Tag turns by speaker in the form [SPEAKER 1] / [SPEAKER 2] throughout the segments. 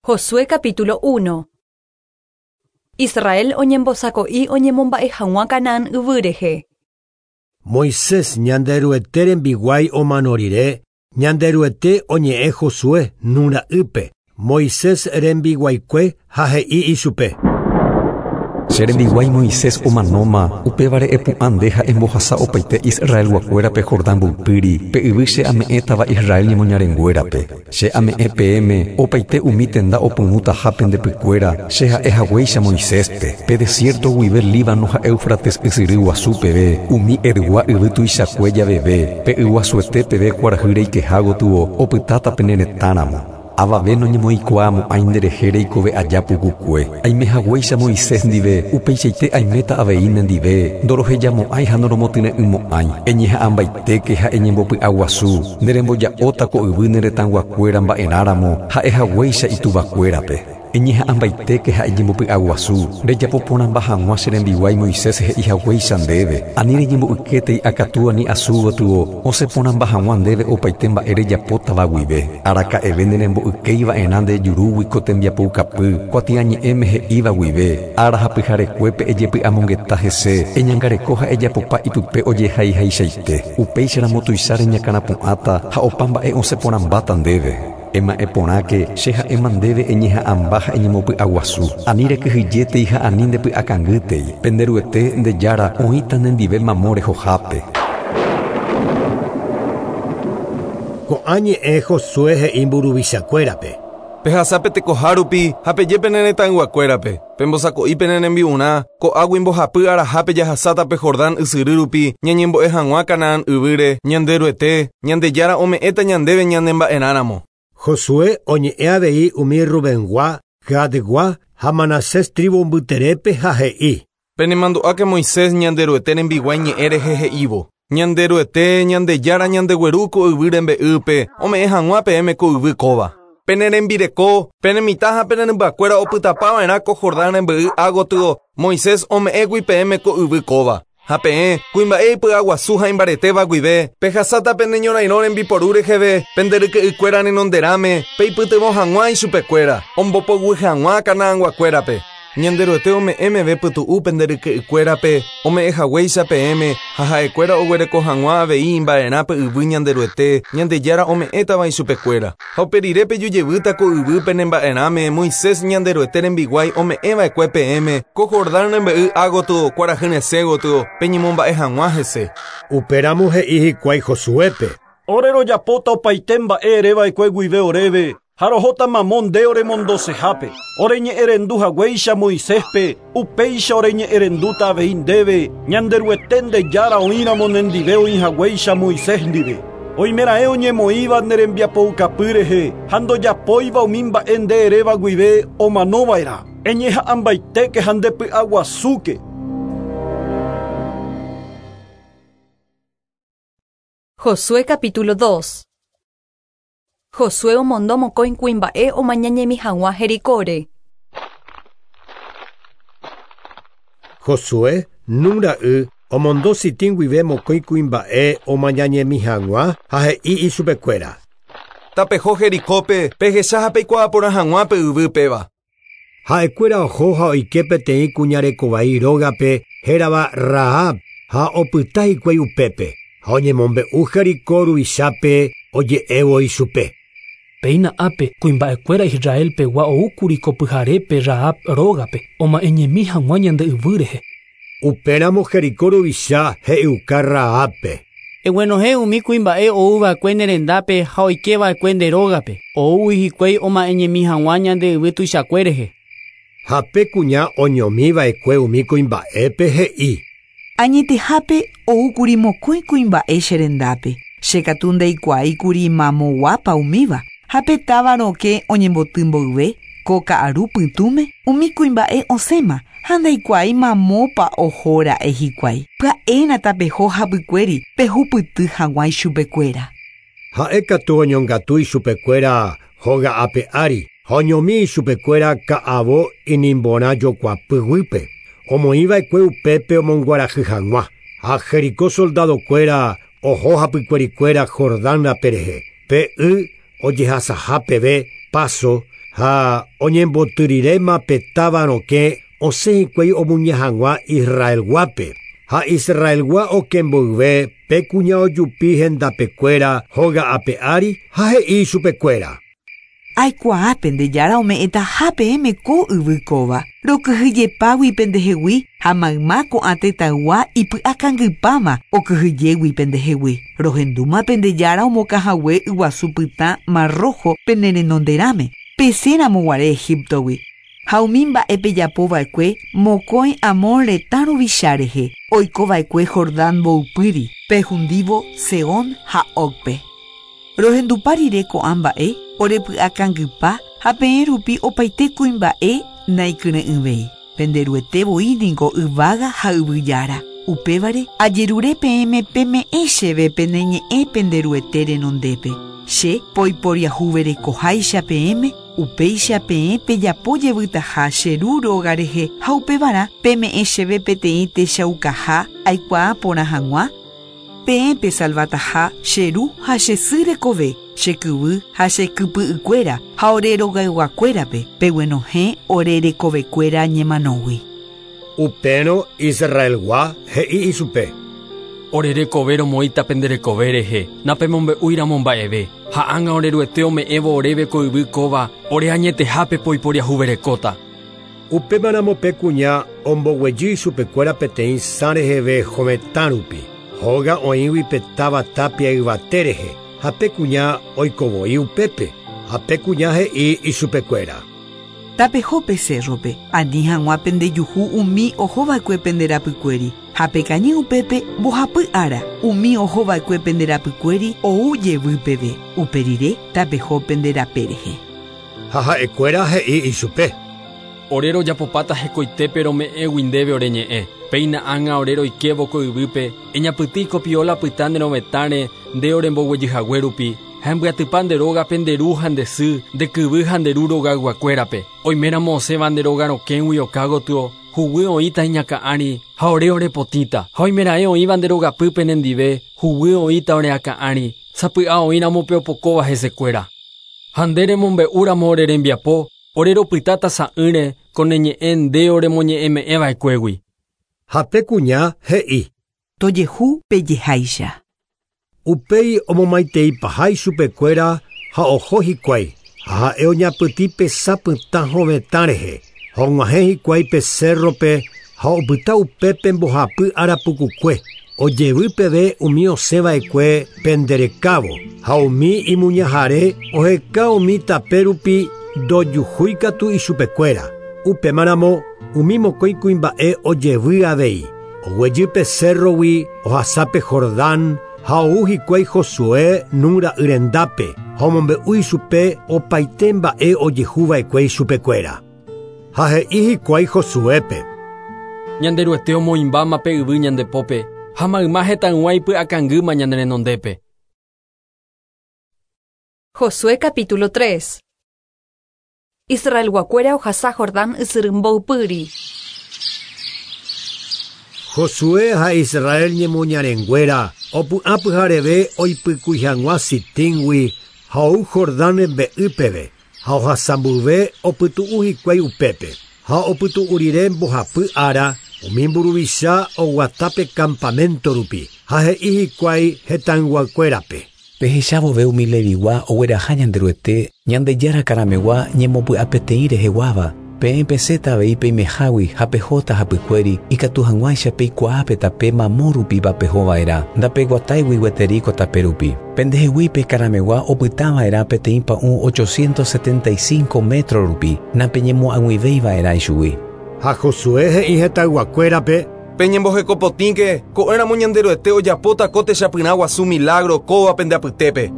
[SPEAKER 1] Josué capítulo 1. Israel oñembosako'i oñemomba'e hag̃ua Canaán yvy rehe.
[SPEAKER 2] Moisés Ñanderuete rembiguái omano rire, Ñanderuete oñe'ẽ Josué Nun ra'ýpe, Moisés rembiguaikue ha he'i ichupe.
[SPEAKER 3] Che rembiguái Moisés omanóma, upévare epu'ã nde ha embohasa opaite Israelguakuérape Jordán mboypýri, pe yvy che ame'ẽtava Israel ñemoñarenguérape. Che ame'ẽ peẽme opaite umi tenda opyrũtaha pende pykuéra, che ha'e haguéicha Moiséspe, pe desierto guive Líbano ha Éufrates ysyry guasu peve, umi Hetgua yvy tuichakue javeve, pe yguasuete peve kuarahy reikeha gotyo, opytáta pene retãramo. Avave noñemoĩkuaamo'ãi nderehe reikove aja pukukue. Aime haguéicha Moisés ndive, upeichaite aiméta avei nendive, ndorohejamo'ãi ha noromotyre'ỹmo'ãi. Eñeha'ãmbaitéke ha eñembopy'aguasu, nde remboja'óta ko yvy ne retãguakuéra mba'erãramo ha'e haguéicha ituvakuérape. Eñeha'ãmbaitéke ha eñembopy'aguasu, rejapo porãmba hag̃ua che rembiguái Moisés he'i haguéicha ndéve. Ani reñembo'ykétei akatúa ni asu gotyo, osẽ porãmba hag̃ua ndéve opaite mba'e rejapótava guive. Araka'eve nerembo'ykéi va'erã nde jurúgui ko tembiapoukapy, kuatiañe'ẽme he'íva guive, ára ha pyharekuépe ejepy'amongeta hese, eñangareko ha ejapopa ipype ojehaihaichaite. Upéicharamo tuicha reñakãrapu'ãta ha opa mba'e osẽ porãmbáta ndéve. Ema'ẽ porãke, che ha'éma ndéve eñeha'ãmba ha eñemopy'aguasu. Ani rekyhyjétei ha ani ndepy'akangýtei. Pende Ruete, nde Jára, oĩta nendive mamo rehohápe.
[SPEAKER 2] Ko'ã ñe'ẽ Josué he'i mburuvichakuérape.
[SPEAKER 4] Pehasa pe tekoha rupi ha peje pene retãyguakuérape, Pembosako'i pene rembi'urã, ko'águi mbohapy arahápe jahasáta pe Jordán ysyry rupi ñañembo'e hag̃ua Canaán yvýre, Ñanderuete, Ñandejára ome'ẽta ñandéve ñane mba'erãramo.
[SPEAKER 2] Josué oñe'ẽ avei umi Rubengua, Gadgua ha Manasés trívu mbyterépe ha he'i.
[SPEAKER 4] Penemandu'áke Moisés Ñanderuete rembiguái ñe'ẽ rehe he'ívo, Ñanderuete, Ñandejára ñandegueru ko yvy rembe'ýpe, ome'ẽ hag̃ua peẽme ko yvy kóva. Pene rembireko, pene mitã ha pene rymbakuéra opytapa va'erã ko Jordán rembe'y ágotyo, Moisés ome'ẽgui peẽme ko yvy kóva. Ha peẽ, kuimba'e ipy'aguasu ha imbaretéva guive, pehasáta pene ñorairõ rembiporu reheve pende ryke'ykuéra renonderãme, peipytyvõ hag̃ua ichupekuéra, ombopoguy hag̃ua Canaanguakuérape. Ñanderuete ome'ẽ meve pytu'u pende ryke'ykuérape, ome'ẽ haguéicha peẽme, ha ha'ekuéra oguereko hag̃ua avei imba'erã pe yvy Ñanderuete, Ñandejára ome'ẽtava ichupekuéra. Ha upe rire peju jevýta ko yvy pene mba'erãme Moisés Ñanderuete rembiguái ome'ẽ va'ekue peẽme, ko Jordán rembe'y ágotyo, kuarahy resẽ gotyo, peñemomba'e hag̃ua hese.
[SPEAKER 2] Upéramo he'i hikuái Josuépe.
[SPEAKER 5] Ore rojapóta opaite mba'e ere va'ekue guive oréve, Ha rohóta mamo nde oremondosehápe. Oreñe'ẽrendu haguéicha Moiséspe, upéicha oreñe'ẽrendúta avei ndéve, Ñanderuete nde Jára oĩramo nendive oĩ haguéicha Moisés ndive. Oimeraẽ oñemoĩva ne rembiapoukapy rehe ha ndojapóiva umi mba'e nde eréva guive omano va'erã. Eñeha'ãmbaitéke ha ndepy'aguasúke.
[SPEAKER 1] Josué capítulo 2. Josué omondo mokõi kuimba'e omañañemi hag̃ua Jericóre.
[SPEAKER 2] Josué, Nun ra'y, omondo Sitim guive mokõi kuimba'e omañañemi hag̃ua ha he'i ichupekuéra.
[SPEAKER 4] Tapeho Jericópe, pehecha ha peikuaa porã hag̃ua pe yvy péva.
[SPEAKER 2] Ha'ekuéra oho ha oike peteĩ kuña rekovai rógape hérava Rahab ha opyta hikuái upépe, ha oñemombe'u Jericó ruvichápe oje'évo ichupe.
[SPEAKER 6] Péina ápe, kuimba'ekuéra Israel pegua oúkuri ko pyharépe Rahab rógape, oma'ẽñemi hag̃ua ñande yvy rehe.
[SPEAKER 2] Upéramo Jericó ruvicha he'iuka Rahábpe.
[SPEAKER 7] Eguenohẽ umi kuimba'e ou va'ekue ne rendápe ha oike va'ekue nde rógape, oúgui hikuái oma'ẽñemi hag̃ua ñande yvy tuichakue rehe.
[SPEAKER 2] Ha pe kuña oñomi va'ekue umi kuimba'épe he'i.
[SPEAKER 8] Añetehápe oúkuri mokõi kuimba'e che rendápe, che katu ndaikuaáikuri mamoguápa umíva, ha pe táva rokẽ oñemboty mboyve, ko ka'aru pytũme, umi kuimba'e osẽma, ha ndaikuaái mamópa oho ra'e hikuái. Pya'éna tapeho hapykuéri pehupyty hag̃ua ichupekuéra.
[SPEAKER 2] Ha'e katu oñongatu ichupekuéra hóga ape ári, ha oñomi ichupekuéra ka'avo inimborã jokuapy guýpe, omoĩ va'ekue upépe omonguarahy hag̃ua. Ha Jericó soldadokuéra oho hapykuerikuéra Jordán rape rehe, pe y ojehasaha peve Paso, Ha oñembotyriréma pe táva rokẽ osẽ hikuái omuña hag̃ua Israelguápe. Ha Israelgua oke mboyve pe kuña ojupi hendapekuéra hóga ape ári ha he'i chupekuéra.
[SPEAKER 8] Aikuaa pende jára ome'ẽtaha peẽme ko yvy kóva. Rokyhyjepágui pendehegui ha mayma ko'ã tetãygua ipy'akangypáma okyhyjégui pendehegui. Rohendúma pende jára omokãhague yguasu pytã Mar Rojo pene renonderãme. Pesẽramoguare Egiptogui. Ha umi mba'e pejapova'ekue mokõi Amor retã ruvicha rehe oikova'ekue Jordán mboypýri, pehundívo Sehón ha Ogpe. Rohendupa rire ko'ã mba'e orepy'akangypa ha peẽ rupi opaite kuimba'e naikyre'ỹvéi. Penderuete voi niko yvága ha yvy jára. Upévare ajerure peẽme peme'ẽ chéve pene ñe'ẽ Penderuete renondépe. Che poiporiahuverekoháicha peẽme, upéicha peẽ pejapo jevytaha che ru róga rehe ha upevarã peme'ẽ chéve peteĩ techaukaha aikuaa porã hag̃ua peẽ pesalvataha che ru ha che sy rekove, che kyvy ha che kypy'ykuéra ha ore rogayguakuérape peguenohẽ ore rekovekuéra ñemanógui.
[SPEAKER 2] Upérõ Israelgua he'i ichupe.
[SPEAKER 9] Ore rekove romoĩta pende rekove rehe, napemombe'úiramo mba'eve, ha ág̃a oreruete ome'ẽvo oréve ko yvy kóva ore añetehápe poiporiahuverekóta.
[SPEAKER 2] Upémaramo pe kuña omboguejy ichupekuéra peteĩ sã reheve hovetã rupi. Hóga oĩgui pe táva tapia yvate rehe, ha pe kuña oikovoi upépe, ha pe kuña he'i ichupekuéra.
[SPEAKER 8] Tapeho pe cérrope, ani hag̃ua pendejuhu umi ohova'ekue pende rapykuéri, ha pekañy upépe mbohapy ára, umi ohova'ekue pende rapykuéri ou jevy peve, upe rire tapeho pende rape rehe.
[SPEAKER 2] Ha ha'ekuéra he'i ichupe.
[SPEAKER 9] Ore rojapopáta hekoitépe rome'ẽgui ndéve ore ñe'ẽ. Péina ág̃a ore roikévo ko yvýpe, eñapytĩ kopiola pytã ne rovetãre nde oremboguejyhague rupi, ha embyatypa nde rógape nde ru ha nde sy, nde kyvy ha nde ru rogayguakuérape. Oiméramo osẽva nde róga rokẽgui oka gotyo, huguy oĩta iñakã'ári ha ore orepotĩta. Ha oimeraẽ oĩva nde rogapýpe nendive, huguy oĩta oreakã'ári, sapy'a oĩramo pe opokóva hesekuéra. Ha nde remombe'úramo ore rembiapo, ore ropytáta sa'ỹre ko ne ñe'ẽ nde oremoñe'ẽme'ẽva'ekuégui.
[SPEAKER 2] Ha pe kuña he'i.
[SPEAKER 8] Tojehu pejeháicha.
[SPEAKER 2] Upéi omomaiteipaha ichupekuéra ha oho hikuái, ha ha'e oñapytĩ pe sã pytã hovetã rehe. Ha og̃uahẽ hikuái pe cérrope ha opyta upépe mbohapy ára pukukue, ojevy peve umi osẽva'ekue penderekávo, ha umi imuñahare oheka umi tape rupi ndojuhúikatu ichupekuéra. Upémaramo umi mokõi kuimba'e ojevy avei. Oguejy pe cérrogui ohasápe Jordán ha ou hikuái Josué Nun ra'y rendápe ha omombe'u ichupe opaite mba'e ojehuva'ekue ichupekuéra. Ha he'i hikuái Josuépe.
[SPEAKER 9] Ñanderuete omoĩmbáma pe yvy ñandepópe ha mayma hetãygua ipy'akangýma ñane renondépe.
[SPEAKER 1] Josué capítulo 3. Israelguakuéra ohasa Jordán ysyry mboypýri.
[SPEAKER 2] Josué ha Israel ñemoñarenguéra opu'ã pyhareve oipykúi hag̃ua Sitíngui ha ou Jordán rembe'y peve, ha ohasambyve opytu'u hikuái upépe. Ha opytu'u rire mbohapy ára umi mburuvicha oguatápe campamento rupi ha he'i hikuái hetãyguakuérape.
[SPEAKER 3] Pehechavove umi Levigua ogueraha Ñanderuete Ñandejára karamegua ñembopy'apeteĩ reheguáva, peẽ pesẽta avei peimehágui ha pehóta hapykuéri ikatu hag̃uáicha peikuaápe tape mamo rupiva pehova'erã, ndapeguatáigui gueteri ko tape rupi. Pendehegui pe karamegua opytava'erã peteĩ pa'ũ 875 metro rupi, napeñemo'ag̃uivéiva'erã ichugui.
[SPEAKER 2] Ha Josué he'i hetãyguakuérape.
[SPEAKER 4] Peñembohekopotĩke ko'ẽramo Ñanderuete ojapóta ko techapyrã guasu milagro kóva pende apytépe.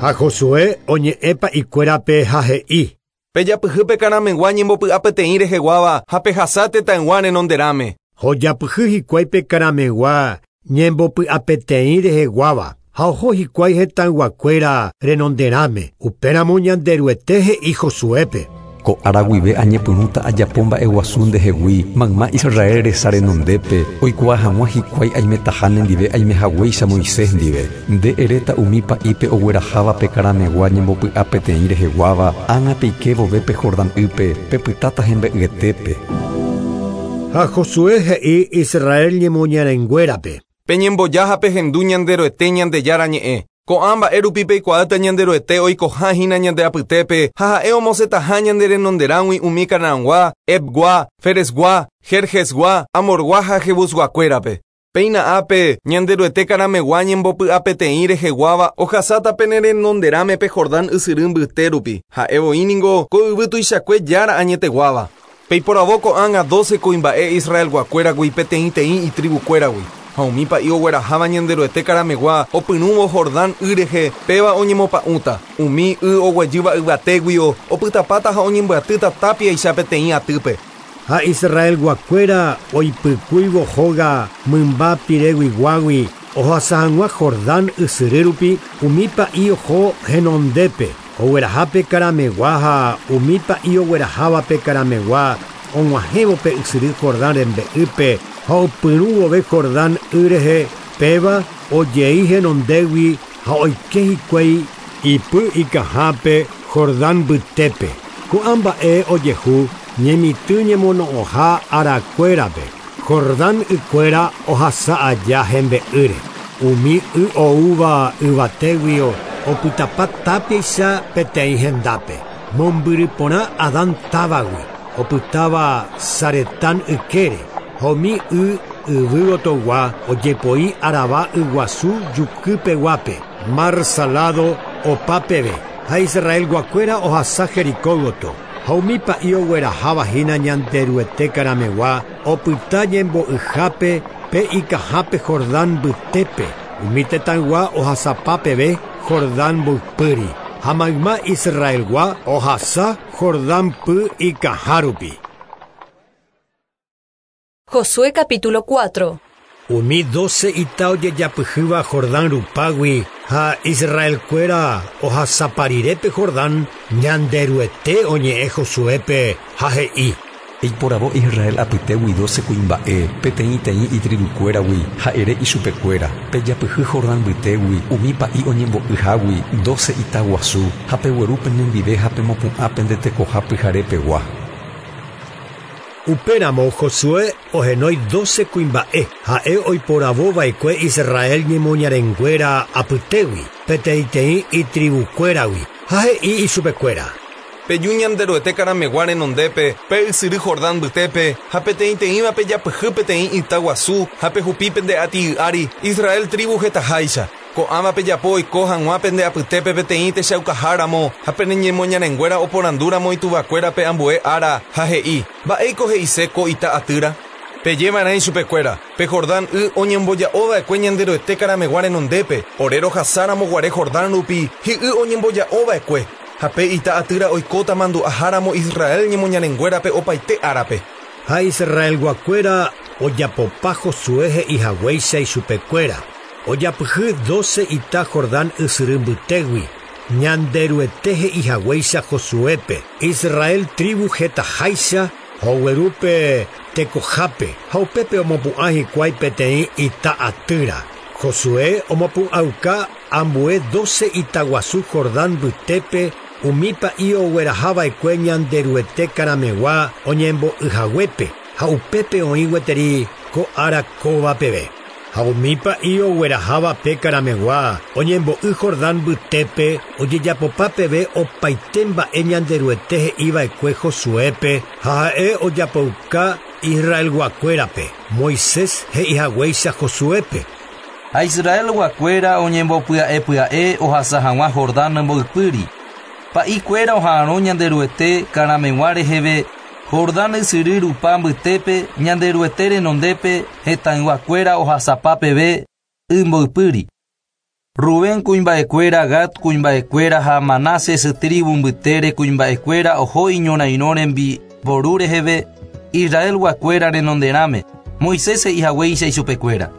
[SPEAKER 2] Ha Josué oñe'ẽpa ikuérape ha he'i.
[SPEAKER 4] Pejapyhy pe karamegua ñembopy'apeteĩ reheguáva ha pehasa tetãygua renonderãme.
[SPEAKER 2] Ojapyhy hikuái pe karamegua ñembopy'apeteĩ reheguáva ha oho hikuái hetãyguakuéra renonderãme. Upéramo Ñanderuete he'i Josuépe.
[SPEAKER 3] Ko ára guive añepyrũta ajapo mba'eguasu ndehegui mayma Israel resa renondépe oikuaa hag̃ua hikuái aimetaha nendive aimehaguéicha Moisés ndive. Nde eréta umi pa'ípe ogueraháva pe karamegua ñembopy'a peteĩ reheguáva ág̃a peike vove pe Jordán ýpe pepytáta hembe'yetépe.
[SPEAKER 2] Ha Josué he'i Israel ñemoñarenguérape.
[SPEAKER 4] Peñemboja ha pehendu Ñanderuete Ñandejára ñe'ẽ. Ko'ã mba'e rupi peikuaáta Ñanderuete oikoha hína ñande apytépe ha ha'e omosẽtaha ñande renonderãgui umi Canaangua, Hevgua, Ferezgua, Gergesgua, Amorgua ha Jebusguakuérape. Péina ápe Ñanderuete karamegua ñembopy'apeteĩ reheguáva ohasáta pene renonderãme pe Jordán ysyry mbyte rupi. Ha'e voi ningo ko yvy tuichakue jára añeteguáva. Peiporavo ko'ág̃a 12 kuimba'e Israelguakuéragui peteĩteĩ itribukuéragui. Ha umi pa'i ogueraháva Ñanderuete karamegua opyrũvo Jordán y rehe péva oñemopa'ũta. Umi y oguejýva yvatéguio opytapáta ha oñembyatýta tápiaicha peteĩ atýpe.
[SPEAKER 2] Ha Israelguakuéra oipykúivo hóga mymba pireguiguágui ohasa hag̃ua Jordán ysyry rupi umi pa'i oho henondépe oguerahápe karamegua ha umi pa'i oguerahávape karamegua og̃uahẽvo pe ysyry Jordán rembe'ýpe ha opyrũ vove Jordán y rehe péva ojei henondégui ha oike hikuái ipy ikahápe Jordán mbytépe. Ko'ã mba'e ojehu ñemitỹ ñemono'õha arakuérape. Jordán ykuéra ohasa aja hembe'ýre. Umi y oúva yvatéguio opytapa tápiaicha peteĩ hendápe. Mombyry porã Adán távagui opytáva Saretán ykére. Ha umi y yvy gotogua ojepoi Arabá yguasu jukypeguápe, Mar Salado opa peve. Ha Israelguakuéra ohasa Jericó gotyo. Ha umi pa'i ogueraháva hína Ñanderuete karamegua opyta ñembo'yhápe pe ikahápe Jordán mbytépe. Umi tetãygua ohasapa peve Jordán mboypýri. Ha mayma Israelgua ohasa Jordán py ikaha rupi.
[SPEAKER 1] Josué capítulo 4.
[SPEAKER 2] Umi 12 ita ojejapyhýva Jordán rupágui ha Israelkuéra ohasaparirépe Jordán Ñanderuete oñe'ẽ Josuépe ha he'i.
[SPEAKER 3] Eiporavo Israel apytégui 12 kuimba'e peteĩteĩ itribukuéragui ha ere ichupekuéra. Pejapyhy Jordán mbytégui umi pa'i oñembo'yhágui 12 ita guasu ha pegueru penendive ha pemopu'ã pende tekoha pyharepegua.
[SPEAKER 2] Upéramo Josué ohenói 12 kuimba'e ha'e oiporavova'ekue Israel ñemoñarenguéra apytégui peteĩteĩ itribukuéragui ha he'i ichupekuéra.
[SPEAKER 4] Peju Ñanderuete karamegua renondépe pe ysyry Jordán mbytépe ha peteĩteĩva pejapyhy peteĩ ita guasu ha pehupi pende ati'y ári Israel tribu hetaháicha. Ko'ãva pejapo oiko hag̃ua pende apytépe peteĩ techaukaháramo ha pene ñemoñarenguéra oporandúramo ituvakuérape ambue ára ha he'i mba'éiko he'ise ko ita atýra. Pejeva'erã ichupekuéra pe Jordán y oñemboja'ova'ekue Ñanderuete karamegua renondépe ore rohasáramo guare Jordán rupi hi'y oñemboja'ova'ekue ha pe ita atýra oikóta mandu'aháramo Israel ñemoñarenguérape opaite árape.
[SPEAKER 2] Ha Israelguakuéra ojapopa Josué he'ihaguéicha ichupekuéra. Ojapyhy 12 ita Jordán ysyry mbytégui. Ñanderuete he'ihaguéicha Josuépe. Israel tribu hetaháicha oguerúpe tekohápe ha upépe omopu'ã hikuái peteĩ ita atýra. Josué omopu'ãuka ambue 12 ita guasu Jordán mbytépe umi pa'i oguerahava'ekue Ñanderuete karamegua oñembo'yhaguépe ha upépe oĩ gueteri ko ára kóva peve. Ha umi pa'i ogueraháva pe karamegua oñembo'y Jordán mbytépe ojejapopa peve opaite mba'e Ñanderuete he'iva'ekue Josuépe ha ha'e ojapouka Israelguakuérape. Moisés he'ihaguéicha Josuépe.
[SPEAKER 10] Ha Israelguakuéra oñembopya'epya'e ohasa hag̃ua Jordán mboypýri. Pa'ikuéra oha'arõ Ñanderuete karamegua reheve Jordán ysyry rupa mbytépe Ñanderuete renondépe hetãyguakuéra ohasapa peve y mboypýri. Rubén kuimba'ekuéra, Gad kuimba'ekuéra ha Manases tribu mbytére kuimba'ekuéra oho iñorairõ rembiporu reheve Israelguakuéra renonderãme Moisés he'ihaguéicha ichupekuéra.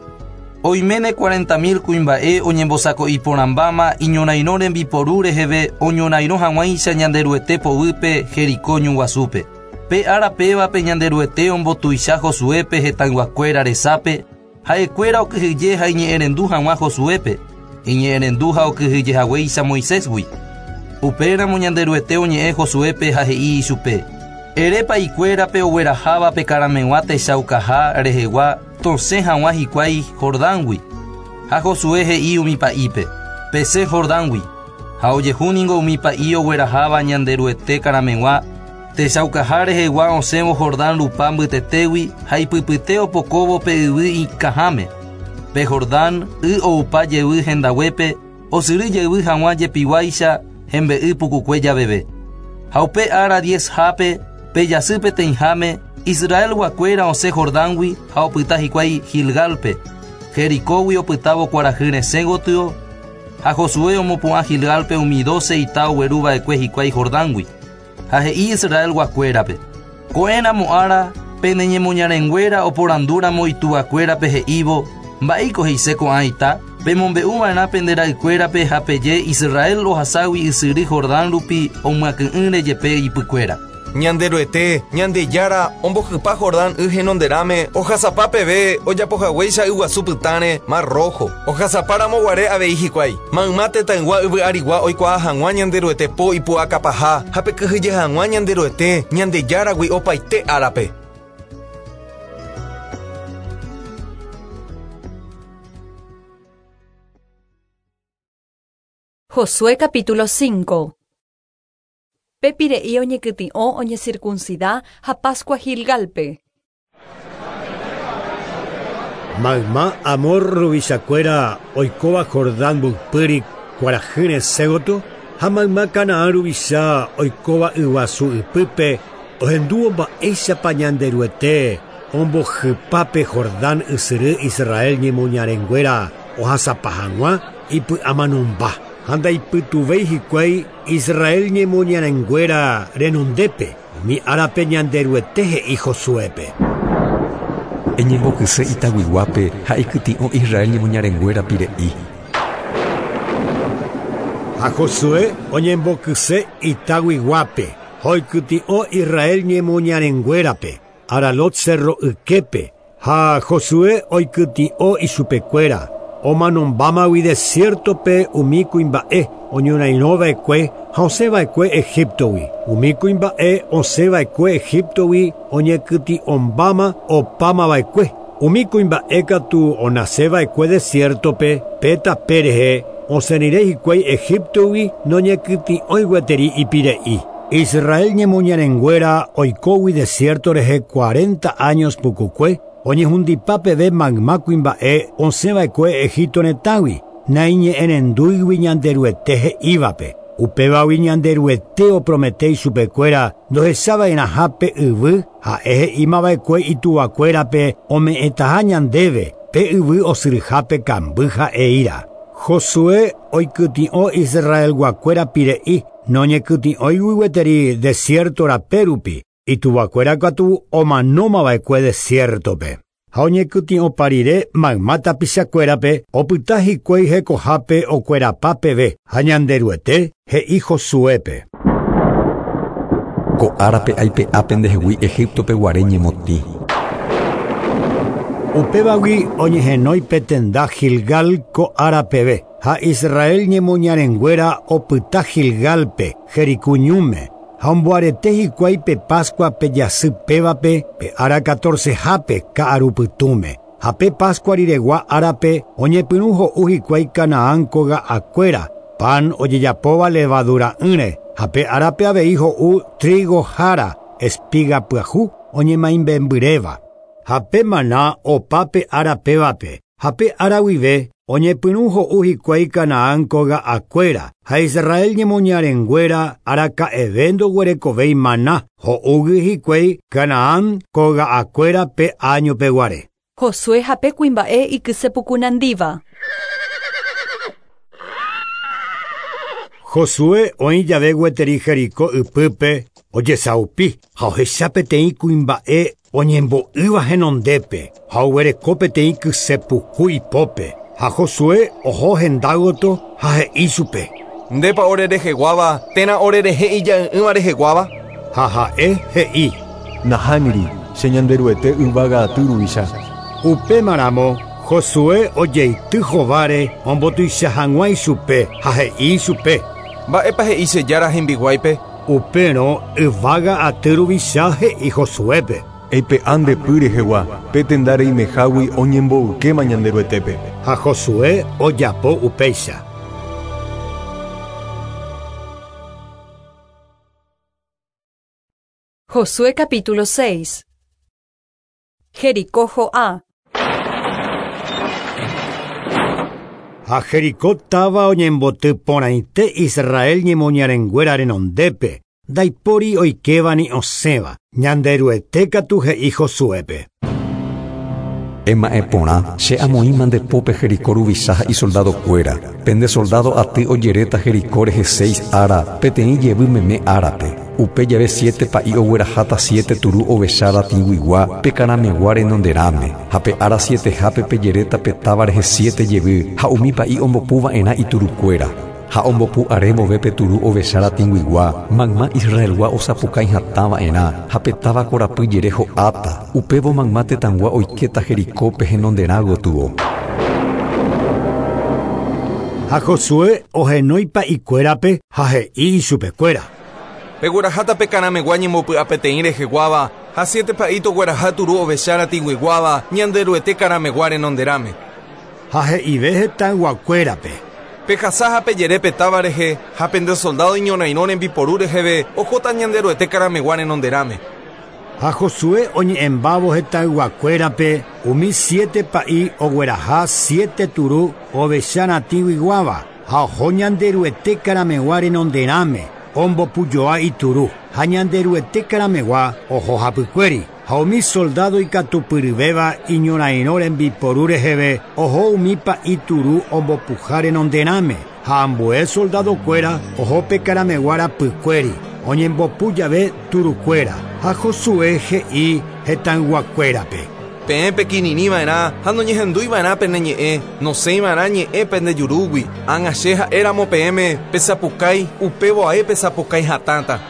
[SPEAKER 10] Oiméne 40.000 kuimba'e oñembosako'iporãmbáma iñorairõ rembiporu reheve oñorairõ hag̃uáicha Ñanderuete poguýpe Jericó ñuguasúpe. Pe ára pévape Ñanderuete ombotuicha Josuépe hetãyguakuéra resápe, ha'ekuéra okyhyje ha iñe'ẽrendu hag̃ua Josuépe, iñe'ẽrendu ha okyhyjehaguéicha Moisésgui. Upéramo Ñanderuete oñe'ẽ Josuépe ha he'i ichupe: Ere pa'ikuérape ogueraháva pe karameg̃ua techaukaha rehegua tosẽ hag̃ua hikuái Jordángui. Ha Josué he'i umi pa'ípe: Pesẽ Jordángui. Ha ojehúningo umi pa'i ogueraháva Ñanderuete karameg̃ua techaukaha rehegua osẽvo Jordán rupa mbytetégui ha ipypyte opokóvo pe yvy ikãháme. Pe Jordán y oupa jevy hendaguépe osyry jevy hag̃ua jepiguáicha hembe'y pukukue javeve. Ha upe ára 10-hápe pe jasy peteĩháme Israelguakuéra osẽ Jordángui ha opyta hikuái Gilgálpe, Jericógui opytávo kuarahy resẽ gotyo, ha Josué omopu'ã Gilgálpe umi 12 ita ogueruva'ekue hikuái Jordángui. Ha he'i Israelguakuérape: Ko'ẽramo ára pene ñemoñarenguéra oporandúramo ituvakuérape he'ívo mba'éiko he'ise ko'ã ita, pemombe'uva'erã pende ra'ykuérape ha peje Israel ohaságui ysyry Jordán rupi omyakỹ'ỹre jepe ipykuéra.
[SPEAKER 4] Ñanderuete, Ñandejára, ombohypa Jordán y henonderãme ohasapa peve ojapohaguéicha yguasu pytãre Mar Rojo. Ohasapáramo guare avei hikuái. Mayma tetãygua yvy arigua oikuaa hag̃ua Ñanderuete po ipu'akapaha ha pekyhyje hag̃ua Ñanderuete, Ñandejáragui opaite árape.
[SPEAKER 1] Josué capítulo 5. Pe pire'i oñekytĩ'o oñecircuncida ha Pascua Gilgalpe.
[SPEAKER 2] Mayma Amor ruvichakuéra oikóva Jordán mboypýri kuarahy resẽ gotyo ha mayma Canaán ruvicha oikóva yguasu ypýpe ohendúvo mba'éichapa Ñanderuete ombohypápe Jordán ysyry Israel ñemoñarenguéra ohasapa hag̃ua ipy'amanomba ha ndaipytuvéi hikuái Israel ñemoñarenguéra renondépe umi árape Ñanderuete he'i Josuépe.
[SPEAKER 3] Eñembokyse itaguiguápe ha ikytĩ'o Israel ñemoñarenguéra pire'i.
[SPEAKER 2] Ha Josué oñembokyse itaguiguápe ha oikytĩ'o Israel ñemoñarenguérape Aralot cerro yképe ha Josué oikytĩ'o ichupekuéra omanombámagui desiertope umi kuimba'e oñorairõva'ekue ha osẽva'ekue Egiptogui. Umi kuimba'e osẽva'ekue Egiptogui oñekytĩ'ombáma opámava'ekue. Umi kuimba'e katu onaseva'ekue desiertope pe tape rehe osẽrire hikuái Egiptogui noñekytĩ'ói gueteri ipire'i. Israel ñemoñarenguéra oikógui desierto rehe 40 años pukukue oñehundipa peve mayma kuimba'e osẽva'ekue Egipto retãgui naiñe'ẽrendúigui Ñanderuete he'ívape. Upévagui Ñanderuete opromete ichupekuéra ndohechava'erãhápe yvy ha'e he'ímava'ekue ituvakuérape ome'ẽtaha ñandéve pe yvy osyryhápe kamby ha'eíra. Josué oikytĩ'o Israelguakuéra pire'i noñekytĩ'óigui gueteri desierto rape rupi ituvakuéra katu omanómava'ekue desiertope. Ha oñekytĩ'opa rire mayma tapichakuérape opyta hikuái hekohápe okuerapa peve ha Ñanderuete he'i Josuépe.
[SPEAKER 3] Ko árape aipe'ápe ndehegui Egiptope guare ñemotĩ.
[SPEAKER 2] Upévagui oñehenói pe tenda Gilgal ko ára peve ha Israel ñemoñarenguéra opyta Gilgalpe Jericó ñúme ha omboarete hikuái pe Pascua pe jasy pévape pe ára 14-hápe ka'arupytũme. Ha pe Pascua riregua árape oñepyrũ ho'u hikuái Canaán koga'akuéra pan ojejapóva levadura'ỹre ha pe árape avei ho'u trigo jára espiga pyahu oñemaimbembyréva. Ha pe maná opa pe ára pévape ha pe ára guive oñepyrũ ho'u hikuái Canaán koga'akuéra ha Israel ñemoñarenguéra araka'eve ndoguerekovéi maná ho'úgui hikuái Canaán koga'akuéra pe año peguare.
[SPEAKER 1] Josué ha pe kuimba'e ikysepukunandíva.
[SPEAKER 2] Josué oĩ jave gueteri Jericó ypýpe ojesaupi ha ohecha peteĩ kuimba'e oñembo'ýva henondépe ha oguereko peteĩ kysepuku ipópe. Ha Josué oho hendágoto ha he'i chupe.
[SPEAKER 4] Ndépa ore reheguáva térã ore rehe ija'ỹ'ỹva reheguáva?
[SPEAKER 2] Ha ha'e he'i.
[SPEAKER 11] Nahániri, che Ñanderuete yvága aty ruvicha.
[SPEAKER 2] Upémaramo Josué ojeity hováre ombotuicha hag̃ua ichupe ha he'i ichupe.
[SPEAKER 4] Mba'épa he'i che jára hembiguáipe?
[SPEAKER 2] Upérõ yvága aty ruvicha he'i Josuépe.
[SPEAKER 11] Eipe'a nde py rehegua, pe tenda reimehágui oñemboykéma Ñanderuetépe.
[SPEAKER 2] Ha Josué ojapo upéicha.
[SPEAKER 1] Josué capítulo 6. Jericó jo'a.
[SPEAKER 2] Ha Jericó táva oñemboty porãite Israel ñemoñarenguéra renondépe, ndaipóri oikéva ni osẽva. Ñanderuete katu he'i Josuépe.
[SPEAKER 3] Ema'ẽ porã, che amoĩma nde pópe Jericó ruvicha ha isoldadokuéra. Pende soldado aty ojeréta Jericó rehe 6 ára, peteĩ jevy meme árape. Upe jave 7 pa'i ogueraháta 7 turu ovecha ratĩguigua pe karamegua renonderãme. Ha pe ára 7hápe pejeréta pe táva rehe 7 jevy ha umi pa'i ombopuva'erã iturukuéra. Ha ombopu are vove pe turu ovecha ratĩguigua, mayma Israelgua osapukái hatãva'erã ha pe táva korapy jere ho'áta. Upévo mayma tetãgua oikéta Jericópe henonderã gotyo.
[SPEAKER 2] Ha Josué ohenói pa'ikuérape ha he'i ichupekuéra.
[SPEAKER 4] Pegueraháta pe karamegua ñembopy'a peteĩ reheguáva ha 7 pa'i togueraha turu ovecha ratĩguiguáva Ñanderuete karamegua renonderãme.
[SPEAKER 2] Ha he'ive hetãyguakuérape.
[SPEAKER 4] Pehasa ha pejere pe táva rehe ha pende soldado iñorairõ rembiporu reheve ohóta Ñanderuete karamegua renonderãme.
[SPEAKER 2] Ha Josué oñe'ẽmbávo hetãyguakuérape umi 7 pa'i ogueraha 7 turu ovecha ratĩguiguáva ha oho Ñanderuete karamegua renonderãme ombopujoa ituru ha Ñanderuete karamegua oho hapykuéri. Ha umi soldado ikatupyryvéva iñorairõ rembiporu reheve oho umi pa'i turu ombopuha renonderãme ha ambue soldadokuéra oho pe karamegua rapykuéri oñembopu jave turukuéra. Ha Josué he'i hetãyguakuérape.
[SPEAKER 4] Peẽ pekirirĩva'erã ha noñehendúiva'erã pene ñe'ẽ, nosẽiva'erã ñe'ẽ pende jurúgui. Ág̃a che ha'éramo peẽme pesapukái, upévo ae pesapukái hatãta.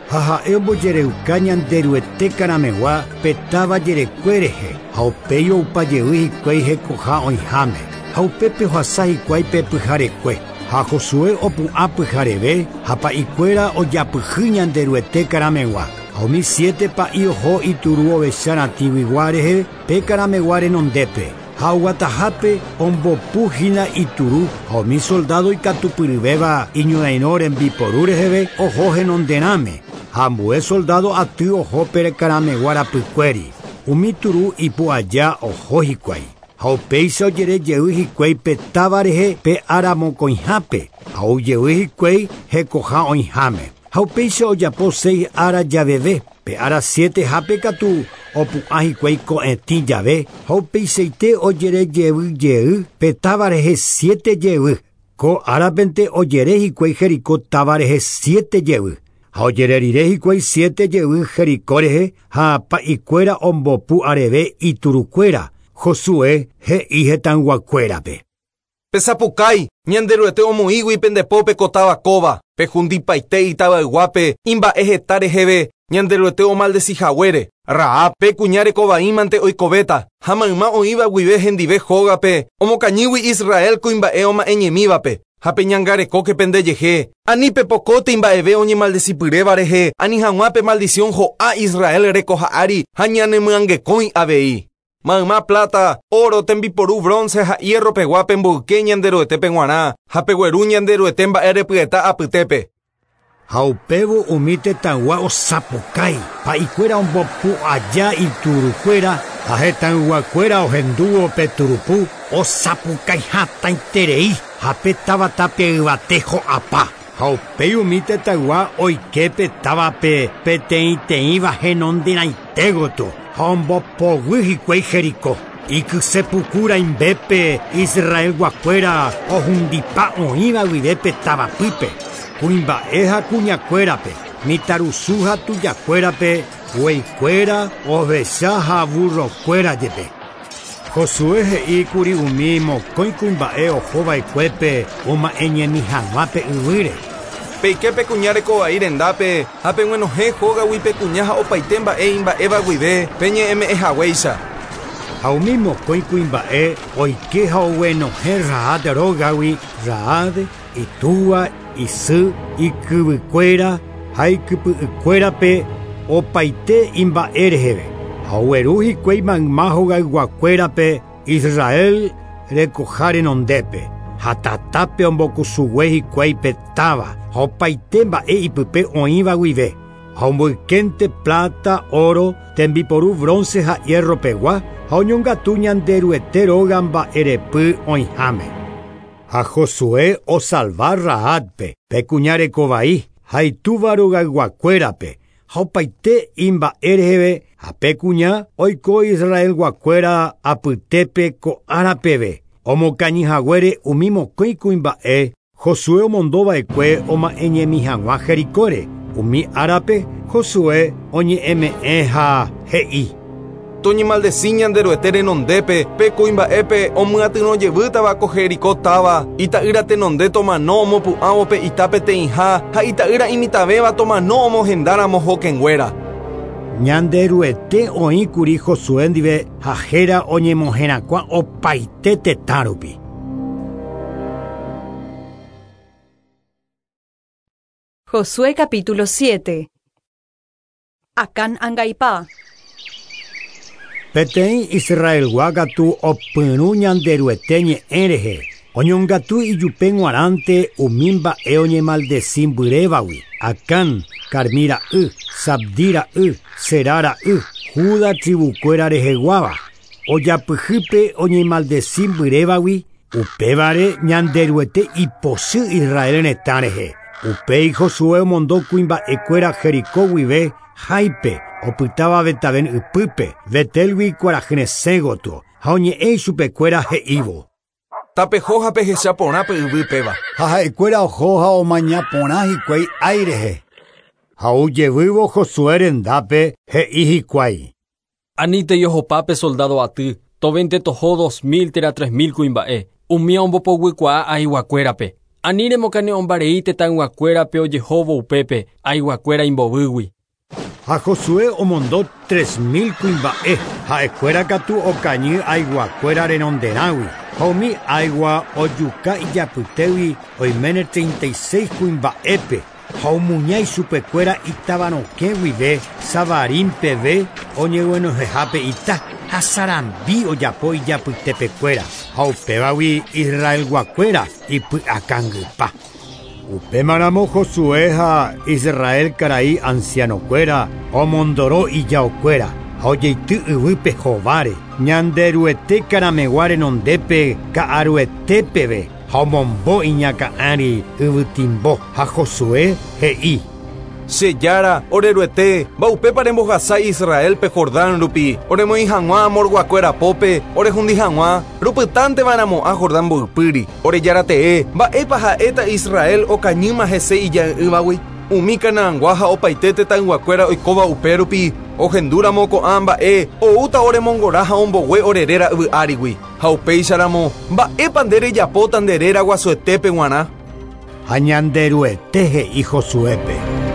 [SPEAKER 2] Ha ha'e ombojereuka Ñanderuete karamegua pe táva jerekue rehe ha upéi oupajey hikuái hekoha oĩháme. Ha upépe ohasa hikuái pe pyharekue. Ha Josué opu'ã pyhareve ha pa'ikuéra ojapyhy Ñanderuete karamegua. Ha umi 7 pa'i oho ituru ovecha ratĩguigua rehe pe karamegua renondépe. Ha oguatahápe ombopu hína ituru ha umi soldado ikatupyryvéva iñorairõ rembiporu reheve oho henonderãme. Ha ambue soldado aty oho pe karamegua rapykuéri. Umi turu ipu aja oho hikuái. Ha upéicha ojere jey hikuái pe táva rehe pe ára mokõihápe. Ha oujey hikuái hekoha oĩháme. Ha upéicha ojapo 6 ára javeve. Pe ára 7hápe katu opu'ã hikuái ko'ẽtĩ jave ha upeichaite ojere jevy jey pe táva rehe 7 jevy. Ko árapente ojere hikuái Jericó táva rehe 7 jevy. Ha ojere rire hikuái 7 jevy Jericó rehe ha pa'ikuéra ombopu areve iturukuéra. Josué he'i hetãyguakuérape.
[SPEAKER 4] Pesapukái, Ñanderuete omoĩgui pendepópe ko táva kóva, pehundipaite itavayguápe imba'e heta reheve Ñanderuete omaldecihaguére. Rahab pe kuña rekovaímante oikovéta ha mayma oĩva guive hendive hógape omokañýgui Israel kuimba'e oma'ẽñemívape. Ha peñangarekóke pendejehe, ani pepokóte imba'eve oñemaldecipyréva rehe, ani hag̃ua pe maldición ho'a Israel rekoha ári ha ñanemyangekõi avei. Mayma plata, oro, tembiporu, bronce ha hierro pegua pemboyke Ñanderuetépe g̃uarã ha pegueru Ñanderuete mba'erepyeta apytépe.
[SPEAKER 2] Ha upévo umi tetãygua osapukái, pa'ikuéra ombopu aja iturukuéra ha hetãyguakuéra ohendúvo pe turupu osapukái hatãiterei ha pe táva tape yvate ho'apa. Ha upéi umi tetãygua oike pe távape peteĩteĩva henonderãite gotyo ha ombopoguy hikuái Jericó. Ikysepuku rãimbépe Israelguakuéra ohundipa oĩva guive pe tavapýpe, kuimba'e ha kuñakuérape, mitãrusu ha tujakuérape, gueikuéra, ovecha ha burrokuéra jepe. Josué he'íkuri umi mokõi kuimba'e ohova'ekuépe oma'ẽñemi hag̃ua pe yvýre.
[SPEAKER 4] Peike pe kuña rekovai rendápe ha peg̃uenohẽ hógagui pe kuña ha opaite mba'e imba'éva guive peñe'ẽme'ẽhaguéicha.
[SPEAKER 2] Ha umi mokõi kuimba'e oike ha oguenohẽ Rahab rógagui Rahab, itúva, isy, ikyvykuéra ha ikypy'ykuérape opaite imba'e reheve. Ha ogueru hikuái mayma hogayguakuérape Israel rekoha renondépe. Ha tatápe ombokusugue hikuái pe táva ha opaite mba'e ipype oĩva guive. Ha omboykénte plata, oro, tembiporu bronce ha hierro pegua ha oñongatu Ñanderuete róga mba'erepy oĩháme. Ha Josué osalva Rahabpe pe kuña rekovai ha itúva rogayguakuérape ha opaite imba'e reheve ha pe kuña oiko Israelguakuéra apytépe ko'ára peve. Omokañyhaguére umi mokõi kuimba'e Josué omondova'ekue oma'ẽñemi hag̃ua Jericóre. Umi árape Josué oñe'ẽme'ẽ ha he'i.
[SPEAKER 4] Toñemaldeci Ñanderuete renondépe pe kuimba'épe omyatyrõjevýtava ko Jericó táva, ita'ýra tenonde tomano omopu'ãvo pe ita peteĩha ha ita'ýra imitãvéva tomano omohendáramo hokẽnguéra.
[SPEAKER 2] Ñanderuete oĩkuri Josué ndive ha héra oñemoherakuã opaite tetã rupi.
[SPEAKER 1] Josué capítulo 7. Acán angaipa.
[SPEAKER 2] Peteĩ Israelgua katu opyrũ Ñanderuete ñe'ẽ rehe. Oñongatu ijupe g̃uarãnte umi mba'e oñemaldecimbyrévagui. Acán, Carmí ra'y, Sabdi ra'y, Zerá ra'y, Judá tribukuéra reheguáva. Ojapyhýpe oñemaldecimbyrévagui, upévare Ñanderuete ipochy Israel retã rehe. Upéi Josué omondo kuimba'ekuéra Jericó guive Háipe, opytáva Betaven ypýpe, Betelgui kuarahyresẽ gotyo, ha oñe'ẽ ichupekuéra he'ívo.
[SPEAKER 4] Tapeho ha pehecha porã pe yvy péva.
[SPEAKER 12] Ha ha'ekuéra oho ha omaña porã hikuái ái rehe.
[SPEAKER 2] Ha ojevývo Josué rendápe he'i hikuái.
[SPEAKER 9] Anítei ohopa pe soldado aty, tovénte toho 2000 térã 3000 kuimba'e, umi ombopoguikuaa aiguakuérape. Ani remokane'õmbarei tetãyguakuérape ojehóvo upépe aiguakuéra imbovýgui.
[SPEAKER 2] Ha Josué omondo 3000 kuimba'e, ha'ekuéra katu okañy aiguakuéra renonderãgui. Ha umi aigua ojuka ijapytégui oiméne 36 kuimba'épe ha omuña ichupekuéra itavarokẽ guive Savarín peve oñeguenohẽhápe ita ha sarambi ojapo ijapytepekuéra ha upévagui Israelguakuéra ipy'akangypa. Upémaramo Josué ha Israel karai ancianokuéra omondoro ijaokuéra ha ojeity yvýpe hováre Ñanderuete karamegua renondépe ka'aruetépeve ha omombo iñakã'ári yvytimbo ha Josué he'i.
[SPEAKER 4] Che Jára, oreruete, mba'upépa rembohasa Israelpe Jordán rupi, oremoĩ hag̃ua amorguakuéra pópe, orehundi hag̃ua, rupytánteva'erãmo'ã Jordán mboypýri, ore Jára tee, mba'épa ha'éta Israel okañýma hese ija'ỹvagui, umi Canaangua ha opaite tetãyguakuéra oikóva upérupi, ohendúramo ko'ã mba'e oúta oremongora ha ombogue ore réra yvy árigui. Ha upéicharamo, mba'épa nde rejapóta nde réra guasuetépe g̃uarã.
[SPEAKER 2] Ha Ñanderuete he'i Josuépe.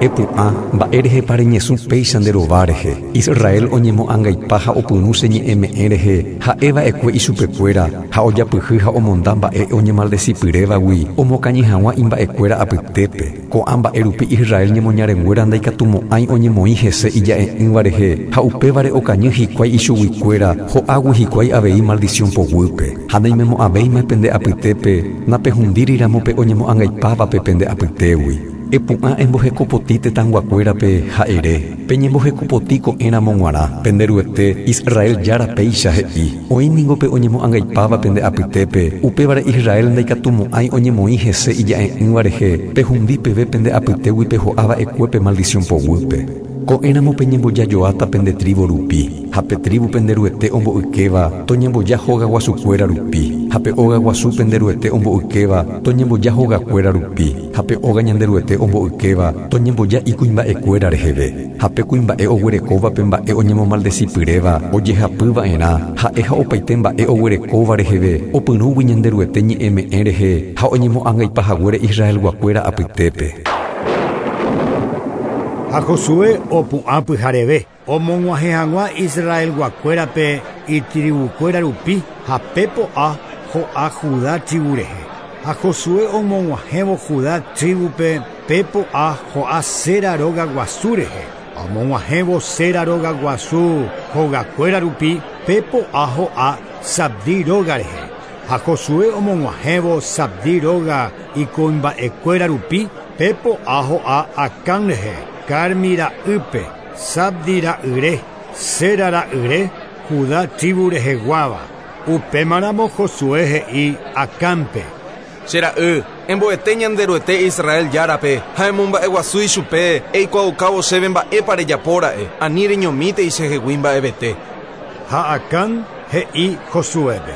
[SPEAKER 3] Epu'ã mba'e rehepa reñesũ péicha nde rova rehe. Israel oñemo'ãngaipa ha opyrũ che ñe'ẽme'ẽ rehe ha'eva'ekue ichupekuéra ha ojapyhy ha omonda mba'e oñemaldecipyrévagui omokañy hag̃ua imba'ekuéra apytépe. Ko'ã mba'e rupi Israel ñemoñarenguéra ndaikatumo'ãi oñemoĩ hese ija'e'ỹva rehe ha upévare okañy hikuái ichuguikuéra ho'águi hikuái avei maldición poguýpe. Ha naimemo'ãvéima pende apytépe napehundíriramo pe oñemo'ãngaipávape pende apytégui. Epu'ã embohekopotĩ tetãyguakuérape ha ere, peñembohekopotĩ ko'ẽramo g̃uarã, Penderuete Israel Jára péicha he'i. Oĩ ningo pe oñemo'ãngaipáva pende apytépe, upévare Israel ndaikatumo'ãi oñemoĩ hese ija'e'ỹva rehe, pehundi peve pende apytégui peho'áva'ekue pe maldición poguýpe. Ko'ẽramo peñembojajoáta pende tribu rupi, ha pe tribu pende Ruete omboykéva toñemboja hogaguasukuéra rupi, ha pe óga guasu pende Ruete omboykéva toñemboja hogakuéra rupi, ha pe óga Ñanderuete omboykéva toñemboja ikuimba'ekuéra reheve, ha pe kuimba'e oguerekóva pe mba'e oñemomaldecipyréva ojehapyva'erã, ha'e ha opaite mba'e oguerekóva reheve opyrũgui Ñanderuete ñe'ẽme'ẽ rehe ha oñemo'ãngaipahaguére Israelguakuéra apytépe.
[SPEAKER 2] Ha Josué opu'ã pyhareve omog̃uahẽ hag̃ua Israelguakuérape itribukuéra rupi ha pe po'a ho'a Judá tribu rehe. Ha Josué omog̃uahẽvo Judá tribupe pe po'a ho'a Sera róga guasu rehe. Omog̃uahẽvo Sera róga guasu hogakuéra rupi pe po'a ho'a Sabdi róga rehe. Ha Josué omog̃uahẽvo Sabdi róga ikuimba'ekuéra rupi pe po'a ho'a Acán rehe. Carmi ra'ýpe, Sabdi ra'yre, Sera ra'yre, Judá tribu reheguáva. Upémaramo Josué he'i Acánpe.
[SPEAKER 4] Che ra'y, emboete Ñanderuete Israel járape ha emomba'eguasu ichupe eikuaaukávo chéve mba'épa rejapóra'e, ani reñomítei chehegui mba'evete.
[SPEAKER 2] Ha Acán he'i Josuépe.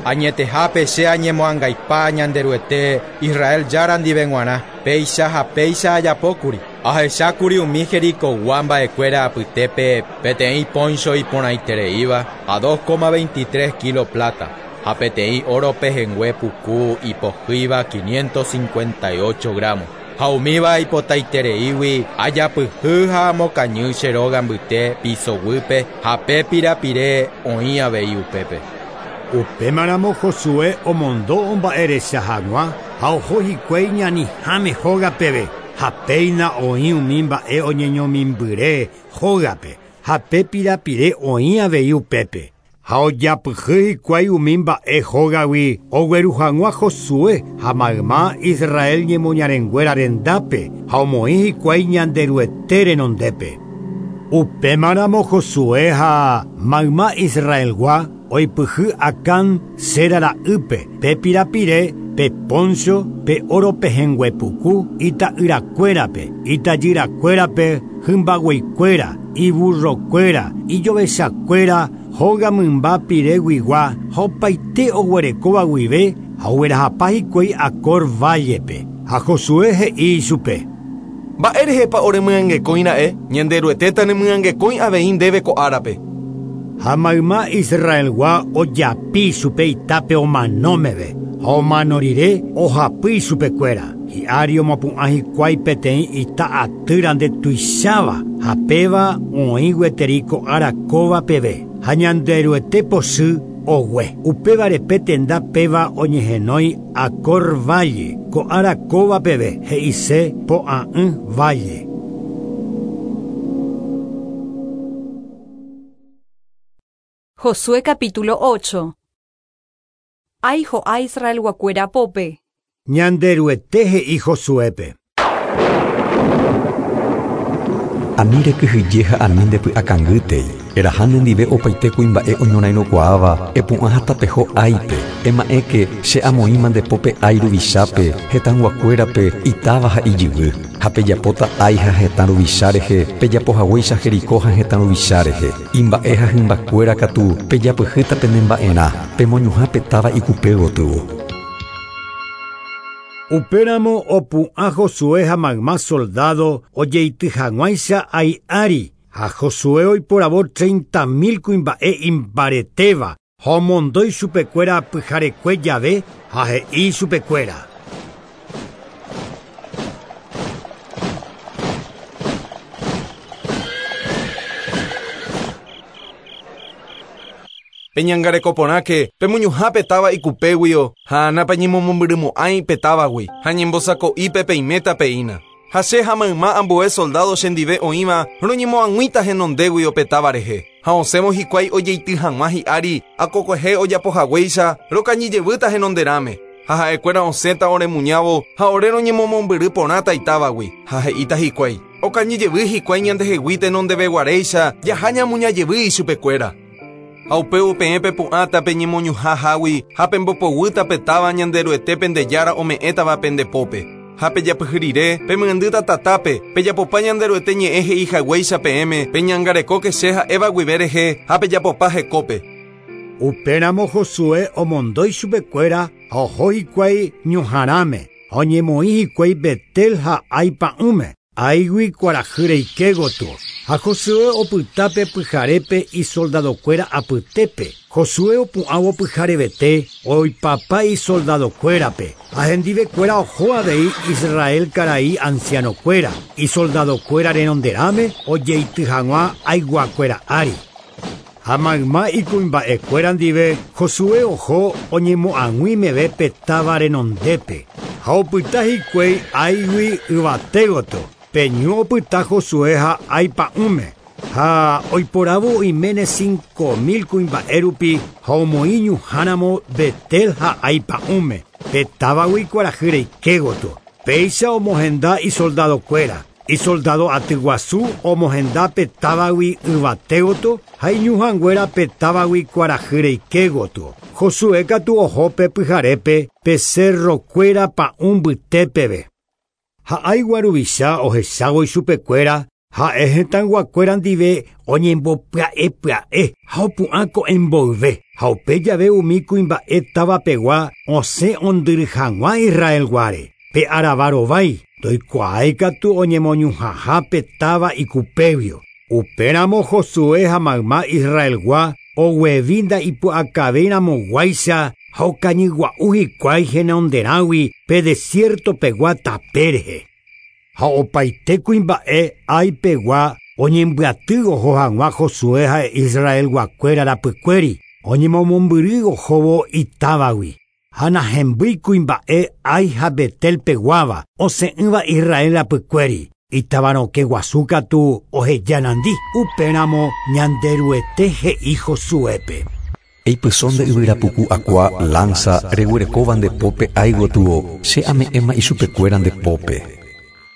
[SPEAKER 13] Añetehápe che añemoangaipa Ñanderuete Israel jára ndive g̃uarã, péicha ha péicha ajapókuri. Ahechákuri umi Jericogua mba'ekuéra apytépe peteĩ poncho iporãitereíva ha 2,23 kilo plata, ha peteĩ oro pehẽngue puku ipohýiva 558 gramos. Ha umíva ipotaitereígui ajapyhy ha amokañy che róga mbyte pisoguýpe ha pe pirapire oĩ avei upépe.
[SPEAKER 2] Upémaramo Josué omondo omba'erecha hag̃ua ha oho hikuái ñaniháme hógapeve ha péina oĩ umi mba'e oñeñomimbyre hógape ha pe pirapire oĩ avei upépe. Ha ojapyhy hikuái umi mba'e hógagui ogueru hag̃ua Josué ha mayma Israel ñemoñarenguéra rendápe ha omoĩ hikuái Ñanderuete renondépe. Upémaramo Josué ha mayma Israelgua oipyhy Acán Sera ra'ýpe pe pirapire pe poncho pe oro pehẽngue puku ita'yrakuérape itajyrakuérape hymbagueikuéra iburrokuéra ijovechakuéra hóga mymba pireguigua ha opaite oguerekóva guive ha oguerahapa hikuái Acor vállepe. Ha Josué he'i ichupe.
[SPEAKER 4] Mba'érehepa oremyangekõira'e Ñanderuetéta nemyangekõi avei ndéve ko árape.
[SPEAKER 2] Ha mayma Israelgua ojapi chupe itápe omanómeve ha omano rire ohapy ichupekuéra. Hi'ári omopu'ã hikuái peteĩ ita atýra ndetuicháva ha péva oĩ gueteri ko ára kóva peve. Ha Ñanderuete pochy ogue. Upévare pe tenda péva oñehenói Acor Valle, ko ára kóva peve he'ise po'a'ỹ valle.
[SPEAKER 1] Josué capítulo 8. Ai ho'a Israelguakuéra pópe.
[SPEAKER 2] Ñanderuete he'i Josuépe.
[SPEAKER 3] Ani rekyhyje ha ani ndepy'akangýtei. Eraha nendive opaite kuimba'e oñorairõkuaáva epu'ã ha tapeho Áipe. Ema'ẽke che amoĩma ndepópe Ai ruvichápe, hetãyguakuérape, itáva ha ijyvy. Ha pejapóta Ai ha hetã ruvicha rehe, pejapohaguéicha Jericó ha hetã ruvicha rehe. Imba'e ha hymbakuéra katu pejapyhýta penemba'erã, pemoñuhã pe táva ikupe gotyo.
[SPEAKER 2] Upéramo opu'ã Josué ha mayma soldado ojeity hag̃uáicha Ai ári ha Josué oiporavo 30.000 kuimba'e imbaretéva ha omondo ichupekuéra pyharekue jave ha he'i ichupekuéra.
[SPEAKER 4] Peñangarekoporãke pemoñuhã táva ikupéguio ha napeñemomombyrymo'ãi pe távagui ha ñembosako'ípe peiméta peína. Ha che ha mayma ambue soldado chendive oĩva roñemoag̃uíta henondéguio pe táva rehe. Ha osẽvo hikuái ojeity hag̃ua hi'ári akokuehe ojapohaguéicha rokañyjevýta henonderãme. Ha ha'ekuéra osẽta oremuñávo ha ore roñemomombyry porãta itávagui ha he'íta hikuái. Okañyjevy hikuái ñandehegui tenondeveguaréicha jaha ñamuñajevy ichupekuéra. Ha upévo peẽ pepu'ãta peñemoñuhãhágui ha pembopoguýta pe táva Ñanderuete pende jára ome'ẽtava pendepópe. Ha pejapyhy rire, pemyendýta tatápe, pejapopa Ñanderuete ñe'ẽ he'i haguéicha peẽme, peñangarekóke che ha'éva guive rehe ha pejapopa hekópe.
[SPEAKER 2] Upéramo Josué omondo ichupekuéra ha oho hikuái ñuhãrãme ha oñemoĩ hikuái Betel ha Ai pa'ũme, Aigui kuarahy reike gotyo. Ha Josué opyta pe pyharépe isoldadokuéra apytépe. Josué opu'ãvo pyharevete oipapa isoldadokuérape ha hendivekuéra oho avei Israel karai ancianokuéra, isoldadokuéra renonderãme ojeity hag̃ua Aiguakuéra ári. Ha mayma ikuimba'ekuéra ndive Josué oho oñemo'ag̃ui meve pe táva renondépe ha opyta hikuái Aigui yvate gotyo. Pe ñu opyta Josué ha Ai pa'ũme ha oiporavo oiméne 5.000 kuimba'e rupi ha omoĩ ñuhãramo Betel ha Ai pa'ũme pe távagui kuarahy reike gotyo. Péicha omohenda isoldadokuéra. Isoldado aty guasu omohenda pe távagui yvate gotyo ha iñuhãnguéra pe távagui kuarahy reike gotyo. Josué katu oho pe pyharépe pe cerrokuéra pa'ũ mbytépeve. Ha Aigua ruvicha ohechávo ichupekuéra ha'e hetãyguakuéra ndive oñembopya'epya'e ha opu'ã ko'ẽmboyve ha upe jave umi kuimba'e távapegua osẽ ondyry hag̃ua Israelguáre. Pe aravarovái ndoikuaái katu oñemoñuhãha pe táva ikupévio. Upéramo Josué ha mayma Israelgua oguevi nda'ipu'akavéiramoguáicha ha okañygua'u hikuái henonderãgui pe desiertopegua tape rehe. Ha opaite kuimba'e Aipegua oñembyaty oho hag̃ua Josué ha Israelguakuéra rapykuéri oñemomombyry ohóvo itávagui. Ha nahembýi kuimba'e Ai ha Betelpeguáva osẽ'ỹva Israel rapykuéri. Itavarõke guasu katu oheja nandi upéramo Ñanderuete he'i Josuépe.
[SPEAKER 3] Eipyso nde yvyrapuku akua lanza reguerekóva nde pópe Ai gotyo, che ame'ẽma ichupekuéra nde pópe.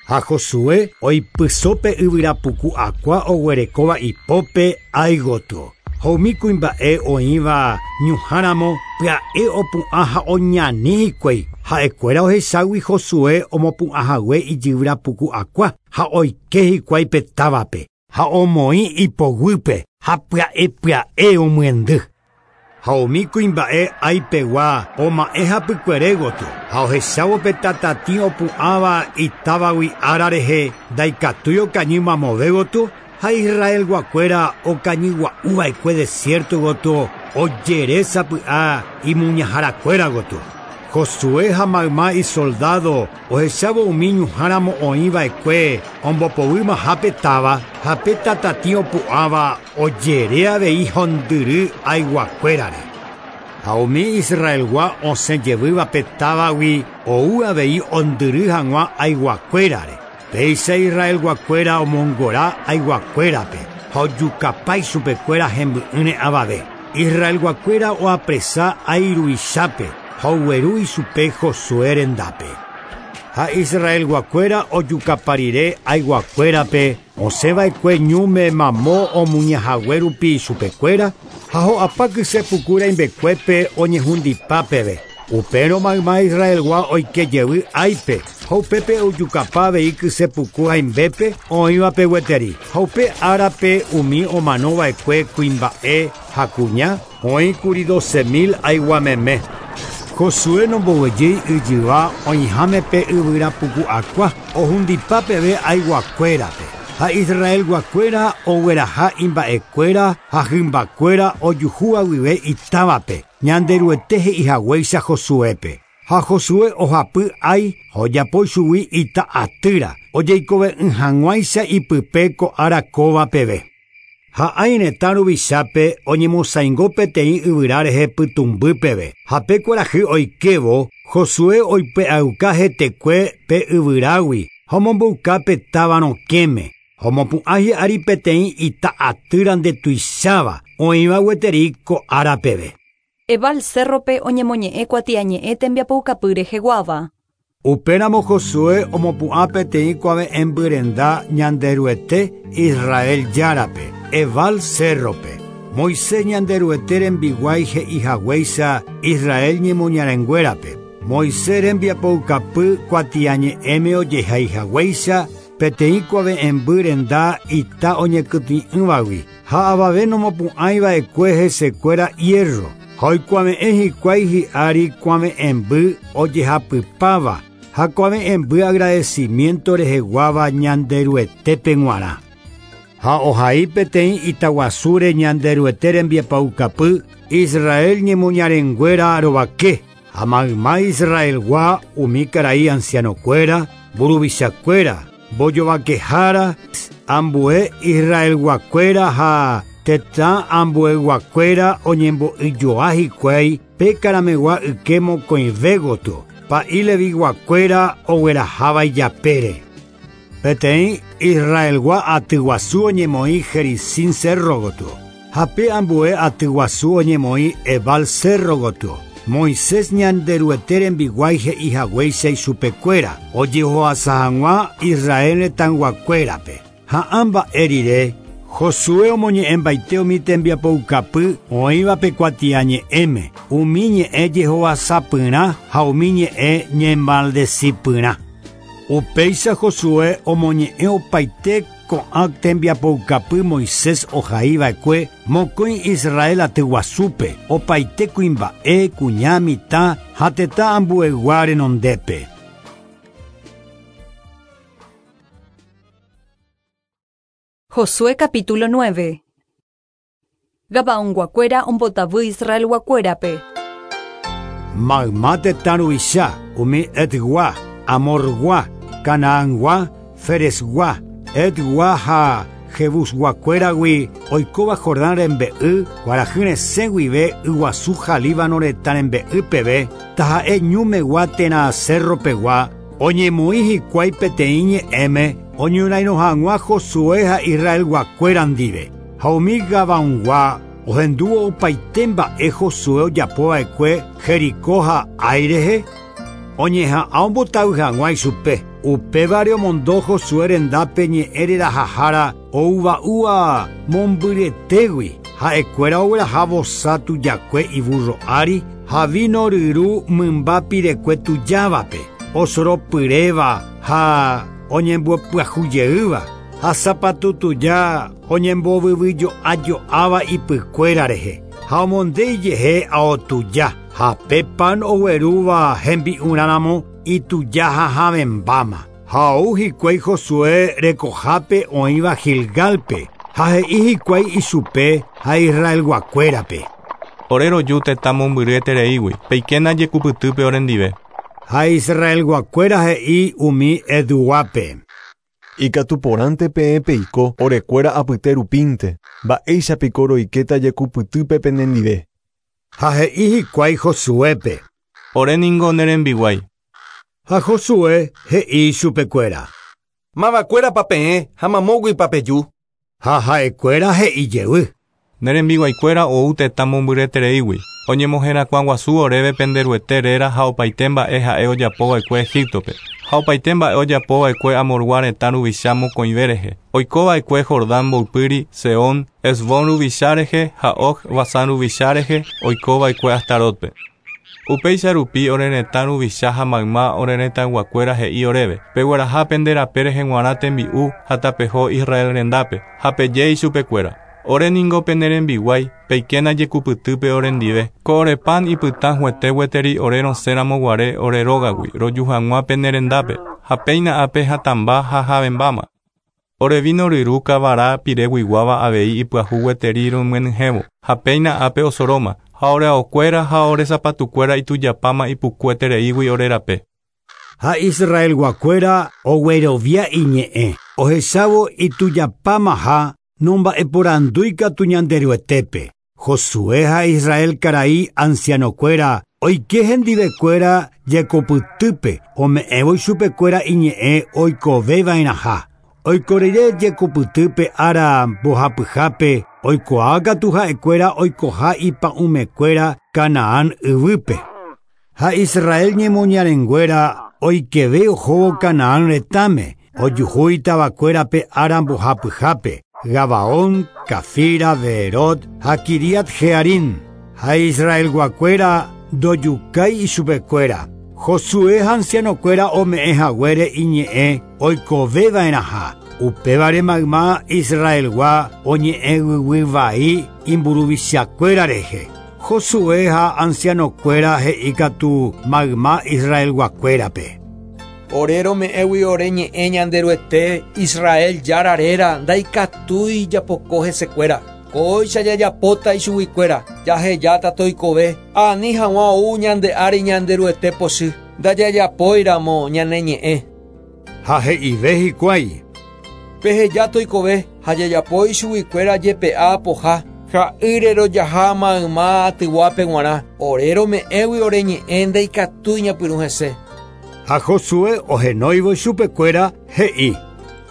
[SPEAKER 2] Ha Josué oipyso pe yvyrapuku akua oguerekóva ipópe Ai gotyo. Ha umi kuimba'e oĩva ñuhãramo pya'e opu'ã ha oñani hikuái. Ha'ekuéra ohechágui Josué omopu'ãhague ijyvyrapuku akua ha oike hikuái pe távape ha omoĩ ipoguýpe ha pya'epya'e omyendy. Ha umi kuimba'e Aipegua oma'ẽ hapykuere gotyo ha ohechávo pe tatatĩ opu'ãva itávagui ára rehe ndaikatúi okañy mamove gotyo ha Israelguakuéra okañygua'uva'ekue desierto gotyo ojere sapy'a imuñaharakuéra gotyo. Josué ha mayma isoldado ohechávo umi ñuhãramo oĩva'ekue ombopovymaha pe táva ha pe tatatĩ opu'ãva ojere avei hondyry Aiguakuérare. Ha umi Israelgua osẽ jevýva pe távagui ou avei ondyry hag̃ua Aiguakuérare. Péicha Israelguakuéra omongora Aiguakuérape ha ojukapa ichupekuéra hemby'ỹre avave. Israelguakuéra oapresa Ai ruichápe ha ogueru ichupe Josué rendápe. Ha Israelguakuéra ojukapa rire Aiguakuérape osẽva'ekue ñúme mamo omuñahague rupi ichupekuéra ha ho'apa kysepuku rãimbekuépe oñehundipa peve. Upérõ mayma Israelgua oike jevy Áipe ha upépe ojukapa avei kysepuku hãimbépe oĩvape gueteri. Ha upe árape umi omanova'ekue kuimba'e ha kuña oĩkuri 12.000 Aiguameme. Josué nomboguejýi yjyva oĩháme pe yvyrapuku akua ohundipa peve Aiguakuérape. Ha Israelguakuéra ogueraha imba'ekuéra ha hymbakuéra ojuhúva guive itávape Ñanderuete he'ihaguéicha Josuépe. Ha Josué ohapy Ai ha ojapo ichugui ita atýra ojeikove'ỹ hag̃uáicha ipype ko ára kóva peve. Ha Ai retã ruvichápe oñemosãingo peteĩ yvyra rehe pytũmby peve. Ha pe kuarahy oikévo Josué oipe'auka hetekue pe yvyrágui ha omomboyka pe táva rokẽme. Ha omopu'ã hi'ári peteĩ ita atýra ndetuicháva oĩva gueteri ko ára peve.
[SPEAKER 1] Ebal cérrope oñemoñe'ẽ kuatiañe'ẽ tembiapoukapy reheguáva.
[SPEAKER 2] Upéramo Josué omopu'ã peteĩ kuave'ẽmbyrenda Ñanderuete Israel Járape, Ebal cérrope. Moisés Ñanderuete rembiguái he'ihaguéicha Israel ñemoñarenguérape.
[SPEAKER 12] Moisés rembiapoukapy kuatiañe'ẽme ojehaihaguéicha peteĩ kuave'ẽmby renda ita oñekytĩ'ỹvagui ha avave nomopu'ãiva'ekue hesekuéra hierro ha oikuave'ẽ hikuái hi'ári kuave'ẽmby ojehapypáva ha kuave'ẽmby agradecimiento reheguáva Ñanderuetépe g̃uarã. Ha ohai peteĩ itaguasúre Ñanderuete rembiapoukapy Israel ñemoñarenguéra rovake ha mayma Israelgua umi karai ancianokuéra, mburuvichakuéra, mbojovakehára, ambue Israelguakuéra ha tetã ambueguakuéra oñembo'yjoa hikuái pe karamegua yke mokõive gotyo, pa'i leviguakuéra ogueraháva ijapére. Peteĩ Israelgua atyguasu oñemoĩ Gerizim cerro gotyo, ha pe ambue atyguasu oñemoĩ Ebal cerro gotyo. Moisés Ñanderuete rembiguái he'ihaguéicha ichupekuéra ojehoasa hag̃ua Israel retãyguakuérape. Ha ã mba'e rire, Josué omoñe'ẽmbaite umi tembiapoukapy oĩva pe kuatiañe'ẽme, umi ñe'ẽ jehovasapyrã ha umi ñe'ẽ ñemaldecipyrã. Upéicha Josué omoñe'ẽ opaite ko'ã tembiapoukapy Moisés ohaiva'ekue mokõi Israel atyguasúpe, opaite kuimba'e, kuña, mitã ha tetã ambuegua renondépe.
[SPEAKER 1] Josué capítulo 9. Gabaonguakuéra ombotavy Israelguakuérape.
[SPEAKER 12] Mayma tetã ruvicha, umi Etgua, Amorgua, Canaangua, Feresgua, Etgua ha Jebusguakuéragui oikóva Jordán rembe'y, kuarahy resẽ guive yguasu ha Líbano retã rembe'y peve, taha'e ñumegua térã cerro pegua, oñemoĩ hikuái peteĩ ñe'ẽme oñorairõ hag̃ua Josué ha Israelguakuéra ndive. Ha umi Gabaongua ohendúvo opaite mba'e Josué ojapova'ekue Jericó ha Ai rehe, oñeha'ã ombotavy hag̃ua ichupe. Upévare omondo Josué rendápe ñe'ẽ rerahahára ouva'úva mombyretégui. Ha'ekuéra ogueraha vosa tujakue iburro ári ha vino ryru mymba pirekue tujávape, osoropyréva ha oñembyopyahujeýva ha sapatu tuja oñembovyvyjo'ajo'áva ipykuéra rehe ha omonde ijehe aotuja ha pe pan oguerúva hembi'urãramo ituja ha havẽmbáma. Ha ou hikuái Josué rekohápe oĩva Gilgalpe ha he'i hikuái ichupe ha Israelguakuérape.
[SPEAKER 4] Ore roju tetã mombyryetereígui, peikéna jekupytýpe orendive.
[SPEAKER 12] Ha Israelguakuéra he'i umi Eduápe.
[SPEAKER 11] Ikatu porãnte peẽ peiko orekuéra apyte rupínte, mba'éichapiko roikéta jekupytýpe penendive.
[SPEAKER 12] Ha he'i hikuái Josuépe.
[SPEAKER 4] Ore ningo ne rembiguái.
[SPEAKER 12] Ha Josué he'i ichupekuéra.
[SPEAKER 4] Mavakuérapa peẽ ha mamóguipa peju.
[SPEAKER 12] Ha ha'ekuéra he'i jey.
[SPEAKER 4] Ne rembiguaikuéra ou tetã mombyryetereígui, oñemoherakuãguasu oréve penderuete réra ha opaite mba'e ha'e ojapova'ekue Egiptope. Ha opaite mba'e ojapova'ekue Amorgua retã ruvicha mokõive rehe. Oikova'ekue Jordán mboypýri, Seón, Hesbón ruvicha rehe ha Og Basán ruvicha rehe oikova'ekue Astarótpe. Upéicha rupi ore retã ruvicha ha mayma ore retãyguakuéra he'i oréve, pegueraha pende rape rehe g̃uarã tembi'u ha tapeho Israel rendápe, ha peje ichupekuéra. Ore ningo pene rembiguái, peikéna jekupytýpe orendive. Ko ore pan ipytã huete gueteri ore rosẽramo guare ore rógagui, roju hag̃ua pene rendápe, ha péina ápe hatãmba ha havẽmbáma. Ore vino ryru kavara pireguiguáva avei ipyahu gueteri romyenyhẽvo, ha péina ápe osoróma, ha ore aokuéra ha ore sapatukuéra itujapáma ipukuetereígui ore rape.
[SPEAKER 12] Ha Israelguakuéra oguerovia iñe'ẽ, ohechávo itujapámaha nomba'eporandúikatu Ñanderuetépe. Josué ha Israel karai ancianokuéra oike hendivekuéra jekopytýpe ome'ẽvo ichupekuéra iñe'ẽ oikoveva'erãha. Oikorire jekopytýpe ára mbohapyhápe oikuaákatu ha'ekuéra oikoha ipa'ũmekuéra Canaán yvýpe. Ha Israel ñemoñarenguéra oikeve ohóvo Canaán retãme, ojuhu itavakuérape ára mbohapyhápe, Gabaón, Cafira, Beerot ha Kiriat Jearim. Ha Israelguakuéra ndojukái ichupekuéra. Josué ha ancianokuéra ome'ẽ haguére iñe'ẽ oikoveva'erãha. Upévare mayma Israelgua oñe'ẽguyguy imburuvichakuéra rehe. Josué ha ancianokuéra he'íkatu mayma Israelguakuérape.
[SPEAKER 14] Ore rome'ẽgui ore ñe'ẽ Ñanderuete Israel Jára réra ndaikatúi japoko hesekuéra. Kóicha jajapóta ichuguikuéra jahejáta toikove ani hag̃ua ou ñande ári Ñanderuete pochy ndajajapóiramo ñane ñe'ẽ.
[SPEAKER 12] Ha he'ive hikuái.
[SPEAKER 14] Peheja toikove ha jajapo ichuguikuéra jepe'a poha ha'ýre rojaha mayma atyguápe g̃uarã ore rome'ẽgui ore ñe'ẽ ndaikatúi ñapyrũ hese.
[SPEAKER 12] Ha Josué ohenóivo chupekuéra he'i.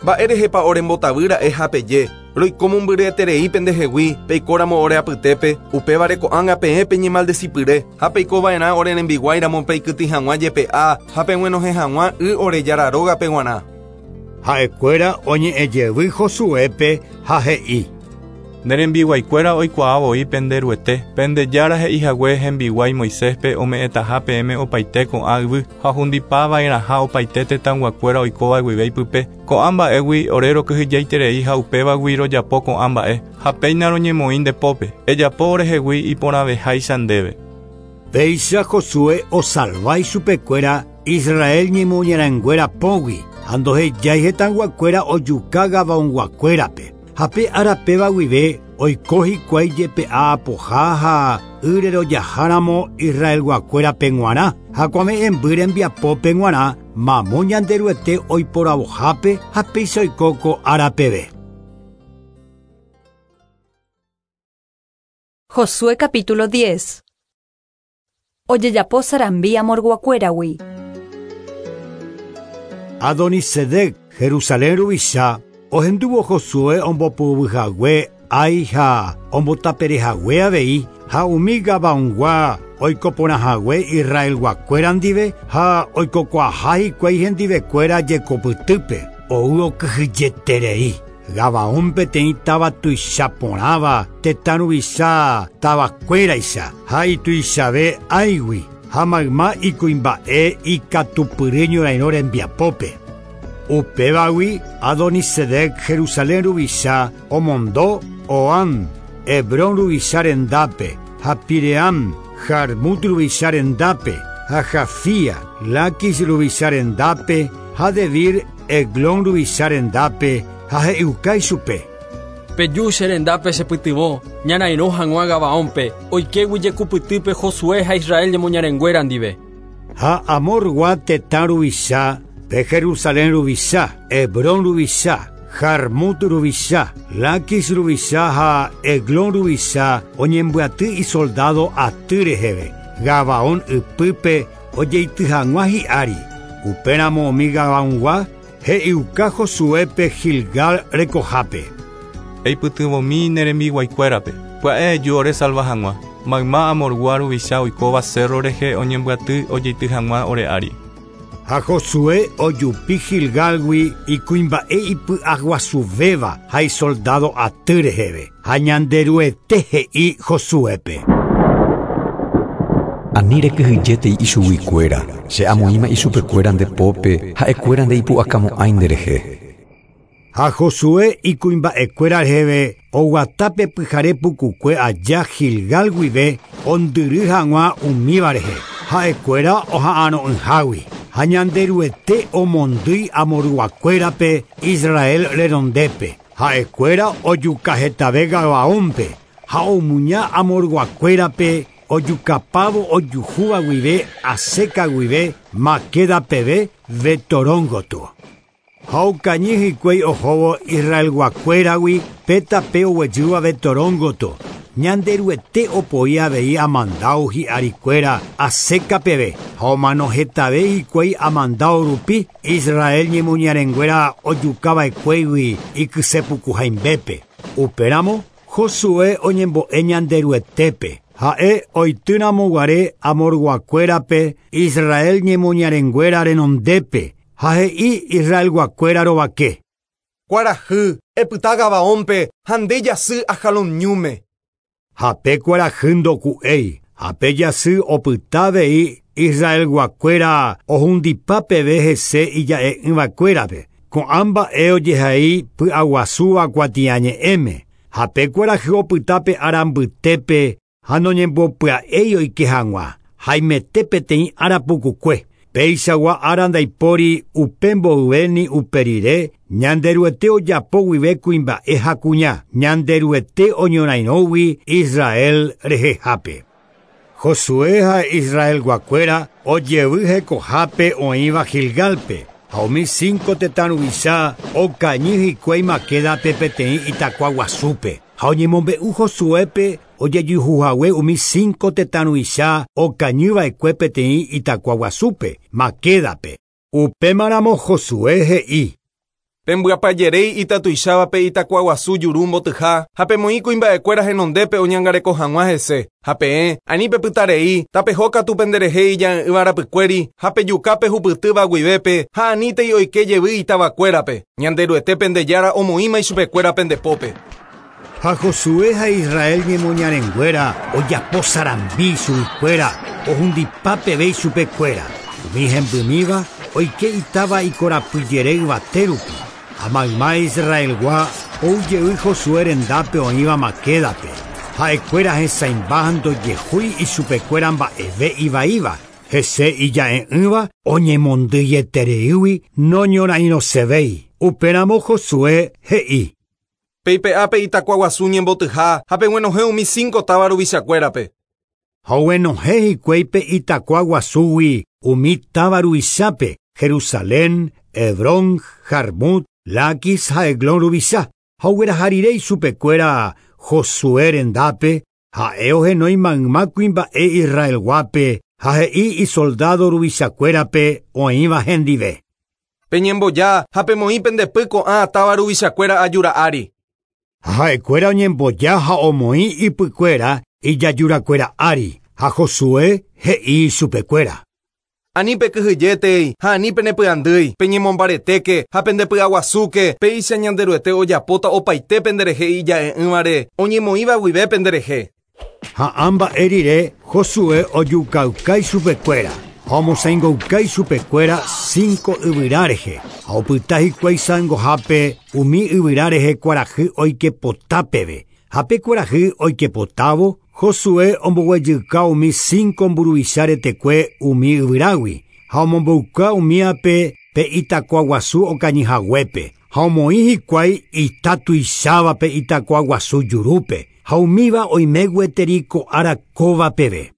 [SPEAKER 4] Mba'érehepa orembotavýra'e ha peje roiko mombyryeterei pendehegui peikóramo ore apytépe upévare ko'ág̃a peẽ peñemaldecipyre ha peikova'erã ore rembiguáiramo peikytĩ hag̃ua jepe'a ha peg̃uenohẽ hag̃ua y ore Jára rógape g̃uarã.
[SPEAKER 12] Ha'ekuéra oñe'ẽjevy Josuépe ha he'i.
[SPEAKER 11] Ne rembiguaikuéra oikuaa voi penderuete, pende Jára he'ihague hembiguái Moiséspe ome'ẽtaha peẽme opaite ko'ã yvy ha ohundipava'erãha opaite tetãyguakuéra oikóva guive ipype. Ko'ã mba'égui ore rokyhyjaiterei ha upévagui rojapo ko'ã mba'e ha péina roñemoĩ nde pópe. Ejapo orehegui iporãveháicha ndéve.
[SPEAKER 12] Péicha Josué osalva ichupekuéra Israel ñemoñarãnguéra pógui ha ndohejái hetãyguakuéra ojuka Gabaonguakuérape. Ha pe árapéva guive oiko hikuái jepe'a apoha ha ýre rojaháramo Israelguakuérape g̃uarã ha kuave'ẽmby rembiapópe g̃uarã mamo Ñanderuete oiporavohápe ha péicha oiko ko árapeve.
[SPEAKER 1] Josué capítulo 10. Ojejapo sarambi amorguakuéragui.
[SPEAKER 12] Adonisedec, Jerusalén ruvicha, ohendúvo Josué ombopyvyhague Ai ha ombotaperehague avei ha umi Gabaongua oikoporãhague Israelguakuéra ndive ha oikokuaaha hikuái hendivekuéra jekopytýpe ou okyhyjeterei. Gabaón peteĩ táva tuichaporãva tetã ruvicha tavakuéraicha ha ituichave Aigui ha mayma ikuimba'e ikatupyry ñorairõ rembiapópe. Upévagui Adonisedec Jerusalén ruvicha omondo Oan, Hebrón ruvicha rendápe, ha Piream, Jarmut ruvicha rendápe, ha Jafía, Laquis ruvicha rendápe, ha Debir, Eglón ruvicha rendápe, ha he'iuka ichupe.
[SPEAKER 9] Peju che rendápe chepytyvõ ñarairõ hag̃ua Gabaónpe oikégui jekupytýpe Josué ha Israel ñemoñarenguéra ndive.
[SPEAKER 12] Ha Amorgua tetã ruvicha, pe Jerusalén ruvicha, Hebrón ruvicha, Jarmut ruvicha, Laquis ruvicha ha Eglón ruvicha oñembyaty isoldado aty reheve. Gabaón ypýpe ojeity hag̃ua hi'ári. Upéramo umi Gabaongua he'iuka Josuépe Gilgal rekohápe.
[SPEAKER 11] Eipytyvõmi ne rembiguaikuérape. Pya'e eju ore salva hag̃ua. Mayma Amorgua ruvicha oikóva cerro rehe oñembyaty ojeity hag̃ua ore ári.
[SPEAKER 12] Ha Josué ojupi Gilgalgui ikuimba'e ipy'aguasuvéva ha isoldado aty reheve. Ha Ñanderuete he'i Josuépe.
[SPEAKER 3] Ani rekyhyjétei ichuguikuéra, che amoĩma ichupekuéra nde pópe ha'ekuéra ndeipu'akamo'ãi nderehe.
[SPEAKER 12] Ha Josué ikuimba'ekuéra reheve oguatápe pyhare pukukue aja Gilgal guive ondyry hag̃ua umíva rehe. Ha'ekuéra oha'arõ'ỹhágui. Ha Ñanderuete omondýi Amorguakuérape Israel renondépe. Ha'ekuéra ojukahetave Gabaónpe ha omuña Amorguakuérape ojukapávo ojuhúva guive Aseca guive Maqueda peve Betoróngoto. Ha okañy hikuái ohóvo Israelguakuéragui pe tape oguejýva Betoróngoto. Ñanderuete opoi avei amandáo hi'arikuéra Aseca peve ha omanohetave hikuái amandáo rupi Israel ñemoñarenguéra ojukava'ekuégui ikysepukuhaimbépe. Upéramo Josué oñembo'e Ñanderuetépe. Ha'e oitýramoguare Amorguakuérape Israel ñemoñarenguéra renondépe ha he'i Israelguakuéra rovake.
[SPEAKER 4] Kuarahy, epyta Gabaónpe ha nde jasy Ajalón ñúme.
[SPEAKER 12] Ha pe kuarahy ndoku'éi Ha pe jasy opyta avei Israelguakuéra ohundipa peve hese ija'e'ỹvakuérape. Ko'ã mba'e ojehai py'aguasúva kuatiañe'ẽme. Ha pe kuarahy opyta pe ára mbytépe ha noñembopya'éi oike hag̃ua. Haimete peteĩ ára pukukue. Peichagua ára ndaipóri upe mboyvéni upe rire Ñanderuete ojapo guive kuimba'e ha kuña. Ñanderuete oñorairõgui Israel rehehápe. Josué ha Israelguakuéra ojevy hekohápe oĩva Gilgalpe. Ha umi 5 tetã ruvicha okañy hikuái Maquedape peteĩ itakua guasúpe. Ha oñemombe'u Josuépe ojejuhuhague umi 5 tetã ruvicha okañyva'ekue peteĩ itakua guasúpe, Maquedape. Upémaramo Josué he'i:
[SPEAKER 4] Pembyapajeréi itatuichávape itakua guasu juru mbotyha ha pemoĩ kuimba'ekuéra henondépe oñangareko hag̃ua hese. Ha peẽ ani pepytarei tapeho katu penderehe ija'e'ỹva rapykuéri ha pejuka pehupytýva guivépe ha anítei oike jevy itavakuérape. Ñanderuete pendejára omoĩma ichupekuéra pendepópe.
[SPEAKER 12] Ha Josué ha Israel ñemoñarenguéra ojapo sarambi chuguikuéra ohundipa peve ichupekuéra. Umi hembymíva oike itáva ikorapyjere yvate rupi. Ha mayma Israelgua oujey Josué rendápe oĩva Maquedape. Ha'ekuéra hesãimba ha ndojehúi ichupekuéra mba'eve ivaíva. Hese ija'e'ỹva oñemondýietereígui noñorairõsevéi. Upéramo Josué he'i:
[SPEAKER 4] Peipe'ápe itakua guasu ñembotyha ha peguenohẽ umi 5 táva ruvichakuérape.
[SPEAKER 12] Ha oguenohẽ hikuái pe itakua guasúgui umi táva ruvichápe Jerusalén, Hebrón, Jarmut, Laquis ha Eglón ruvicha. Ha ogueraha rire ichupekuéra Josué rendápe ha'e ohenói mayma kuimba'e Israelguápe ha he'i isoldado ruvichakuérape oĩva hendive.
[SPEAKER 4] Peñemboja ha pemoĩ pendepy ko'ã táva ruvichakuéra ajúra ári.
[SPEAKER 12] Ha ha'ekuéra oñemboja ha omoĩ ipykuéra ijajurakuéra ári. Ha Josué he'i ichupekuéra:
[SPEAKER 4] Ani pekyhyjétei ha ani penepy'andýi, peñemombaretéke ha pendepy'aguasúke, péicha Ñanderuete ojapóta opaite penderehe ija'e'ỹvare oñemoĩva guive penderehe.
[SPEAKER 12] Ha ã mba'e rire Josué ojukauka ichupekuéra ha omosãingouka ichupekuéra 5 yvyra rehe. Ha opyta hikuái sãingohápe umi yvyra rehe kuarahy oikepota peve. Ha pe kuarahy oikepotávo Josué omboguejyka umi 5 mburuvicha retekue umi yvyrágui ha omombouka umíape pe itakua guasu okañyhaguépe. Ha omoĩ hikuái ita tuichávape itakua guasu jurúpe ha umíva oime gueteri ko ára kóva peve.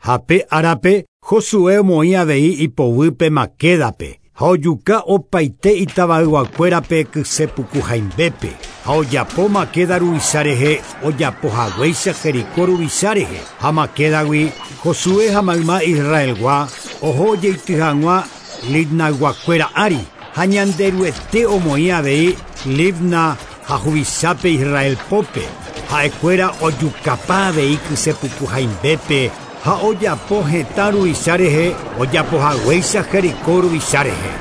[SPEAKER 12] Ha pe árape Josué omoĩ avei ipoguýpe Maquedape ha ojuka opaite itavayguakuérape kysepukuhaimbépe. Ha ojapo Maqueda ruvicha rehe ojapohaguéicha Jericó ruvicha rehe. Ha Maquedagui Josué ha mayma Israelgua oho ojeity hag̃ua Libnaguakuéra ári. Ha Ñanderuete omoĩ avei Libna ha huvichápe Israel pópe. Ha'ekuéra ojukapa avei kysepukuhaimbépe ha ojapo hetã ruvicha rehe ojapohaguéicha Jericó ruvicha rehe.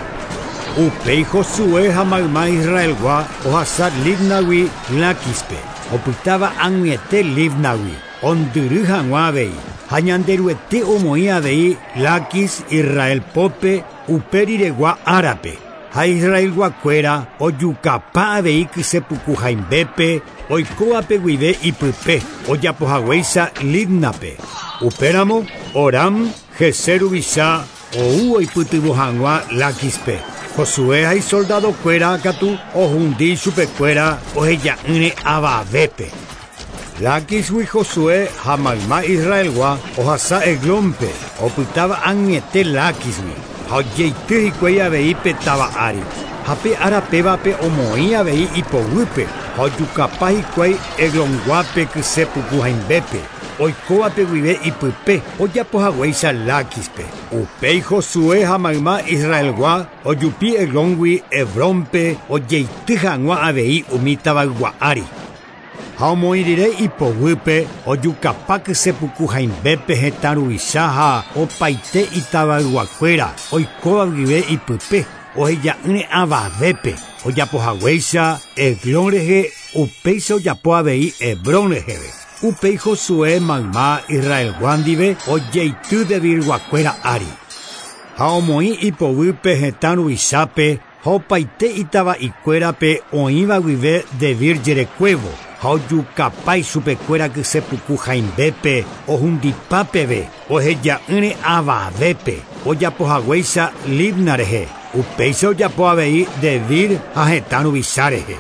[SPEAKER 12] Upéi Josué ha mayma Israelgua ohasa Libnagui Laquispe. Opytáva ag̃uiete Libnagui ondyry hag̃ua avei. Ha Ñanderuete omoĩ avei Laquis Israel pópe upe riregua árape. Ha Israelguakuéra ojukapa avei kysepukuhaimbépe oikóvape guive ipype ojapohaguéicha Libnape. Upéramo Horam Gezer ruvicha ou oipytyvõ hag̃ua Laquispe. Josué ha isoldadokuéra katu ohundi ichupekuéra oheja'ỹre avavépe. Laquisgui Josué ha mayma Israelgua ohasa Eglónpe opytáva ag̃uiete Laquisgui ha ojeity hikuái avei pe táva ári. Ha pe ára pévape omoĩ avei ipoguýpe ha ojukapa hikuái Eglonguápe kysepukuhaimbépe oikóvape guive ipype ojapohaguéicha Laquispe. Upéi Josué ha mayma Israelgua ojupi Eglóngui Hebrónpe ojeity hag̃ua avei umi tavaygua ári. Ha omoĩ rire ipoguýpe ojukapa kysepukuhaimbépe hetã ruvicha ha opaite itavayguakuéra oikóva guive ipype oheja'ỹre avavépe ojapohaguéicha Eglón rehe upéicha ojapo avei Hebrón reheve. Upéi Josué mayma Israelgua ndive ojeity Debirguakuéra ári. Ha omoĩ ipoguýpe hetã ruvichápe ha opaite itava'ikuérape oĩva guive Debir jerekuévo ha ojukapa ichupekuéra kysepuku hãimbépe ohundipa peve oheja'ỹre avavépe ojapohaguéicha Libna rehe upéicha ojapo avei Debir ha hetã ruvicha rehe.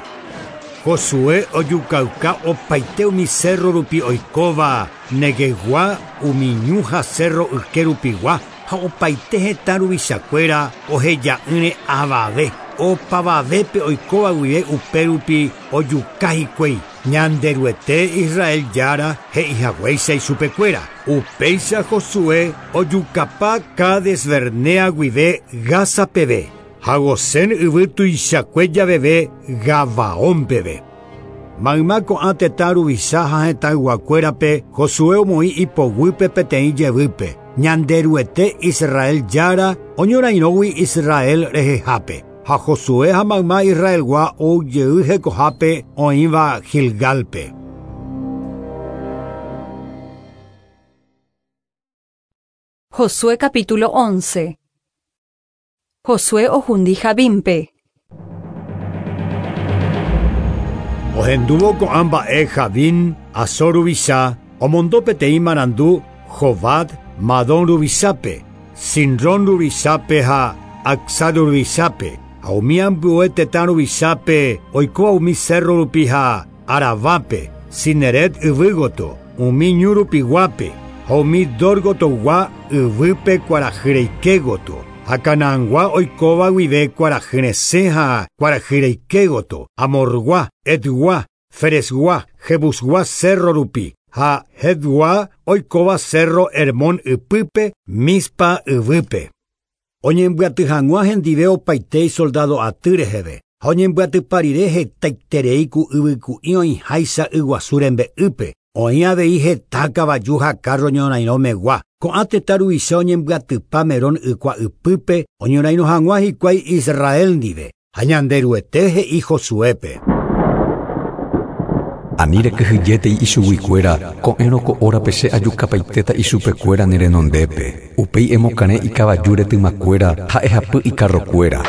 [SPEAKER 12] Josué ojukauka opaite umi cerro rupi oikóva Neguevgua umi ñu ha cerro yke rupigua ha opaite hetã ruvichakuéra oheja'ỹre avave opavavépe oikóva guive upérupi ojuka hikuái Ñanderuete Israel Jára he'ihaguéicha ichupekuéra. Upéicha Josué ojukapa Cades Bernea guive Gaza peve ha Gosén yvy tuichakue javeve Gabaón peve. Mayma ko'ã tetã ruvicha ha hetãyguakuérape Josué omoĩ ipoguýpe peteĩ jevýpe. Ñanderuete Israel Jára oñorairõgui Israel rehehápe. Ha Josué ha mayma Israelgua oujey hekohápe oĩva Gilgalpe.
[SPEAKER 1] Josué capítulo 11. Josué ohundi Jabínpe.
[SPEAKER 12] Ohendúvo ko'ã mba'e Jabín, Azor ruvicha, omondo peteĩ marandu Jobab, Madón ruvichápe, Sinrón ruvichápe ha Acsa ruvichápe, ha umi ambue tetã ruvichápe oikóva umi cerro rupi ha Arabápe, Cineret yvýgoto, umi ñu rupiguápe, ha umi Dórgotogua yvýpe kuarahyreikégoto, ha Canaangua oikóva guive kuarahyresẽ ha kuarahyreikégoto, Amorgua, Etgua, Feresgua, Jebusgua cerro rupi, ha Hetgua oikóva cerro Hermón ypýpe, Mispa yvýpe. Oñembyaty hag̃ua hendive opaite soldado aty reheve, ha oñembyatypa rire hetaiterei ku yvyku'i oĩháicha yguasu rembe'ýpe, oĩ avei heta kavaju ha carro ñorairõmegua. Ko'ã tetã ruvicha oñembyatypa Merón ykua ypýpe oñorairõ hag̃ua hikuái Israel ndive, ha Ñanderuete he'i Josuépe.
[SPEAKER 3] Ani rekyhyjétei ichuguikuéra, ko'ẽrõ ko órape che ajukapaitéta ichupekuéra ne renondépe. Upéi emokarẽ ikavaju retymakuéra ha ehapy ikarrokuéra.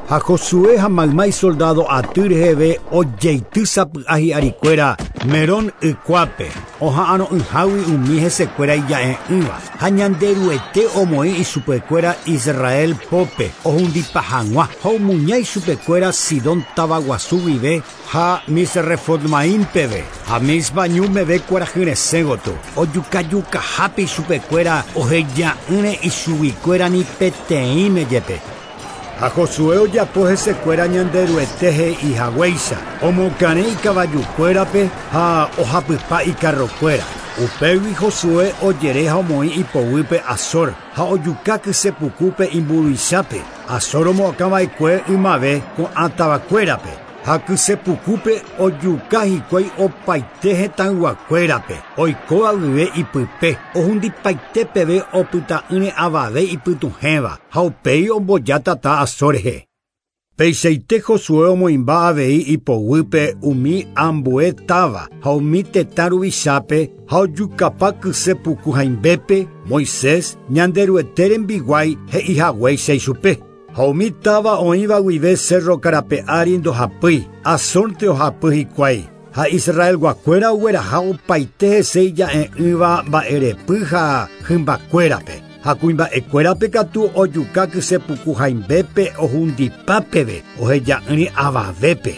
[SPEAKER 12] Ha Josué ha mayma isoldado aty reheve ojeity sapy'a hi'arikuéra Merón ykuápe, oha'arõ'ỹhágui umi hesekuéra ija'e'ỹva, ha Ñanderuete omoĩ ichupekuéra Israel pópe ohundipa hag̃ua ha omuña ichupekuéra Sidón tavaguasu guive ha Misrefotmaim peve, ha Mispa ñu meve kuarahyresẽ gotyo, ojukajukahápe ichupekuéra oheja'ỹre ichuguikuéra ni peteĩme jepe. Ha Josué ojapo hesekuéra Ñanderuete he'ihaguéicha, omokarẽ ikavajukuérape ha ohapypa ikarrokuéra. Upégui Josué ojere ha omoĩ ipoguýpe Azor ha ojuka kysepukúpe imburuvichápe. Azor omoakãva'ekue ymave ko'ã tavakuérape. Ha kysepukúpe ojuka hikuái opaite hetãyguakuérape, oikóva guive ipype, ohundipaite peve opyta'ỹre avave ipytuhẽva ha upéi omboja tata Azor rehe. Peichaite Josué omoĩmba avei ipoguýpe umi ambue táva ha umi tetã ruvichápe ha ojukapa kysepuku hãimbépe Moisés Ñanderuete rembiguái he'ihaguéicha ichupe. Ha umi táva oĩva guive cerro karape ári ndohapýi, Azornte ohapy hikuái. Ha Israelguakuéra ogueraha opaite hese ija'e'ỹva mba'erepy ha hymbakuérape. Ha kuimba'ekuérape katu ojuka kysepuku hãimbépe ohundipa peve oheja'ỹre avavépe.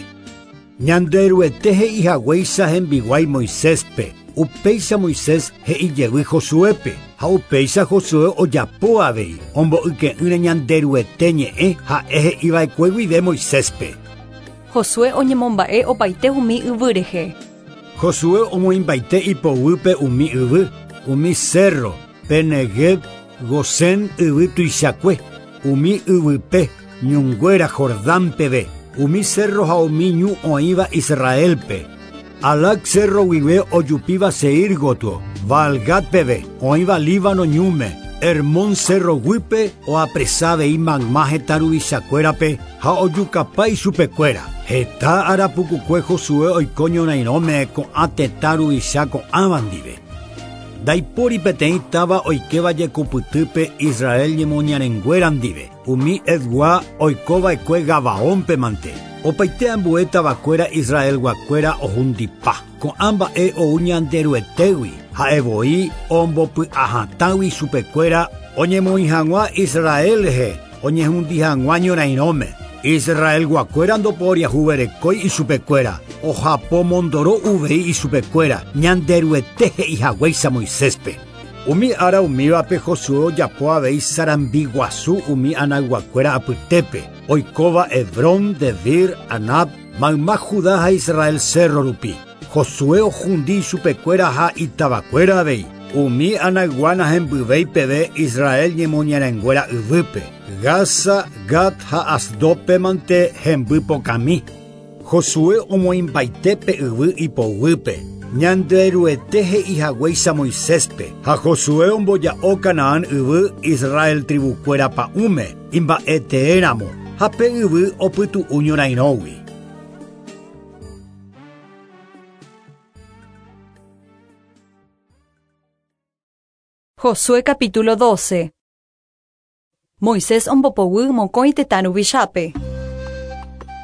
[SPEAKER 12] Ñanderuete he'ihaguéicha hembiguái Moiséspe, upéicha Moisés he'ijevy Josuépe, ha upéicha Josué ojapo avei, omboyke'ỹre Ñanderuete ñe'ẽ ha'e he'iva'ekue guive Moiséspe.
[SPEAKER 1] Josué oñemomba'e opaite umi yvy rehe.
[SPEAKER 12] Josué omoĩmbaite ipoguýpe umi yvy, umi cerro, pe Negev, Gosén yvy tuichakue, umi yvype, ñunguéra Jordán peve, umi cerro ha umi ñu oĩva Israelpe. Alac cerro guive ojupíva Seir gotyo, Baalgad peve, oĩva Líbano ñúme, Hermón cerro guýpe oapresa avei mayma hetã ruvichakuérape ha ojukapa ichupekuéra. Heta arapukukue Josué oiko ñorairõme ko'ã tetã ruvicha ko'ãva ndive. Ndaipóri peteĩ táva oikéva jekupytýpe Israel ñemoñarenguéra ndive. Umi Hetgua oikova'ekue Gabaónpe mante. Opaite ambue tavakuéra Israelguakuéra ohundipa. Ko'ã mba'e ou Ñanderuetégui, ha'evoi ombopy'ahatãgui chupekuéra oñemoĩ hag̃ua Israel rehe oñehundi hag̃ua ñorairõme. Israelguakuéra ndoporiahuverekói ichupekuéra, ohapomondoro uvei ichupekuéra Ñanderuete he'ihaguéicha Moiséspe. Umi ára umívape Josué ojapo avei sarambi guasu umi Anayguakuéra apytépe, oikóva Hebrón, Debir, Anab, mayma Judá ha Israel cerro rupi. Josué ohundi ichupekuéra ha itavakuéra avei. Umi Anaygua nahembyvéi peve Israel ñemoñarenguéra yvýpe. Gaza, Gat ha Asdodpe mante hemby pokãmi. Josué omoĩmbaite pe yvy ipoguýpe. Ñanderuete he'ihaguéicha Moiséspe ha Josué omboja'o Canaán yvy Israel tribukuéra pa'ũme imba'eteéramo ha pe yvy opytu'u ñorairõgui.
[SPEAKER 1] Josué capítulo 12. Moisés ombopoguy mokõi tetã ruvichápe.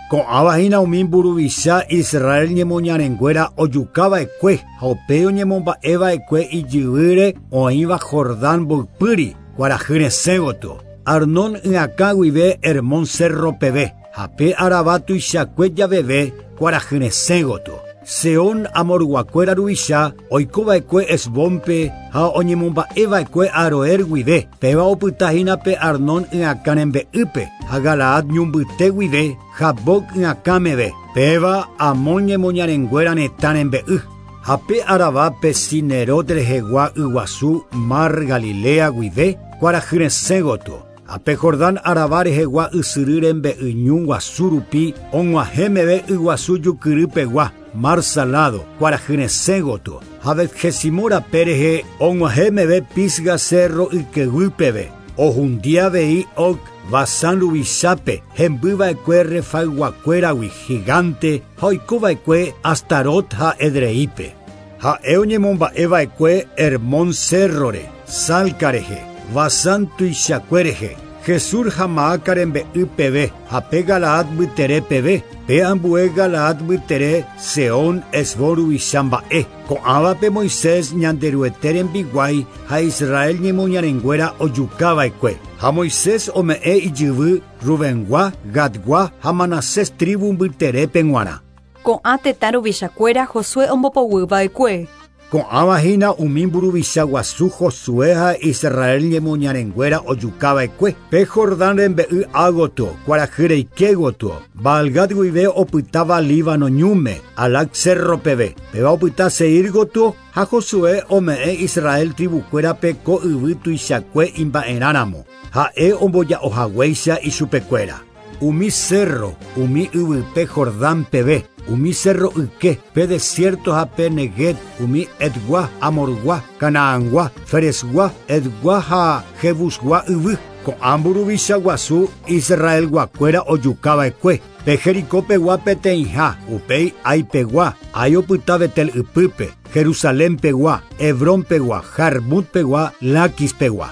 [SPEAKER 12] Ko'ãva hína umi mburuvicha Israel ñemoñarenguéra ojukava'ekue ha upéi oñemomba'eva'ekue ijyvýre oĩva Jordán mboypýri kuarahy resẽ gotyo. Arnón yakã guive Hermón cerro peve ha pe Arabá tuichakue javeve kuarahy resẽ gotyo. Seón Amorguakuéra ruvicha oikova'ekue Hesbónpe ha oñemomba'eva'ekue Aroer guive, péva opytahína pe Arnón yakã rembe'ýpe ha Galaad ñumbyte guive Jaboc yakã meve, péva Amón ñemoñarenguéra retã rembe'y. Ha pe Arabápe Cinerot rehegua yguasu Mar Galilea guive kuarahy resẽ gotyo. Ha pe Jordán Arabá rehegua ysyry rembe'y ñu guasu rupi og̃uahẽ meve yguasu jukyrypegua Mar Salado kuarahy resẽ gotyo. Ha Bet-Jesimot rape rehe og̃uahẽ meve Pisga cerro ykeguy peve. Ohundi avei Og Basán ruvichápe hembyva'ekue Refayguakuéragui gigante ha oikova'ekue Astarot ha Edreípe. Ha'e oñemomba'eva'ekue Hermón cerrore, Salca rehe, Basán tuichakue rehe, Jesur ha Maaca rembe'y peve ha pe Galaad mbytere peve, pe ambue Galaad mbytere Seón Hesbón ruvicha mba'e. Ko'ãvape Moisés Ñanderuete rembiguái ha Israel ñemoñarenguéra ojukava'ekue. Ha Moisés ome'ẽ ijyvy Rubengua, Gadgua ha Manasés tribu mbyterépe g̃uarã.
[SPEAKER 1] Ko'ã tetã ruvichakuéra Josué ombopoguyva'ekue.
[SPEAKER 12] Ko'ãva hína umi mburuvicha guasu Josué ha Israel ñemoñarenguéra ojukava'ekue. Pe Jordán rembe'y ágotyo, kuarahy reike gotyo, Baalgad guive opytáva Líbano ñúme, Halac cerro peve. Péva opyta Seir gotyo ha Josué ome'ẽ Israel tribukuérape ko yvy tuichakue imba'erãramo. Ha'e omboja'ohaguéicha ichupekuéra. Umi cerro, umi yvype Jordán peve, umi cerro yke, pe desierto ha pe Neguev, umi Hetgua, Amorgua, Canaangua, Ferezgua, Hetgua ha Jebusgua yvy. Ko'ã mburuvicha guasu Israelguakuéra ojukava'ekue. Pe Jericópegua peteĩha, upéi Aipegua, Ai opyta Betel ypýpe, Jerusalénpegua, Hebrónpegua, Jarmutpegua, Laquispegua.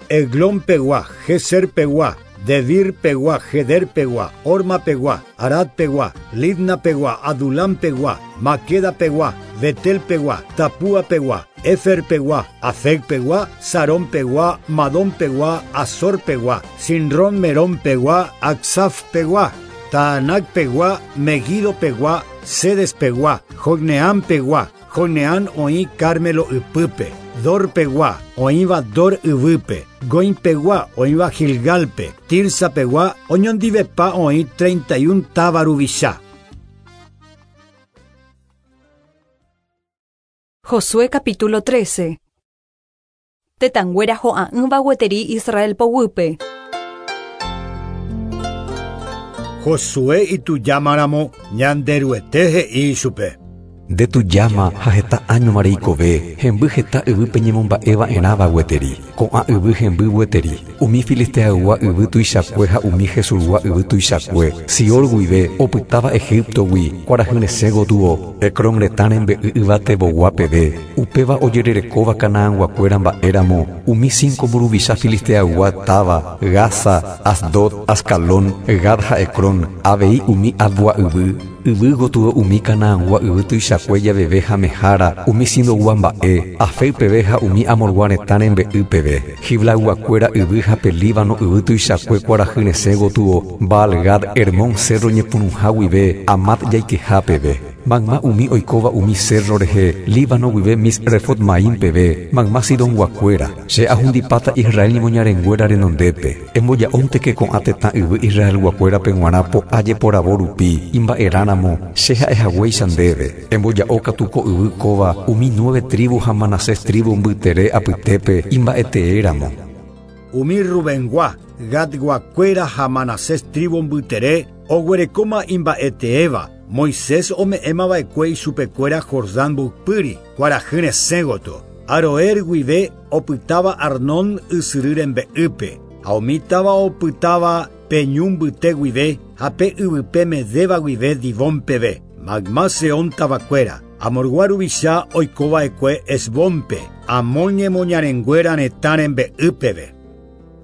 [SPEAKER 12] Eglónpegua, Geserpegua, Debirpegua, Gederpegua, Hormapegua, Aradpegua, Libnapegua, Adulampegua, Maquedapegua, Betelpegua, Tapúapegua, Heferpegua, Afecpegua, Sarónpegua, Madónpegua, Azorpegua, Sinrón Merónpegua, Acsafpegua, Taanacpegua, Megidopegua, Cedespegua, Jocneampegua, Jocneam oĩ Carmelo ypýpe, Dorpegua, oĩva Dor yvýpe, Goimpegua, oĩva Gilgalpe, Tirsapegua, oñondivepa oĩ 31 táva ruvicha.
[SPEAKER 1] Josué capítulo 13. Tetãnguéra ho'a'ỹva gueteri Israel poguýpe.
[SPEAKER 12] Josué itujámaramo Ñanderuete he'i ichupe.
[SPEAKER 3] Nde tujáma ha heta áñoma reikove, hemby heta yvy peñemomba'eva'erãva gueteri. Ko'ã yvy hemby gueteri, umi Filisteaygua yvy tuichakue ha umi Jesurgua yvy tuichakue, Sior guive, opytáva Egiptogui, kuarahy resẽ gotyo, Ecrón retã rembe'y yvatevogua peve, upéva ojererekóva Canaanguakuéra mba'éramo, umi cinco mburuvicha Filisteaygua táva, Gaza, Asdod, Ascalón, Gad ha Ecrón, avei umi Avgua yvy, yvy gotyo umi Canaangua yvy tuichakue javeve ha Mehara, umi Sidogua mba'e, Afec peve ha umi Amorgua retã rembe'y peve, Giblayguakuéra yvy ha pe Líbano yvy tuichakue kuarahy resẽ gotyo, Baal-Gad, Hermón cérro ñepyrũha guive, Amat jaikeha peve. Mayma umi oikóva umi cérro rehe, Líbano guive Misrefot-Maim peve, mayma Sidonguakuéra. Che ahundipáta Israel ñemoñarenguéra renondépe. Emboja'ónteke ko'ã tetã yvy Israelguakuérape g̃uarã po'a jeporavo rupi, imba'erãramo, che ha'ehaguéicha ndéve. Emboja'o katu ko yvy kóva umi nueve tribu ha Manasés tribu mbytere apytépe imba'eteéramo.
[SPEAKER 12] Umi Rubengua, Gadguakuéra ha Manasés tribu mbytere oguerekóma imba'eteéva, Moisés ome'ẽmava'ekue ichupekuéra Jordán mboypýri, kuarahy resẽ gotyo. Aroer guive opytáva Arnón ysyry rembe'ýpe, ha umi táva opytáva pe ñu mbyte guive ha pe yvype Medéva guive Dibón peve, mayma Seón tavakuéra, Amorgua ruvicha oikova'ekue Hesbónpe, Amón ñemoñarenguéra retã rembe'y peve.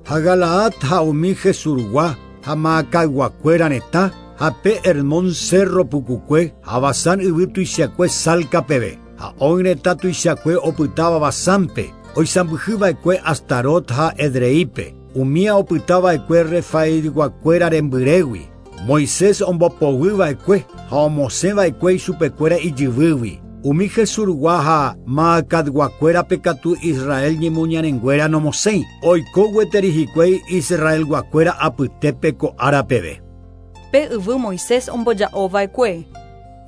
[SPEAKER 12] Ha Galaad ha umi Jesurgua ha Maacayguakuéra retã ha pe Hermón cerro pukukue ha Basán yvy tuichakue Salca peve, ha Og retã tuichakue opytáva Basánpe, oisãmbyhyva'ekue Astarot ha Edreípe, umía opytava'ekue Refaidguakuéra rembyrégui. Moisés ombopoguyva'ekue ha omosẽva'ekue ichupekuéra ijyvýgui. Umi Jesurgua ha Maacatguakuérape katu Israel ñemoñarenguéra nomosẽi, oiko gueteri hikuái Israelguakuéra apytépe ko ára peve.
[SPEAKER 1] Pe yvy Moisés omboja'ova'ekue.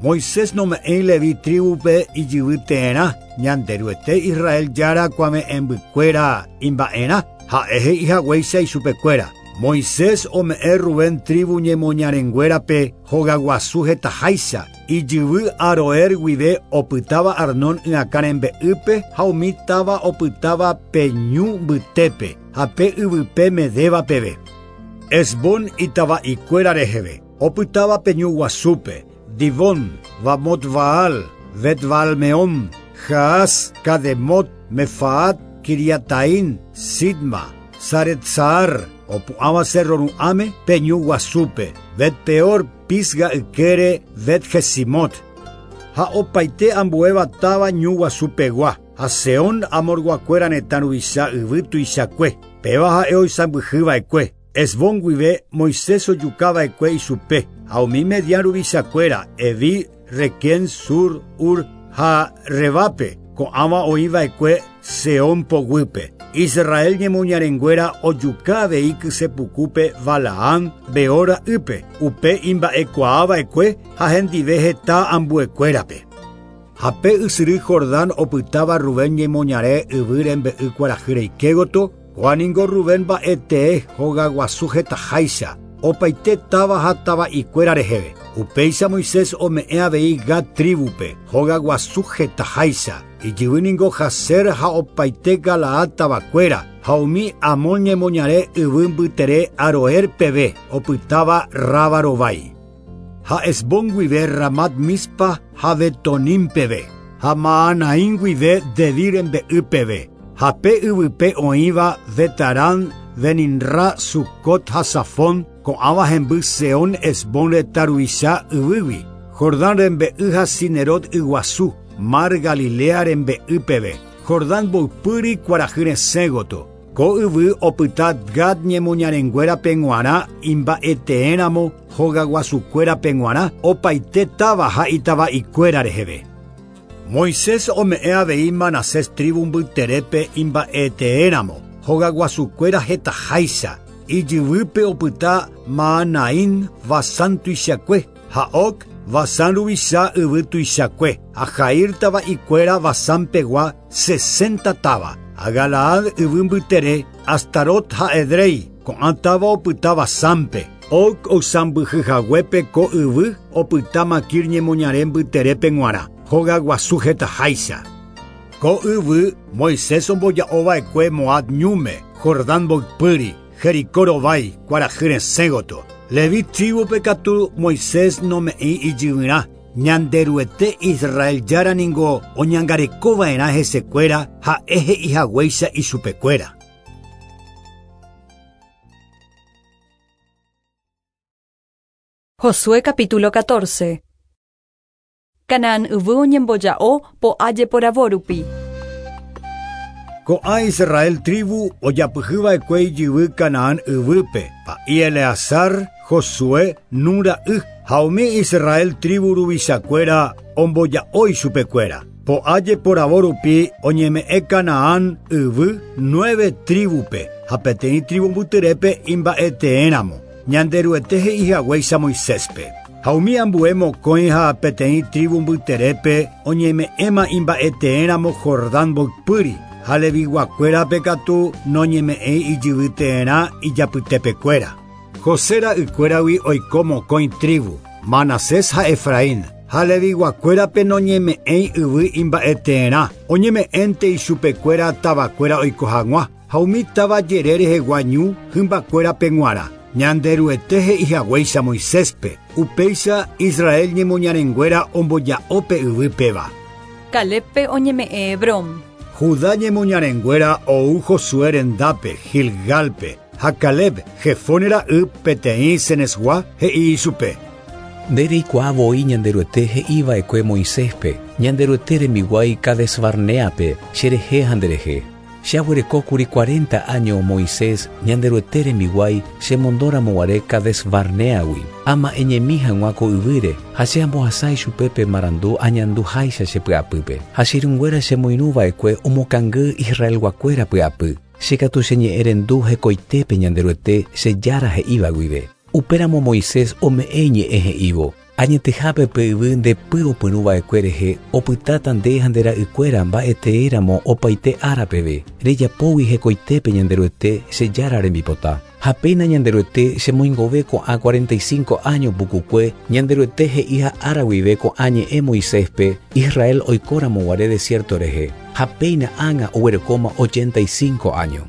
[SPEAKER 12] Moisés nome'ẽi Levi tribupe ijyvy teerã, Ñanderuete Israel jára kuave'ẽmbykuéra imba'erã, ha'e he'ihaguéicha ichupekuéra. Moisés ome'ẽ Rubén tribu ñemoñarenguérape hogaguasu hetaháicha, ijyvy Aroer guive opytáva Arnón yakã rembe'ýpe ha umi táva opytáva pe ñu mbytépe ha pe yvype Medéva peve. Hesbón itava'ikuéra reheve, opytáva pe ñu guasúpe, Dibón, Bamot Baal, Bet Baalmeón, Jaaz, Kademot, Mefaat, Kiriataín, Sidma, Saretsaar, opu'ãva cerro ru'ãme pe ñu guasúpe, Bet Peor, Pisga ykére, Bet Jesimot. Ha opaite ambuéva táva ñu guasupegua, ha Seón Amorguakuéra retã ruvicha yvy tuichakue, péva ha'e oisãmbyhyva'ekue. Hesbón guive Moisés ojukava'ekue ichupe, ha umi Medián ruvichakuéra, Evi, Requén, Sur, Ur ha Rebape, ko'ãva oĩva'ekue Seón poguýpe. Israel ñemoñarenguéra ojuka avei kysepukúpe Balaam Beor ra'ýpe, upe imba'ekuaava'ekue ha hendive heta ambuekuérape. Ha pe ysyry Jordán opytáva Rubén ñemoñare yvy rembe'y kuarahy reike gotyo, kóa ningo Rubén mba'etee hogaguasu hetaháicha, opaite táva ha tava'ikuéra reheve. Upéicha Moisés ome'ẽ avei Gad tribupe, hogaguasu hetaháicha, ijyvy ningo Jazer ha opaite Galaad tavakuéra, ha umi Amón ñemoñare yvy mbytere Aroer peve, opytáva Raba rovái. Ha Hesbón guive Ramat Mispa ha Betonim peve, ha Mahanaim guive Debir rembe'y peve, ha pe yvype oĩva Betarán, Beninra, Sucot ha Safón, ko'ãva hemby Seón Hesbón retã ruvicha yvýgui, Jordán rembe'y ha Cinerot yguasu, Mar Galilea rembe'y peve, Jordán mboypýri kuarahy resẽ gotyo. Ko yvy opyta Gad ñemoñarenguérape g̃uarã imba'eteéramo hogaguasukuérape g̃uarã opaite táva ha itava'ikuéra reheve. Moisés ome'ẽ avei Manasés tribu mbyterépe imba'eteéramo, hogaguasukuéra hetaháicha, ijyvýpe opyta Mahanaim Basán tuichakue, ha Og Basán ruvicha yvy tuichakue, ha Jair tava'ikuéra Basánpegua 60 táva, ha Galaad yvy mbytere, Astarot ha Edrei, ko'ã táva opyta Basánpe. Og oisãmbyhyhaguépe ko yvy opyta Maquir ñemoñare mbyterépe g̃uarã. Hogaguasu hetaháicha. Ko yvy Moisés omboja'ova'ekue Moab ñúme, Jordán mboypýri, Jericó rovái, kuarahy resẽ gotyo. Leví tribupe katu Moisés nome'ẽi ijyvyrã. Ñanderuete Israel Jára ningo oñangarekova'erã hesekuéra ha'e he'ihaguéicha ichupekuéra.
[SPEAKER 1] Josué capítulo 14. Canaán yvy oñemboja'o po'a jeporavo rupi.
[SPEAKER 12] Ko'ã Israel tribu ojapyhyva'ekue ijyvy Canaán yvýpe, pa'i Eleazar, Josué, Nun ra'y, ha umi Israel tribu ruvichakuéra omboja'o ichupekuéra. Po'a jeporavo rupi oñeme'ẽ Canaán yvy 9 tribupe, ha peteĩ tribu mbyterépe imba'eteéramo. Ñanderuete he'ihaguéicha Moiséspe. Ha umi ambue mokõi ha peteĩ tribu mbyterépe oñeme'ẽma imba'eteéramo Jordán mboypýri, ha Leviguakuérape katu noñeme'ẽi ijyvyteerã ijapytepekuéra. José ra'ykuéragui oiko mokõi tribu, Manasés ha Efraín, ha Leviguakuérape noñeme'ẽi yvy imba'eteerã, oñeme'ẽnte ichupekuéra tavakuéra oiko hag̃ua, ha umi táva jere rehegua ñu hymbakuérape g̃uarã. Ñanderuete he'ihaguéicha Moiséspe, upéicha Israel ñemoñarenguéra omboja'ópe yvy péva.
[SPEAKER 1] Calébpe oñeme'ẽ Hebrón.
[SPEAKER 12] Judá ñemoñarenguéra ou Josué rendápe, Gilgalpe, ha Caleb, Jefone ra'y peteĩ Cenesgua he'i ichupe.
[SPEAKER 3] Nde reikuaa voi Ñanderuete he'iva'ekue Moiséspe, Ñanderuete rembiguái Cades Barneape, cherehe ha nderehe. Che aguerekókuri 40 año Moisés, Ñanderuete rembiguái, chemondóramoguare Cades Barneagui. Ama'ẽñemi hag̃ua ko yvýre, ha che ambohasa ichupe marandu añanduháicha che py'apýpe. Ha che irũnguéra chemoirũva'ekue omokangy Israelguakuéra py'apy. Che katu cheñe'ẽrendu hekoitépe Ñanderuete che Jára he'íva guive. Upéramo Moisés ome'ẽ iñe'ẽ he'ívo. Añetehápe pe yvy ndepy opyrũva'ekue rehe opytáta nde ha nde ra'ykuéra mba'eteéramo opaite ára peve. Rejapógui hekoitépe Ñanderuete che Jára rembipota. Ha péina Ñanderuete chemoingove ko'ã 45 año pukukue Ñanderuete he'iha ára guive ko'ã ñe'ẽ Moiséspe Israel oikóramoguare desierto rehe. Ha péina ág̃a oguerekóma 85 año.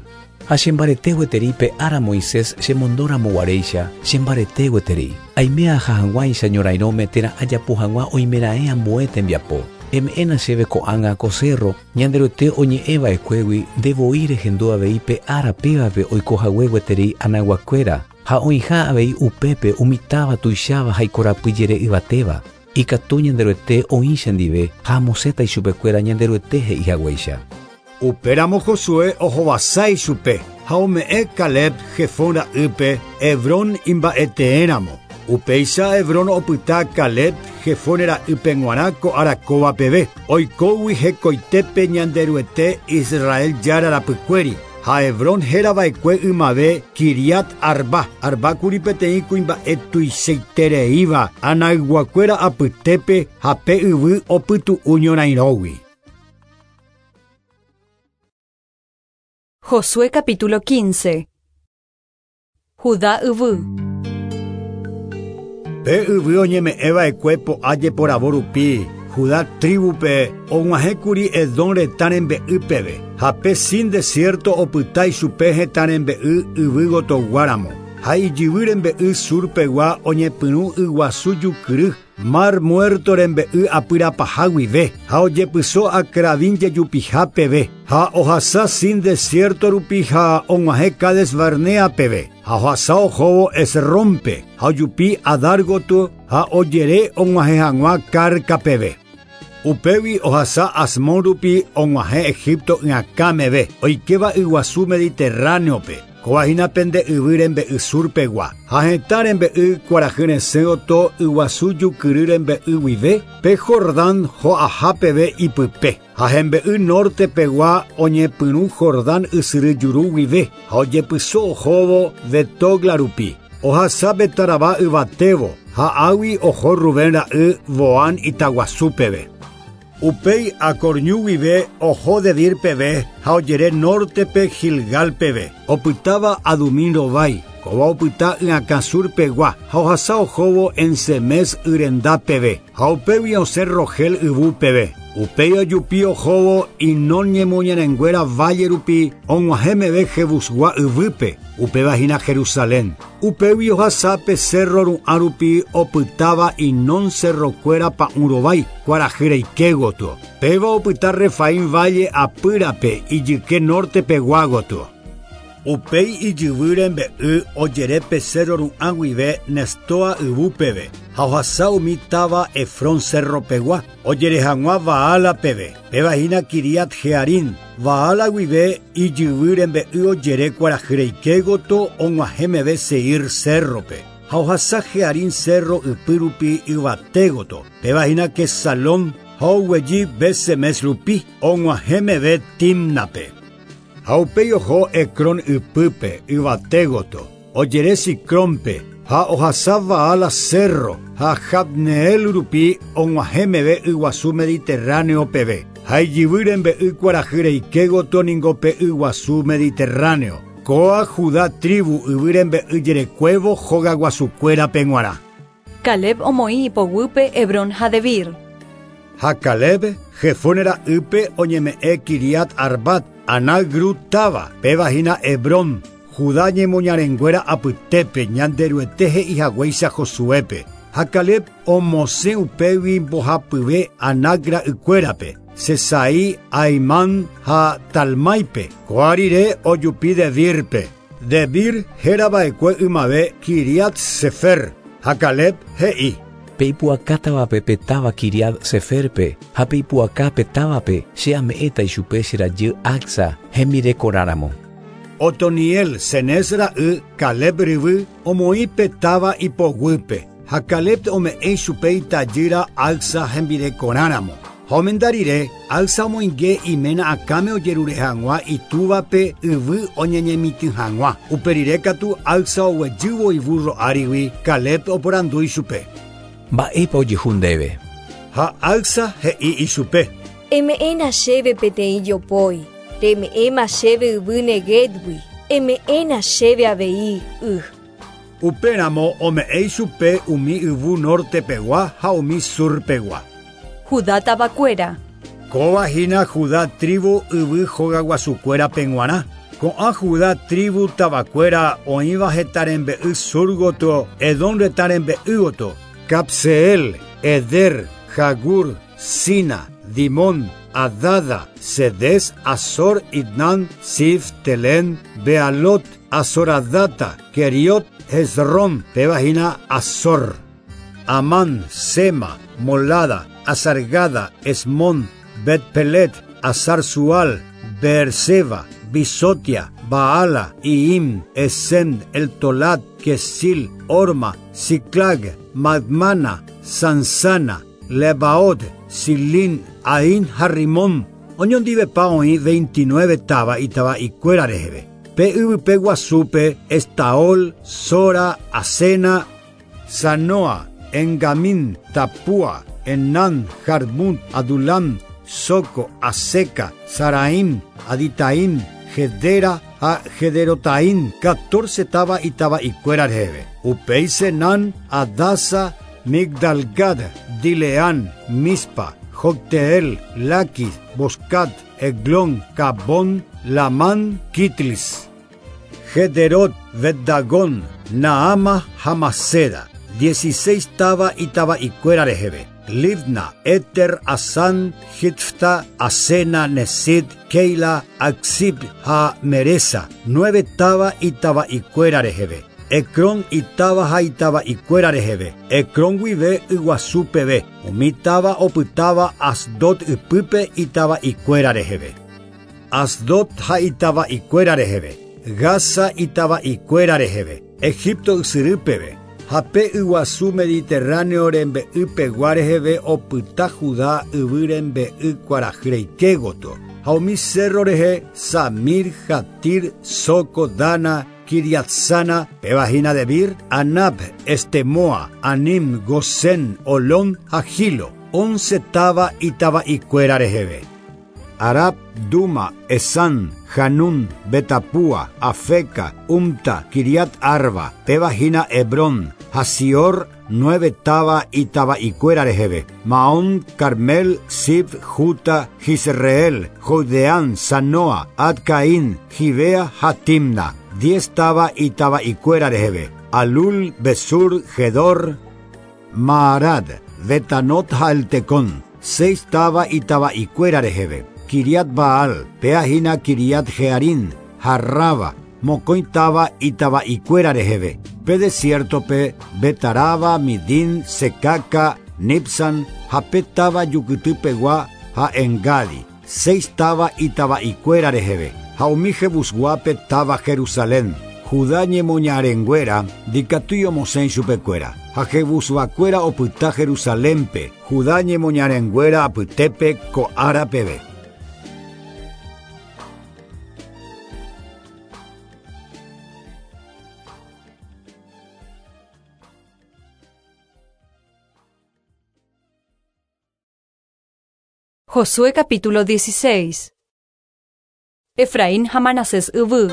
[SPEAKER 3] Ha chembarete gueteri pe ára Moisés chemondóramoguaréicha, chembarete gueteri. Aime aha hag̃uáicha ñorairõme térã ajapo hag̃ua oimeraẽ ambue tembiapo. Eme'ẽna chéve ko'ág̃a ko cerro, Ñanderuete oñe'ẽva'ekuégui ndevoi rehendu avei pe ára pévape oikohague gueteri Anaguakuéra, ha oĩha avei upépe umi táva tuicháva ha ikorapy jere yvatéva. Ikatu Ñanderuete oĩcha ndive ha amosẽta ichupekuéra Ñanderuete he'ihaguéicha.
[SPEAKER 12] Upéramo Josué ohovasa ichupe ha ome'ẽ Caleb Jefón ra'ýpe Hebrón imba'eteéramo. Upéicha Hebrón opyta Caleb Jefone ra'ýpe g̃uarã ko ára kóva peve. Oikógui hekoitépe Ñanderuete Israel Jára rapykuéri. Ha Hebrón hérava'ekue ymave Kiriat Arba. Arbákuri peteĩ kuimba'e tuichaitereíva Anayguakuéra apytépe ha pe yvy opytu'u ñorairõgui.
[SPEAKER 1] Josué capítulo 15. Judá yvy.
[SPEAKER 12] Pe yvy oñeme'ẽva'ekue po'a jeporavo rupi, Judá tribupe og̃uahẽkuri Edom retã rembe'y peve, ha pe Sin desierto opyta ichupe hetã rembe'y yvy gotoguáramo. Ha ijyvy rembe'y surpegua oñepyrũ yguasu jukyry, Mar Muerto rembe'y apyrapaha guive, ha ojepyso Acrabín jejupiha peve, ha ohasa Sin desierto rupi ha og̃uahẽ Cades Barnea peve, ha ohasa ohóvo Esrónpe, ha ojupi Adar gotyo ha ojere og̃uahẽ hag̃ua Carca peve. Upégui ohasa Asmón rupi og̃uahẽ Egipto y'akãmeve, oikéva yguasu Mediterráneope. Kóva hína pende yvy rembe'y surpegua. Ha hetã rembe'y kuarahy resẽ gotyo yguasu jukyry rembe'y guive, pe Jordán ho'aha peve ipype. Ha hembe'y nortepegua oñepyrũ Jordán ysyry juru guive, ha ojepyso ohóvo Betogla rupi. Ohasa Betarabá yvatévo, ha águi oho Rubén ra'y Boán itaguasu peve. Upéi Acor ñu guive oho Debir peve ha ojere nortepe Gilgal peve. Opytáva Adumín rovái. Kóva opyta yakã sur pegua ha ohasa ohóvo En-Semes yrenda peve. Ha upégui osẽ Rogel yvu peve. Upéi ojupi ohóvo Hinón ñemoñarenguéra valle rupi og̃uahẽ meve Jebusgua yvýpe, upéva hína Jerusalén. Upégui ohasa pe cerro ru'ã rupi opytáva Hinón cerrokuéra pa'ũ rovái, kuarahy reike gotyo. Péva opyta Refaim valle apýrape ijyke norte pegua gotyo. Upéi ijyvy rembe'y ojere pe cerro ru'ã guive Nestoa yvu peve ha ohasa umi táva Efrón cerro pegua, ojere hag̃ua Baala peve, péva hína Quiriat Jearim. Baala guive ijyvy rembe'y ojere kuarahy reike gotyo og̃uahẽ meve Seir cerro-pe, ha ohasa Jearim cerro ypy rupi yvate gotyo, péva hína Kesalón, ha oguejy Bet-Semes rupi, og̃uahẽ meve Timnape. Ha upéi oho Ecrón ypýpe, yvate gotyo, ojere Sicrónpe, ha ohasa Baala cerro, ha Jabneel rupi og̃uahẽ meve yguasu Mediterráneo peve. Ha ijyvy rembe'y kuarahy reike gotyo ningo pe yguasu Mediterráneo. Kóa Judá tribu yvy rembe'y jerekuévo hogaguasukuérape g̃uarã.
[SPEAKER 1] Caleb omoĩ ipoguýpe Hebrón ha Debir.
[SPEAKER 12] Ha Caleb, Jefone ra'ýpe oñeme'ẽ Quiriat Arbat, Anac ru táva, péva hína Hebrón, Judá ñemoñarenguéra apytépe Ñanderuete he'ihaguéicha Josuépe. Ha Caleb omosẽ upégui mbohapyve Anac ra'ykuérape, Sesai, Ahimán ha Talmáipe. Ko'ã rire ojupi Debírpe. Debir hérava'ekue ymave Quiriat Sefer. Ha Caleb he'i.
[SPEAKER 3] Pe ipu'akátavape pe táva Quiriat Seferpe ha pe ipu'aka pe távape che ame'ẽta ichupe che rajy Acsa hembirekorãramo.
[SPEAKER 12] Otoniel, Cenez ra'y, Caleb ryvy, omoĩ pe táva ipoguýpe, ha Caleb ome'ẽ ichupe itajýra Acsa hembirekorãramo. Ha omenda rire, Acsa omoinge iména akãme ojerure hag̃ua itúvape yvy oñeñemitỹ hag̃ua. Upe rire katu Acsa oguejývo ivúrro árigui, Caleb oporandu ichupe.
[SPEAKER 3] Mba'épa ojehu ndéve?
[SPEAKER 12] Ha Acsa he'i ichupe.
[SPEAKER 15] Eme'ẽna chéve peteĩ jopói, reme'ẽma chéve yvy Neguevgui, eme'ẽna chéve avei y.
[SPEAKER 12] Upéramo ome'ẽ ichupe umi yvu norte pegua ha umi sur pegua.
[SPEAKER 1] Judá tavakuéra.
[SPEAKER 12] Kóva hína Judá tribu yvy hogaguasukuérape g̃uarã. Ko'ã Judá tribu tavakuéra oĩva hetã rembe'y sur gotyo, Edom retã rembe'y gotyo, Cabseel, Eder, Jagur, Sina, Dimón, Adada, Cedes, Azor, Idnán, Sif, Telén, Bealot, Azoradata, Keriot, Hezrón, péva hína Azor, Amán, Sema, Molada, Azargada, Esmón, Betpelet, Azar Sual, Beerseba, Bisotia, Baala, Iim, Esem, Eltolat, Kesil, Orma, Siclag, Madmana, Sansana, Lebaot, Silín, Ain, Harrimón. Oñondivepa oĩ 29 táva itava'ikuéra reheve. Pe yvype guasúpe, Estaol, Sora, Asena, Sanoa, Engamín, Tapua, Enán, Jarmut, Adulam, Soco, Aseca, Saraim, Aditaim, Gedera ha Gederotaim, 14 táva itava'ikuéra reheve. Upéi Senán, Adasa, Migdalgad, Dileán, Mispa, Jocteel, Laquis, Boscat, Eglón, Cabón, Lamán, Kitlis, Gederot, Beddagón, Naama ha Maceda, 16 táva itava'ikuéra reheve. Libna, Eter, Asán, Jitfta, Asena, Nesid, Keila, Aczib ha Meresa, 9 táva itava'ikuéra reheve. Ecrón itáva ha itava'ikuéra reheve. Ecrón guive yguasu peve. Umi táva opytáva Asdod ypýpe itava'ikuéra reheve. Asdod ha itava'ikuéra reheve. Gaza itava'ikuéra reheve. Egipto ysyry peve. Ha pe yguasu Mediterráneo rembe'y pegua reheve opyta Judá yvy rembe'y kuarahy reike gotyo. Ha umi cerro rehe Samir, Jatir, Soco, Dana, Kiriatsana, péva hína Debir, Anab, Estemoa, Anim, Gosén, Olón ha Gilo. 11 táva itava'ikuéra reheve. Arab, Duma, Esan, Hanún, Betapúa, Afeca, Umta, Kiriat Arba, péva hína Hebrón, Hasior, 9 táva itava'ikuéra reheve. Maón, Carmel, Sif, Juta, Jisreel, Jodeán, Sanoa, Adcaín, Gibea ha Timna. 10 táva itava'ikuéra reheve. Alul, Besur, Gedor, Maarad, Betanot ha Eltecón. 6 táva itava'ikuéra reheve. Kiriat Baal, péa hína Kiriat Jearín, Harraba, mokõi táva itava'ikuéra reheve. Pe desiertope, Betaraba, Midín, Secaca, Nipsan, ha pe táva Jukytypegua ha Engadi. 6 táva itava'ikuéra reheve. Ha umi Jebusguápe táva Jerusalén. Judá ñemoñarenguéra ndikatúi omosẽ chupekuéra. Ha Jebusguakuéra opyta Jerusalénpe, Judá ñemoñarenguéra apytépe ko ára peve.
[SPEAKER 1] Josué capítulo 16. Efraín ha Manasés yvy.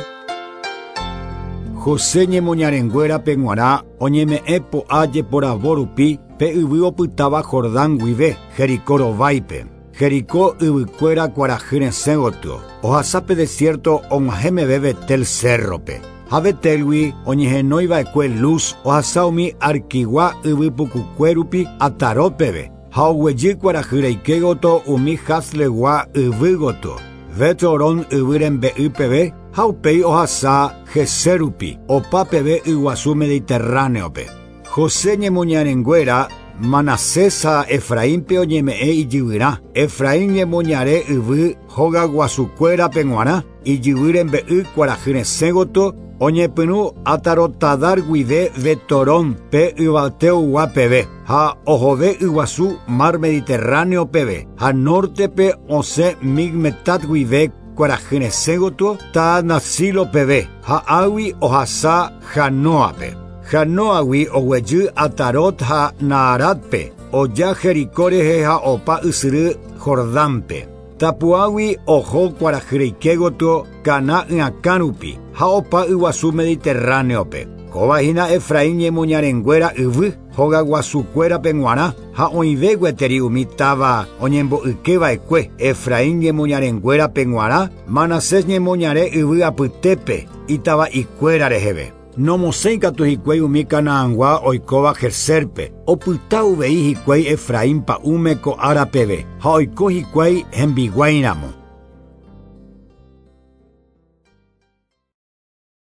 [SPEAKER 12] José ñemoñarenguérape g̃uarã oñeme'ẽ po'a jeporavo rupi pe yvy opytáva Jordán guive, Jericó rováipe. Jericó yvykuéra kuarahy resẽ gotyo. Ohasa pe desierto og̃uahẽ meve Betel cérrope. Ha Betelgui oñehenóiva'ekue Luz ohasa umi Arquigua yvy pukukue rupi Atarot peve. Ha oguejy kuarahy reike gotyo umi Haslegua yvy gotyo. Bet-Horón yvy rembe'y peve ha upéi ohasa Gezer rupi, opa peve yguasu Mediterráneope. José ñemoñarenguéra Manasés ha Efraínpe oñeme'ẽ ijyvyrã. Efraín ñemoñare yvy hogaguasukuérape g̃uarã, ijyvy rembe'y kuarahy resẽ gotyo oñepyrũ Atarotadar guive Betorón pe yvateogua peve ha ohove yguasu Mar Mediterráneo peve ha nortepe osẽ Migmetat guive kuarahy resẽ gotyo Taanasilo peve ha águi ohasa Janoape. Janoagui oguejy Atarot ha Naaratpe oja Jericó rehe ha opa ysyry Jordánpe. Tapuágui oho kuarahy reike gotyo Caná yakã rupi ha opa yguasu Mediterráneope. Kóva hína Efraín ñemoñarenguéra yvy hogaguasukuérape g̃uarã ha oĩve gueteri umi táva oñembo'ykeva'ekue Efraín ñemoñarenguérape g̃uarã Manasés ñemoñare yvy apytépe itava'ikuéra reheve. Nomosẽi katu hikuái umi Canaangua oikóva Gezerpe, opyta uvei hikuái Efraín pa'ũme ko ára peve ha oiko hikuái hembiguáiramo.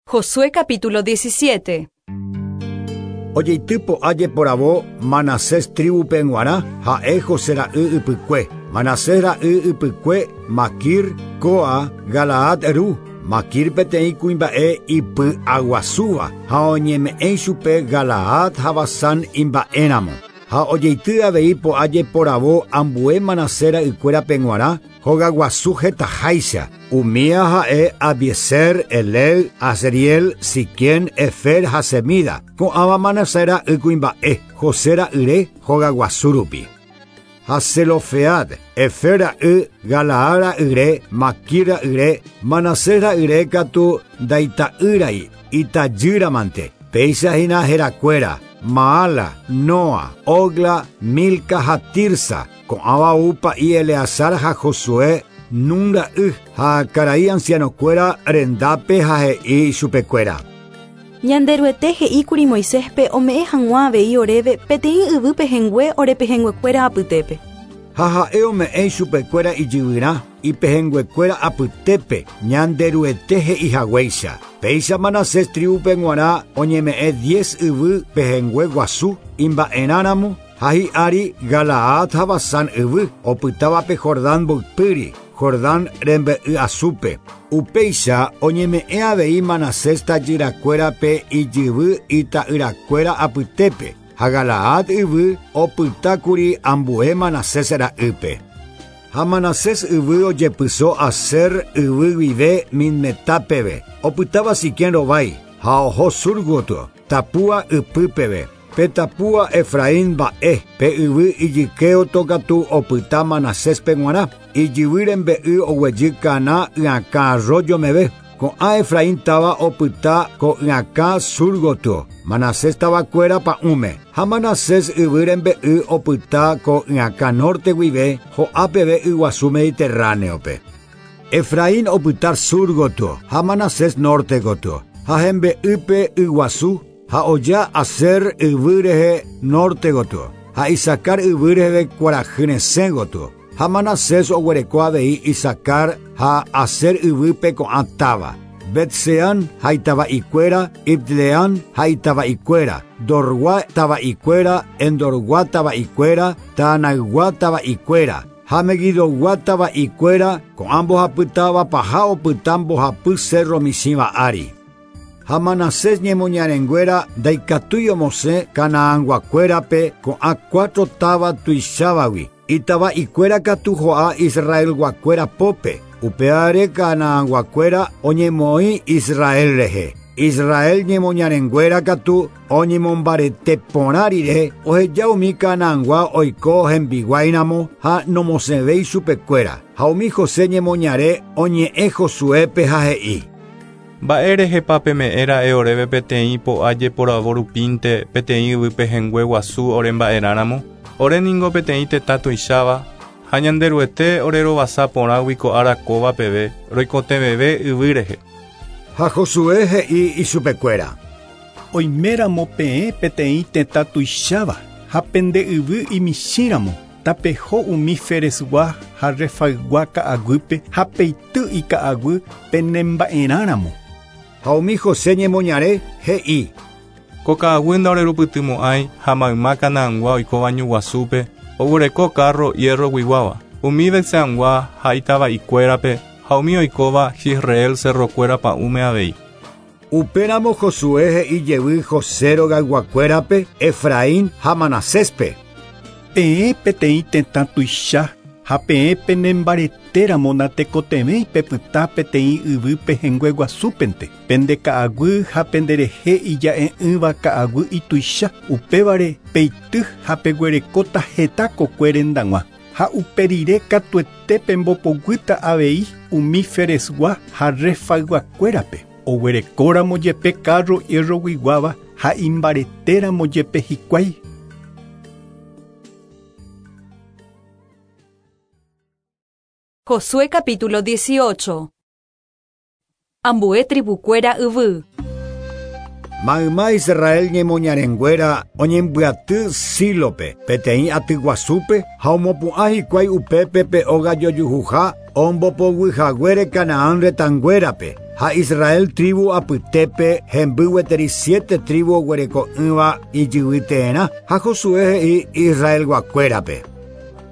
[SPEAKER 1] Josué capítulo 17.
[SPEAKER 12] Ojeity po'a jeporavo Manasés tribupe g̃uarã ha'e José ra'y ypykue. Manasés ra'y ypykue Maquir, Coa, Galaad ru. Maquir peteĩ kuimba'e ipy'aguasúva ha oñeme'ẽ chupe Galaad ha Basán imba'éramo. Ha ojeity avei po'a jeporavo ambue Manasés ra'ykuérape g̃uarã hogaguasu hetaháicha. Umía ha'e Abiezer, Elel, Azriel, Siquén, Efer ha Semida. Ko'ãva Manasés ra'y kuimba'e, José ra'yre hogaguasu rupi. Ha Zelofead, Efer ra'y, Galaad ra'yre, Maquir ra'yre, Manasés ra'yre katu ndaita'ýrai, itajýramante. Péicha hína herakuéra, Maala, Noa, Ogla, Milca ha Tirsa. Ko'ãva ou pa'i Eleazar ha Josué Nun ra'y ha karai ancianokuéra rendápe ha he'i chupekuéra.
[SPEAKER 16] Ñanderuete he'íkuri Moiséspe ome'ẽ hag̃ua avei oréve peteĩ yvy pehẽngue ore pehẽnguekuéra apytépe.
[SPEAKER 12] Ha ha'e ome'ẽ chupekuéra ijyvyrã ipehẽnguekuéra apytépe Ñanderuete he'ihaguéicha. Péicha Manasés tribupe g̃uarã oñeme'ẽ 10 yvy pehẽngue guasu imba'erãramo ha hi'ári Galaad ha Basán yvy opytávape Jordán mboypýri, Jordán rembe'y asúpe. Upéicha oñeme'ẽ avei Manasés tajyrakuérape ijyvy ita'yrakuéra apytépe ha Galaad yvy opytákuri ambue Manasés ra'ýpe. Ha Manasés yvy ojepyso Aser yvy guive Minmetá peve, opytáva Siquén rovái ha oho sur gotyo, Tapúa ypy peve. Pe Tapúa Efraín mba'e, pe yvy ijykéoto katu opyta Manaséspe g̃uarã, ijyvy rembe'y oguejy Caná yakã arroyo meve. Ko'ã Efraín táva opyta ko yakã sur gotyo, Manasés tavakuéra pa'ũme, ha Manasés yvy rembe'y opyta ko yakã norte guive ho'a peve yguasu Mediterráneope. Efraín opyta sur gotyo ha Manasés norte gotyo, ha hembe'ýpe yguasu ha oja Aser yvy rehe norte gotyo, ha Isacar yvy reheve kuarahy resẽ gotyo. Ha Manasés oguereko avei Isacar ha Aser yvýpe ko'ã táva: Betseán ha itava'ikuéra, Ibleán ha itava'ikuéra, Dorgua tava'ikuéra, Endorgua tava'ikuéra, Taanaygua tava'ikuéra, ha Megidogua tava'ikuéra, ko'ã mbohapy táva paha opyta mbohapy cerro michĩva ári. Ha Manasés ñemoñarenguéra ndaikatúi omosẽ Canaanguakuérape ko'ã cuatro táva tuichávagui, itava'ikuéra katu ho'a Israelguakuéra pópe, upévare Canaanguakuéra oñemoĩ Israel rehe. Israel ñemoñarenguéra katu oñemombarete porã rire oheja umi Canaangua oiko hembiguáiramo ha nomosẽvéi chupekuéra. Ha umi José ñemoñare oñe'ẽ Josuépe ha he'i:
[SPEAKER 11] Mba'érehepa peme'ẽra'e oréve peteĩ po'a jeporavo rupínte peteĩ yvy pehẽngue guasu oremba'erãramo? Ore ningo peteĩ tetã tuicháva ha Ñanderuete orerovasa porãgui ko ára kóva peve roikotevẽve yvy rehe.
[SPEAKER 12] Ha Josué he'i ichupekuéra:
[SPEAKER 17] Oiméramo peẽ peteĩ tetã tuicháva ha pende yvy imichĩramo, tapeho umi Feresgua ha Refaygua ka'aguýpe ha peity ika'aguy penemba'erãramo.
[SPEAKER 12] Ha umi José ñemoñare he'i:
[SPEAKER 11] Ko ka'aguy ndaorerupytymo'ãi ha mayma Canaangua oikóva ñu guasúpe oguereko carro hierroguiguáva, umi Betseangua ha itava'ikuérape ha umi oikóva Jisreel cerrokuéra pa'ũme avei.
[SPEAKER 12] Upéramo Josué he'i jevy José rogayguakuérape, Efraín ha Manaséspe:
[SPEAKER 17] Peẽ peteĩ tetã tuicha ha peẽ penembaretéramo natekotevẽi pepyta peteĩ yvy pehẽngue guasúpente, pende ka'aguy ha penderehe ija'e'ỹva ka'aguy ituicha, upévare peity ha peguerekóta heta kokue rendag̃ua. Ha uperire katuete pembopoguýta avei umi Feresgua ha Refayguakuérape, oguerekóramo jepe carro hierroguiguáva ha imbaretéramo jepe hikuái.
[SPEAKER 1] Josué capítulo 18. Ambue tribukuéra yvy.
[SPEAKER 12] Mayma Israel ñemoñarenguéra oñembyaty Sílope, peteĩ aty guasúpe ha omopu'ã hikuái upépe pe óga jojuhuha ombopoguyhaguére Canaán retãnguérape, ha Israel tribu apytépe hemby gueteri siete tribu oguereko'ỹva ijyvyteerã ha Josué he'i Israelguakuérape: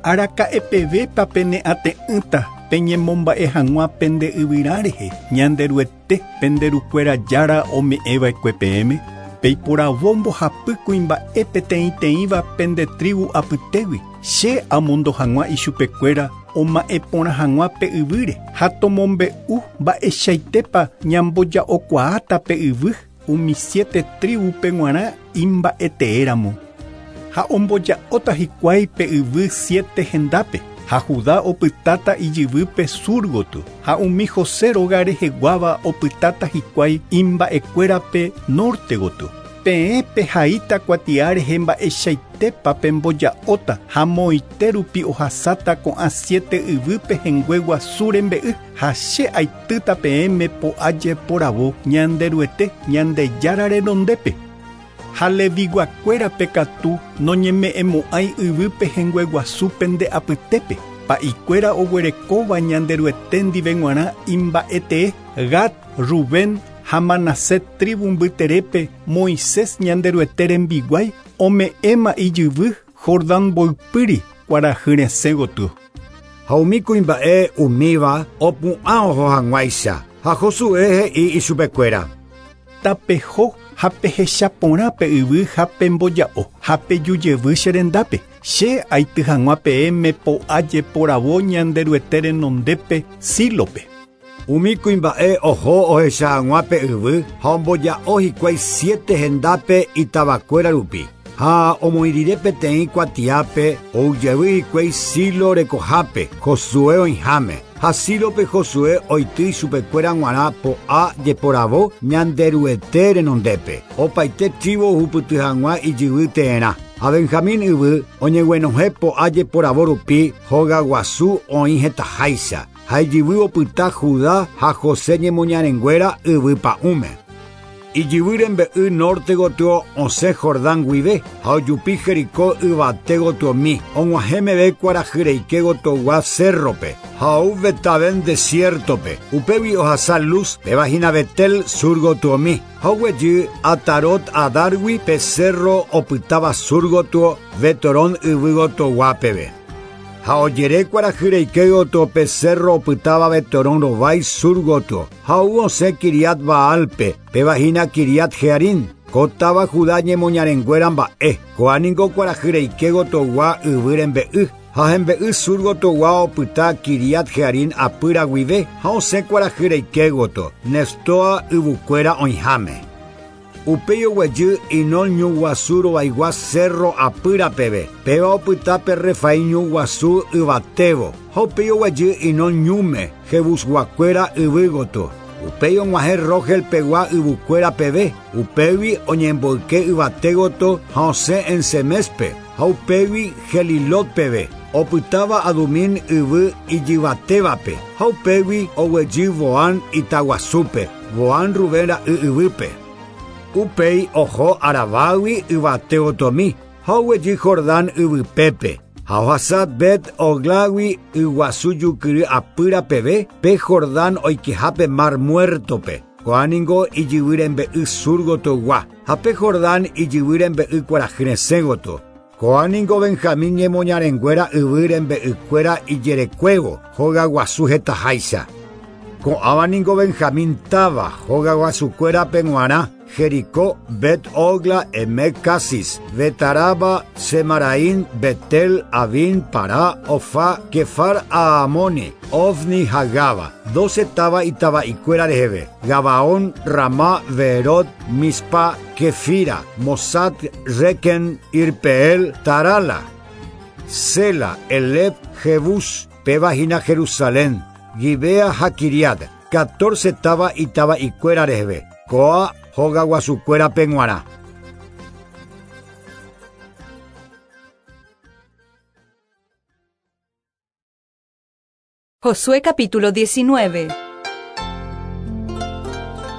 [SPEAKER 17] Araka'epevépa pene'ate'ỹta peñemomba'e hag̃ua pende yvyrã rehe, Ñanderuete penderukuéra jára ome'ẽva'ekue peẽme, peiporavo mbohapy kuimba'e peteĩteĩva pende tribu apytégui, che amondo hag̃ua ichupekuéra oma'ẽ porã hag̃ua pe yvýre ha tomombe'u mba'eichaitépa ñamboja'okuaáta pe yvy umi siete tribupe g̃uarã imba'eteéramo. Ha omboja'óta hikuái pe yvy siete hendápe, ha Judá opytáta ijyvýpe sur gotyo, ha umi José róga reheguáva opytáta hikuái imba'ekuérape norte gotyo. Peẽ pehaíta kuatia rehe mba'eichaitépa pemboja'óta ha moite rupi ohasáta ko'ã siete yvy pehẽngue guasu rembe'y, ha che aitýta peẽme po'a jeporavo Ñanderuete Ñandejára renondépe. Ha Leviguakuérape katu noñeme'ẽmo'ãi yvy pehẽngue guasu pende apytépe, pa'ikuéra oguerekóva Ñanderuete ndive g̃uarã imba'etee, Gad, Rubén ha Manasés tribu mbyterépe Moisés Ñanderuete rembiguái ome'ẽma ijyvy Jordán mboypýri kuarahy resẽ gotyo.
[SPEAKER 12] Ha umi kuimba'e umíva opu'ã oho hag̃uáicha, ha Josué he'i ichupekuéra:
[SPEAKER 17] Tapeho ha pehecha porã pe yvy ha pemboja'o ha pejujevy che rendápe, che aity hag̃ua peẽme po'a jeporavo Ñanderuete renondépe Sílope.
[SPEAKER 12] Umi kuimba'e oho ohecha hag̃ua pe yvy ha omboja'o hikuái siete hendápe itavakuéra rupi. Ha omoĩ rire peteĩ kuatiápe oujevy hikuái Silo rekohápe, Josué oĩháme. Ha Sílope Josué oity ichupekuéra g̃uarã po'a jeporavo Ñanderuete renondépe. Opaite tribu ohupyty hag̃ua ijyvy teerã. Ha Benjamín yvy oñeguenohẽ po'a jeporavo rupi hogaguasu oĩ hetaháicha. Ha ijyvy opyta Judá ha José ñemoñarenguéra yvy pa'ũme. Ijyvy rembe'y norte gotyo osẽ Jordán guive ha ojupi Jericó yvate gotyomi og̃uahẽ meve kuarahyreike gotyogua cerrope ha ou Betaven desiertope. Upégui ohasa Luz péva hína Betel sur gotyomi ha oguejy Atarot Adargui pe cerro opytáva sur gotyo Betorón yvy gotyogua peve. Ha ojere kuarahyreike gotyo pe cerro opytáva Betorón rovái sur gotyo ha ou osẽ Kiriat Baalpe péva hína Kiriat Jearim. Ko táva Judá ñemoñarenguéra mba'e. Ko'ã niko kuarahyreike gotyogua yvy rembe'y. Ha hembe'y sur gotyogua opyta Kiriat Jearim apýra guive ha osẽ kuarahyreike gotyo Neftoa yvukuéra oĩháme. Upéi oguejy Hinón ñu guasu rovaigua cerro apýra peve. Péva opyta pe Refaim ñu guasu yvatévo. Ha upéi oguejy Hinón ñúme Jebusguakuéra yvy gotyo. Upéi og̃uahẽ Rogel pegua yvukuéra peve. Upégui oñemboyke yvate gotyo ha osẽ En-Semespe. Ha upégui Gelilot peve. Opytáva Adumín yvy ijyvatévape. Ha upégui oguejy Boan itaguasúpe. Boan Rubén ra'y yvýpe. Upéi oho Arabágui yvate gotyomi ha oguejy Jordán yvypépe. Ha ohasa Bet Oglágui yguasu jukyry apýra peve pe Jordán oikehápe Mar Muertope. Ko'ã niko ijyvy rembe'y sur gotyogua ha pe Jordán ijyvy rembe'y kuarahy resẽ gotyo. Ko'ã niko Benjamín ñemoñarenguéra yvy rembe'ykuéra ijerekuévo hogaguasu hetaháicha. Ko'ãva niko Benjamín táva hogaguasukuérape g̃uarã Jericó, Bet Ogla, Emek Casis, Betaraba, Semaraín, Betel, Avin, Pará, Ofá, Kefar Aamoni, Ofni, Hagaba. 12 táva itava'ikuéra reheve. Gabaón, Ramá, Beerot, Mispa, Kefira, Mosad, Reken, Irpeel, Tarala, Sela, Eleb, Jebús, péva hína Jerusalén, Gibea ha Kiriat. 14 táva itava'ikuéra reheve. Ko'ã hogaguasukuérape g̃uarã.
[SPEAKER 1] Josué capítulo 19.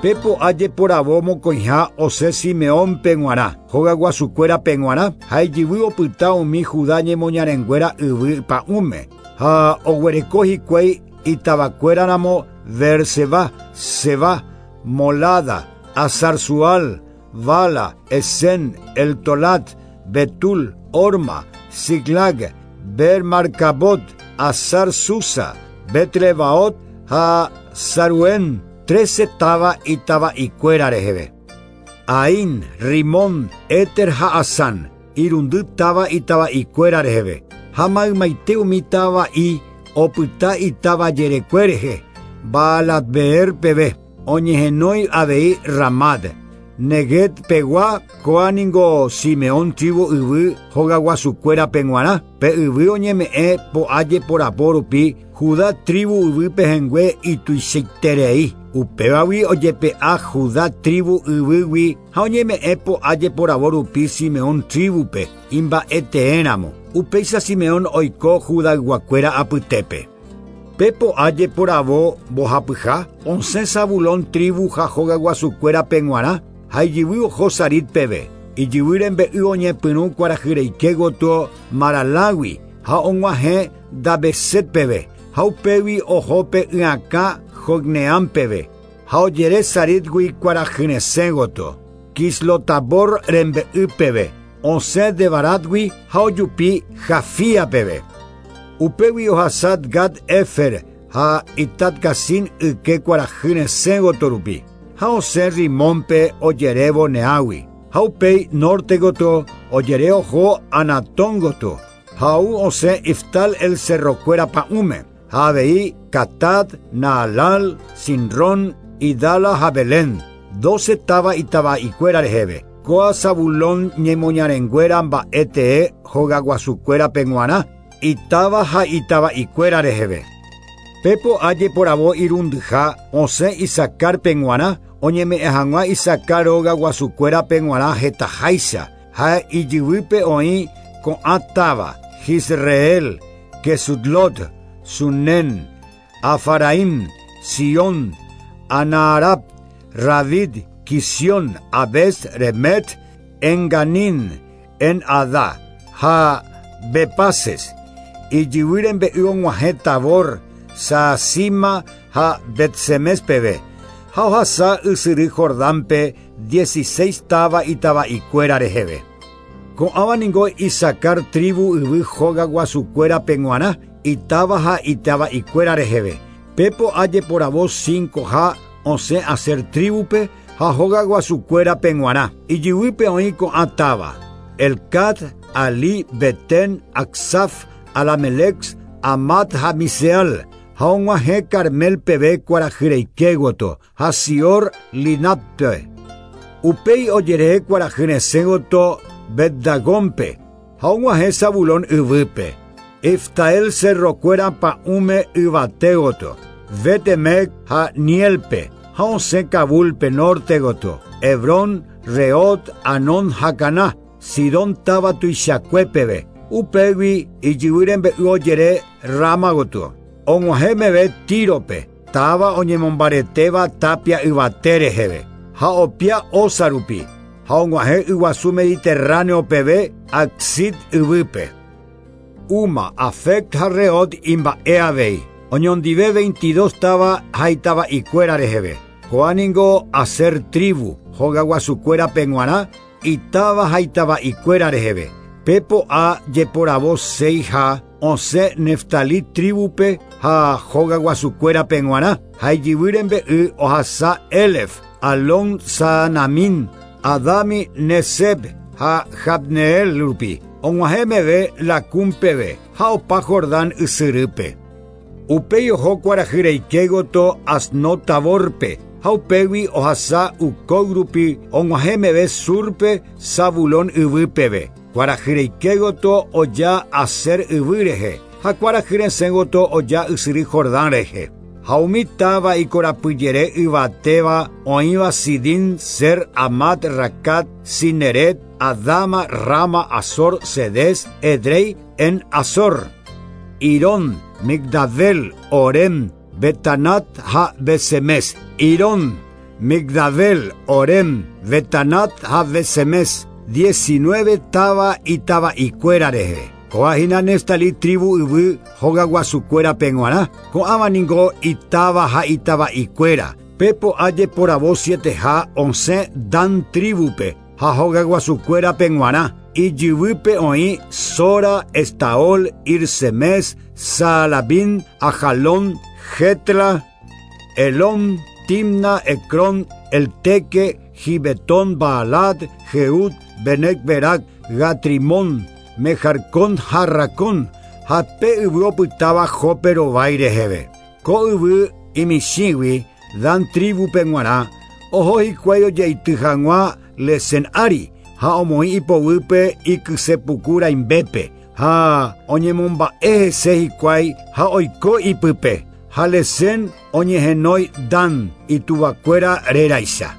[SPEAKER 12] Pe po'a jeporavo mokõiha osẽ Simeónpe g̃uarã, hogaguasukuérape g̃uarã ha ijyvy opyta umi Judá ñemoñarenguéra yvy pa'ũme. Ha oguereko hikuái itavakuéraramo Beerseba, Seba, Molada, Azarsual, Bala, Esen, Eltolat, Betul, Orma, Ziclag, Bermarcabot, Azar Susa, Betlebaot ha Saruén, 13 táva itava'ikuéra reheve. Ain, Rimón, Éter ha Asán, irundy táva itava'ikuéra reheve. Ha maymaite umi tava'i opyta itáva jerekue rehe, Baalat-Beer peve, oñehenói avei Ramad. Neguet pegua ko'ã niko Simeón tribu yvy hogaguasukuérape g̃uarã. Pe yvy oñeme'ẽ po'a jeporavo rupi Judá tribu yvy pehẽngue ituichaiterei. Upévagui ojepe'a Judá tribu yvýgui ha oñeme'ẽ po'a jeporavo rupi Simeón tribupe imba'eteéramo. Upéicha Simeón oiko Judayguakuéra apytépe. Pe po'a jeporavo mbohapyha osẽ Zabulón tribu ha hogaguasukuérape g̃uarã ha ijyvy oho Sarid peve. Ijyvy rembe'y oñepyrũ kuarahyreike gotyo Maralágui ha og̃uahẽ Dabeset peve. Ha upégui oho pe y'akã Jocneam peve. Ha ojere Saridgui kuarahyresẽ gotyo. Kislotabor rembe'y peve. Osẽ Debaratgui ha ojupi Jafía peve. Upégui ohasa Gad Efer ha Itat-Cazin yke kuarahyresẽ gotyo rupi. Ha osẽ Rimónpe ojerévo Neágui. Ha upéi norte gotyo ojere oho Anatón gotyo. Ha ou osẽ Iftal el cerrokuéra pa'ũme. Ha avei Katat, Naalal, Sinrón, Idala ha Belén. 12 táva itava'ikuéra reheve. Kóa Zabulón ñemoñarenguéra mba'e tee hogaguasukuérape g̃uarã, itáva ha itava'ikuéra reheve. Pe po'a jeporavo irundyha osẽ Isacárpe g̃uarã, oñeme'ẽ hag̃ua Isacar rogaguasukuérape g̃uarã hetaháicha, ha ijyvýpe oĩ ko'ã táva, Jisreel, Kesutlot, Sunen, Afaraim, Sion, Anaarab, Ravid, Kision, Abes, Remet, Enganin, En-Ada, ha Bepases, ijyvy rembe'y og̃uahẽ Tabor, Saasima ha Betsemes peve, ha ohasa ysyry Jordánpe 16 táva itava'ikuéra reheve. Ko'ãva ningo Isacar tribu yvy hogaguasukuérape g̃uarã, itáva ha itava'ikuéra reheve. Pe po'a jeporavo 5 ha osẽ Aser tribupe ha hogaguasukuérape g̃uarã. Ijyvýpe oĩ ko'ã táva: Elcat, Ali, Beten, Aksaf, Alamelex, Amat ha Miseal, ha og̃uahẽ Carmel peve kuarahyreike gotyo, ha Sior Linatpe. Upéi ojere kuarahyresẽ gotyo Betdagónpe, ha og̃uahẽ Zabulón yvýpe. Iftael cerrokuéra pa'ũme yvate gotyo, Betemec ha Nielpe, ha osẽ Kabulpe norte gotyo, Hebrón, Reot, Anon ha Caná, Sidón táva tuichakue peve. Upégui ijyvy rembe'y ojere Rama gotyo. Og̃uahẽ meve Tírope, táva oñemombaretéva tapia yvate reheve, ha opia Osa rupi, ha og̃uahẽ yguasu Mediterráneo peve Axit yvýpe. Uma, Afec ha Reot imba'e avei. Oñondive 22 táva ha itava'ikuéra reheve. Ko'ã ningo Aser tribu, hogaguasukuérape g̃uarã, itáva ha itava'ikuéra reheve. Pe po'a jeporavo 6 ha osẽ Neftali tribupe ha hogaguasukuérape g̃uarã, ha ijyvy rembe'y ohasa Elef, Alon Saanamin, Adami Neseb ha Jabneel rupi. Og̃uahẽ meve Lacum peve ha opa Jordán ysyrýpe. Upéi oho kuarahyreike gotyo Asnot Taborpe, ha upégui ohasa Hucoc rupi og̃uahẽ meve Surpe Zabulón yvy peve. Kuarahyreike gotyo oja Aser yvy rehe, ha kuarahyresẽ gotyo oja ysyry Jordán rehe. Ha umi táva ikorapyjere yvatéva oĩva Sidín, Ser, Amat, Racat, Cineret, Adama, Rama, Azor, Cedes, Edrei, en Azor, Irón, Migdabel, Orem, Betanat ha Besemes, Irón, Migdabel, Orem, Betanat ha Besemes, 19 táva itava'ikuéra rehe. Kóa hína Neftali tribu yvy hogaguasukuérape g̃uarã, ko'ãva ningo itáva ha itava'ikuéra. Pe po'a jeporavo 7 ha osẽ Dan tribupe ha hogaguasukuérape g̃uarã. Ijyvýpe oĩ Sora, Estaol, Irsemes, Saalabín, Ajalón, Jetla, Elón, Timna, Ecrón, Elteque, Gibetón, Baalat, Jeud, Benec-Berac, Gatrimón, Mejarcón, Harracón, ha pe yvy opytáva Jope rovái reheve. Ko yvy imichĩgui Dan tribupe g̃uarã, oho hikuái ojeity hag̃ua Lesen ári, ha omoĩ ipoguýpe ikysepuku rãimbépe, ha oñemomba'e hese hikuái ha oiko ipype. Ha Lesen oñehenói Dan ituvakuéra réraicha.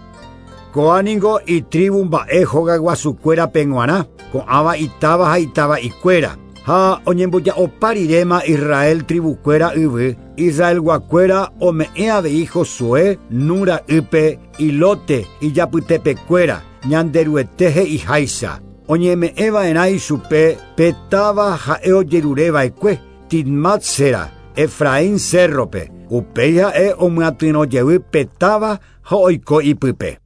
[SPEAKER 12] Ko'ã ningo itribu mba'e hogaguasukuérape g̃uarã, ko'ãva itáva ha itava'ikuéra. Ha oñemboja'opa riréma Israel tribukuéra yvy, Israelguakuéra ome'ẽ avei Josué Nun ra'ýpe ilote ijapytepekuéra, Ñanderuete he'iháicha. Oñeme'ẽva'erã ichupe pe táva ha'e ojerureva'ekue, Timmat Sera, Efraín cérrope. Upéi ha'e omyatyrõ jey pe táva ha oiko ipype.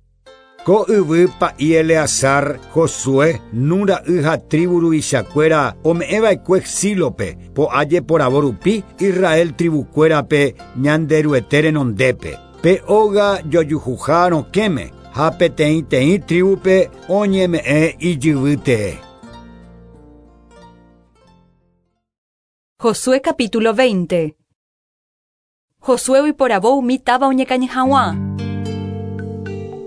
[SPEAKER 12] Ko yvy pa'i Eleazar, Josué, Nun ra'y ha tribu ruvichakuéra ome'ẽva'ekue Sílope, po'a jeporavo rupi Israel tribukuérape Ñanderuete renondépe. Pe óga jojuhuha rokẽme ha peteĩteĩ tribupe oñeme'ẽ ijyvy tee.
[SPEAKER 1] Josué capítulo 20. Josué oiporavo umi táva oñekañy hag̃ua.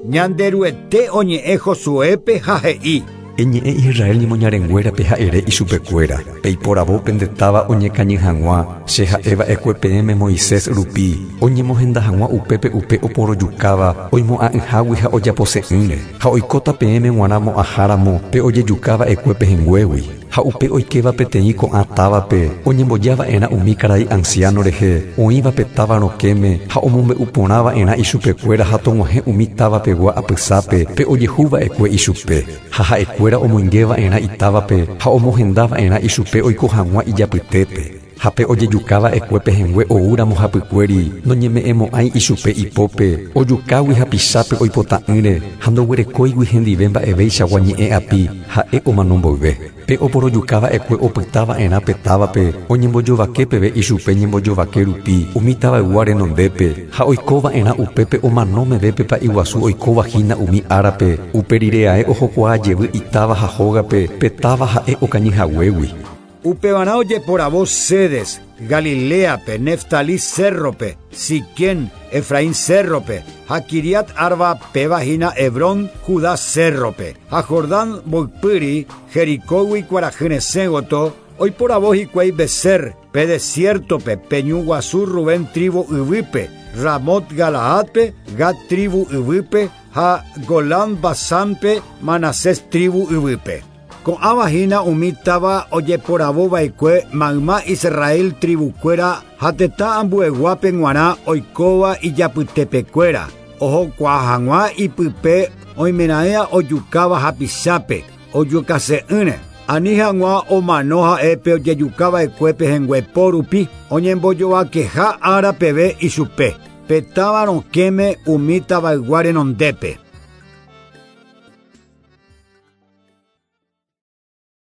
[SPEAKER 12] Ñanderuete oñe'ẽ Josuépe ha he'i.
[SPEAKER 3] Eñe'ẽ Israel ñemoñarenguérape ha ere ichupekuéra. Peiporavo pende táva oñekañy hag̃ua, che ha'eva'ekue peẽme Moisés rupi, oñemohenda hag̃ua upépe upe oporojukáva, oimo'ã'ỹhágui ha ojapose'ỹre, ha oikóta peẽme g̃uarã mo'ãháramo pe ojejukava'ekue pehẽnguégui. Ha upe oikéva peteĩ ko'ã távape, oñembojava'erã umi karai anciano rehe, oĩva pe táva rokẽme ha omombe'uporãva'erã ichupekuéra ha tog̃uahẽ umi tavapegua apysápe pe ojehuva'ekue ichupe. Ha ha'ekuéra omoingeva'erã itávape ha omohendava'erã ichupe oiko hag̃ua ijapytépe. Ha pe ojejukava'ekue pehẽngue oúramo hapykuéri, noñeme'ẽmo'ãi ichupe ipópe, ojukágui hapichápe oipota'ỹre ha ndoguerekóigui hendive mba'eveichagua ñe'ẽ api ha'e omano mboyve. Pe oporojukava'ekue opytava'erã pe távape, oñembojovake peve ichupe ñembojovake rupi umi tavaygua renondépe, ha oikova'erã upépe omano meve pe pa'i guasu oikovahína umi árape, upe rire ae ohokuaa jevy itáva ha hógape pe táva ha'e okañyhaguégui.
[SPEAKER 12] Upevarã ojeporavo Cedes, Galileape, Neftalí cérrope, Siquén, Efraín cérrope, ha Kiriat Arba péva hína Hebrón, Judá cérrope, ha Jordán mboypýri, Jericógui kuarahy resẽ gotyo, oiporavo hikuái Beser, pe desiertope, pe ñu guasu Rubén tribu yvýpe, Ramot Galaadpe, Gad tribu yvýpe, ha Golán Basánpe, Manasés tribu yvýpe. Ko'ãva hína umi táva ojeporavova'ekue mayma Israel tribukuéra ha tetã ambueguápe g̃uarã oikóva ijapytepekuéra, ohokuaa hag̃ua ipype oimeraẽa ojukáva hapichápe, ojukase'ỹre, ani hag̃ua omano ha'épe ojejukava'ekue pehẽngue rupi, oñembojovakeha ára peve ichupe, pe táva rokẽme umi tavaygua renondépe.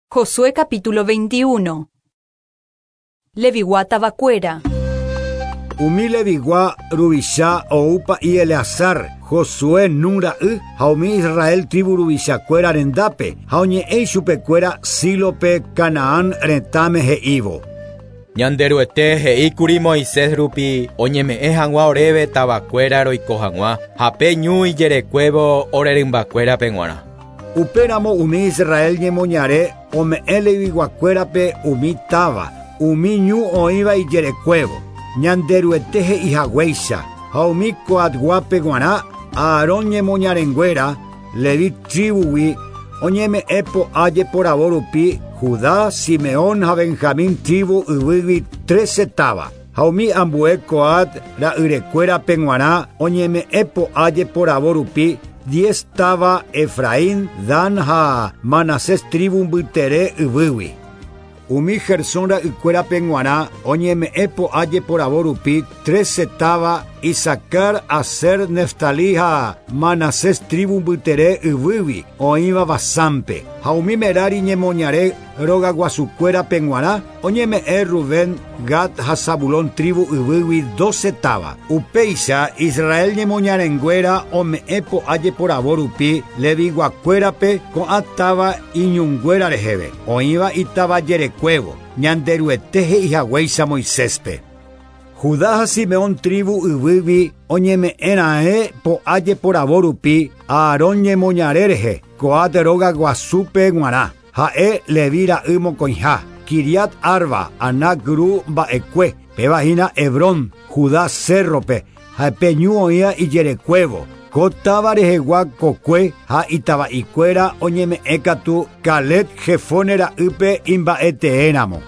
[SPEAKER 1] Josué capítulo 21. Levigua tavakuéra.
[SPEAKER 12] Umi Levigua ruvicha oupa y Eleazar, Josué Nun ra'y ha umi Israel tribu ruvichakuéra rendápe, ha oñe'ẽ ichupekuéra Sílope Canaán retãme he'ívo.
[SPEAKER 13] Ñanderuete he'íkuri Moisés rupi oñeme'ẽ hag̃ua oréve tavakuéra roiko hag̃ua ha pe ñu ijerekuévo orerymbakuérape g̃uarã.
[SPEAKER 12] Upéramo umi Israel ñemoñare ome'ẽ leviguakuérape umi táva, umi ñu oĩva ijerekuévo, Ñanderuete he'ihaguéicha, ha umi Coatguápe g̃uarã Aarón ñemoñarenguéra, Levi tribugui, oñeme'ẽ po'a jeporavo rupi Judá, Simeón ha Benjamín tribu yvýgui 13 táva. Ha umi ambue Coat ra'yrekuérape g̃uarã oñeme'ẽ po'a jeporavo rupi 10 táva Efraín, Dan ha Manasés tribu mbytere yvýgui. Umi Gersón ra'ykuérape g̃uarã oñeme'ẽ po'a jeporavo rupi 13 táva Isacar, Aser, Neftalí ha Manasés tribu mbytere yvýgui oĩva Basánpe. Ha umi Merari ñemoñare rogaguasukuérape g̃uarã oñeme'ẽ Rubén, Gad ha Zabulón tribu yvýgui 12 táva. Upéicha Israel ñemoñarenguéra ome'ẽ po'a jeporavo rupi leviguakuérape ko'ã táva iñunguéra reheve, oĩva itáva jerekuévo, Ñanderuete he'ihaguéicha Moiséspe. Judá ha Simeón tribu yvýgui oñeme'ẽra'ẽ po'a jeporavo rupi Aarón ñemoñare rehe, Coat rogaguasúpe g̃uarã, ha'e Levi ra'y mokõiha, Kiriat Arba, Anac ru mba'ekue, péva hína Hebrón, Judá cérrope, ha pe ñu oĩva ijerekuévo. Ko táva rehegua kokue ha itava'ikuéra oñeme'ẽ katu Caleb Jefone ra'ýpe imba'eteéramo.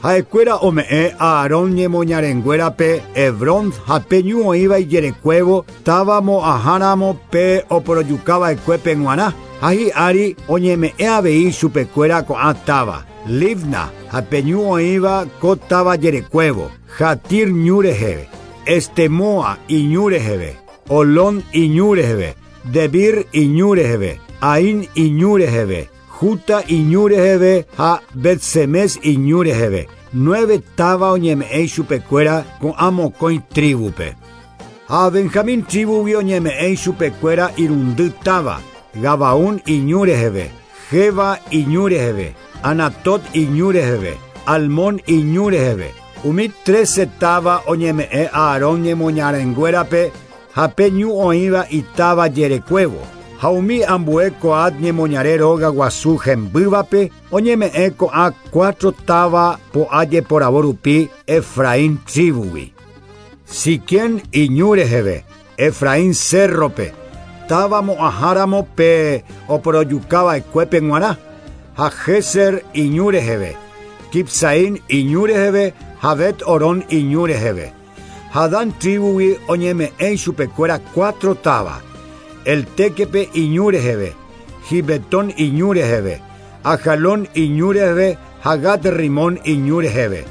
[SPEAKER 12] Ha'ekuéra ome'ẽ Aarón ñemoñarenguérape Hebrón ha pe ñu oĩva ijerekuévo táva mo'ãháramo pe oporojukava'ekuépe g̃uarã, ha hi'ári oñeme'ẽ avei chupekuéra ko'ã táva, Libna ha pe ñu oĩva ko táva jerekuévo, Jatir ñu reheve, Estemoa iñu reheve, Olón iñu reheve, Debir iñu reheve, Ain iñu reheve, Juta iñu reheve ha Bet-Semes iñu reheve. 9 táva oñeme'ẽ ichupekuéra ko'ã mokõi tribupe. Ha Benjamín tribugui oñeme'ẽ ichupekuéra irundy táva, Gabaón iñu reheve, Jeba iñu reheve, Anatot iñu reheve, Almón iñu reheve. Umi 13 táva oñeme'ẽ Aarón ñemoñarenguérape. ha pe ñu oĩva itáva jerekuévo. Ha umi ambue Coat ñemoñare róga guasu hembývape oñeme'ẽ ko'ã 4 táva po'a jeporavo rupi Efraín tribugui. Siquem iñu reheve, Efraín cérrope, táva mo'ãháramo pe oporojukava'ekuépe g̃uarã, ha Géser iñu reheve, Kipsaín iñu reheve ha Bet-Orón iñu reheve. Ha Dan tribugui oñeme'ẽ ichupekuéra 4 táva, El Tequepe iñu reheve, Gibetón iñu reheve, Ajalón iñu reheve ha Gat Rimón iñu reheve.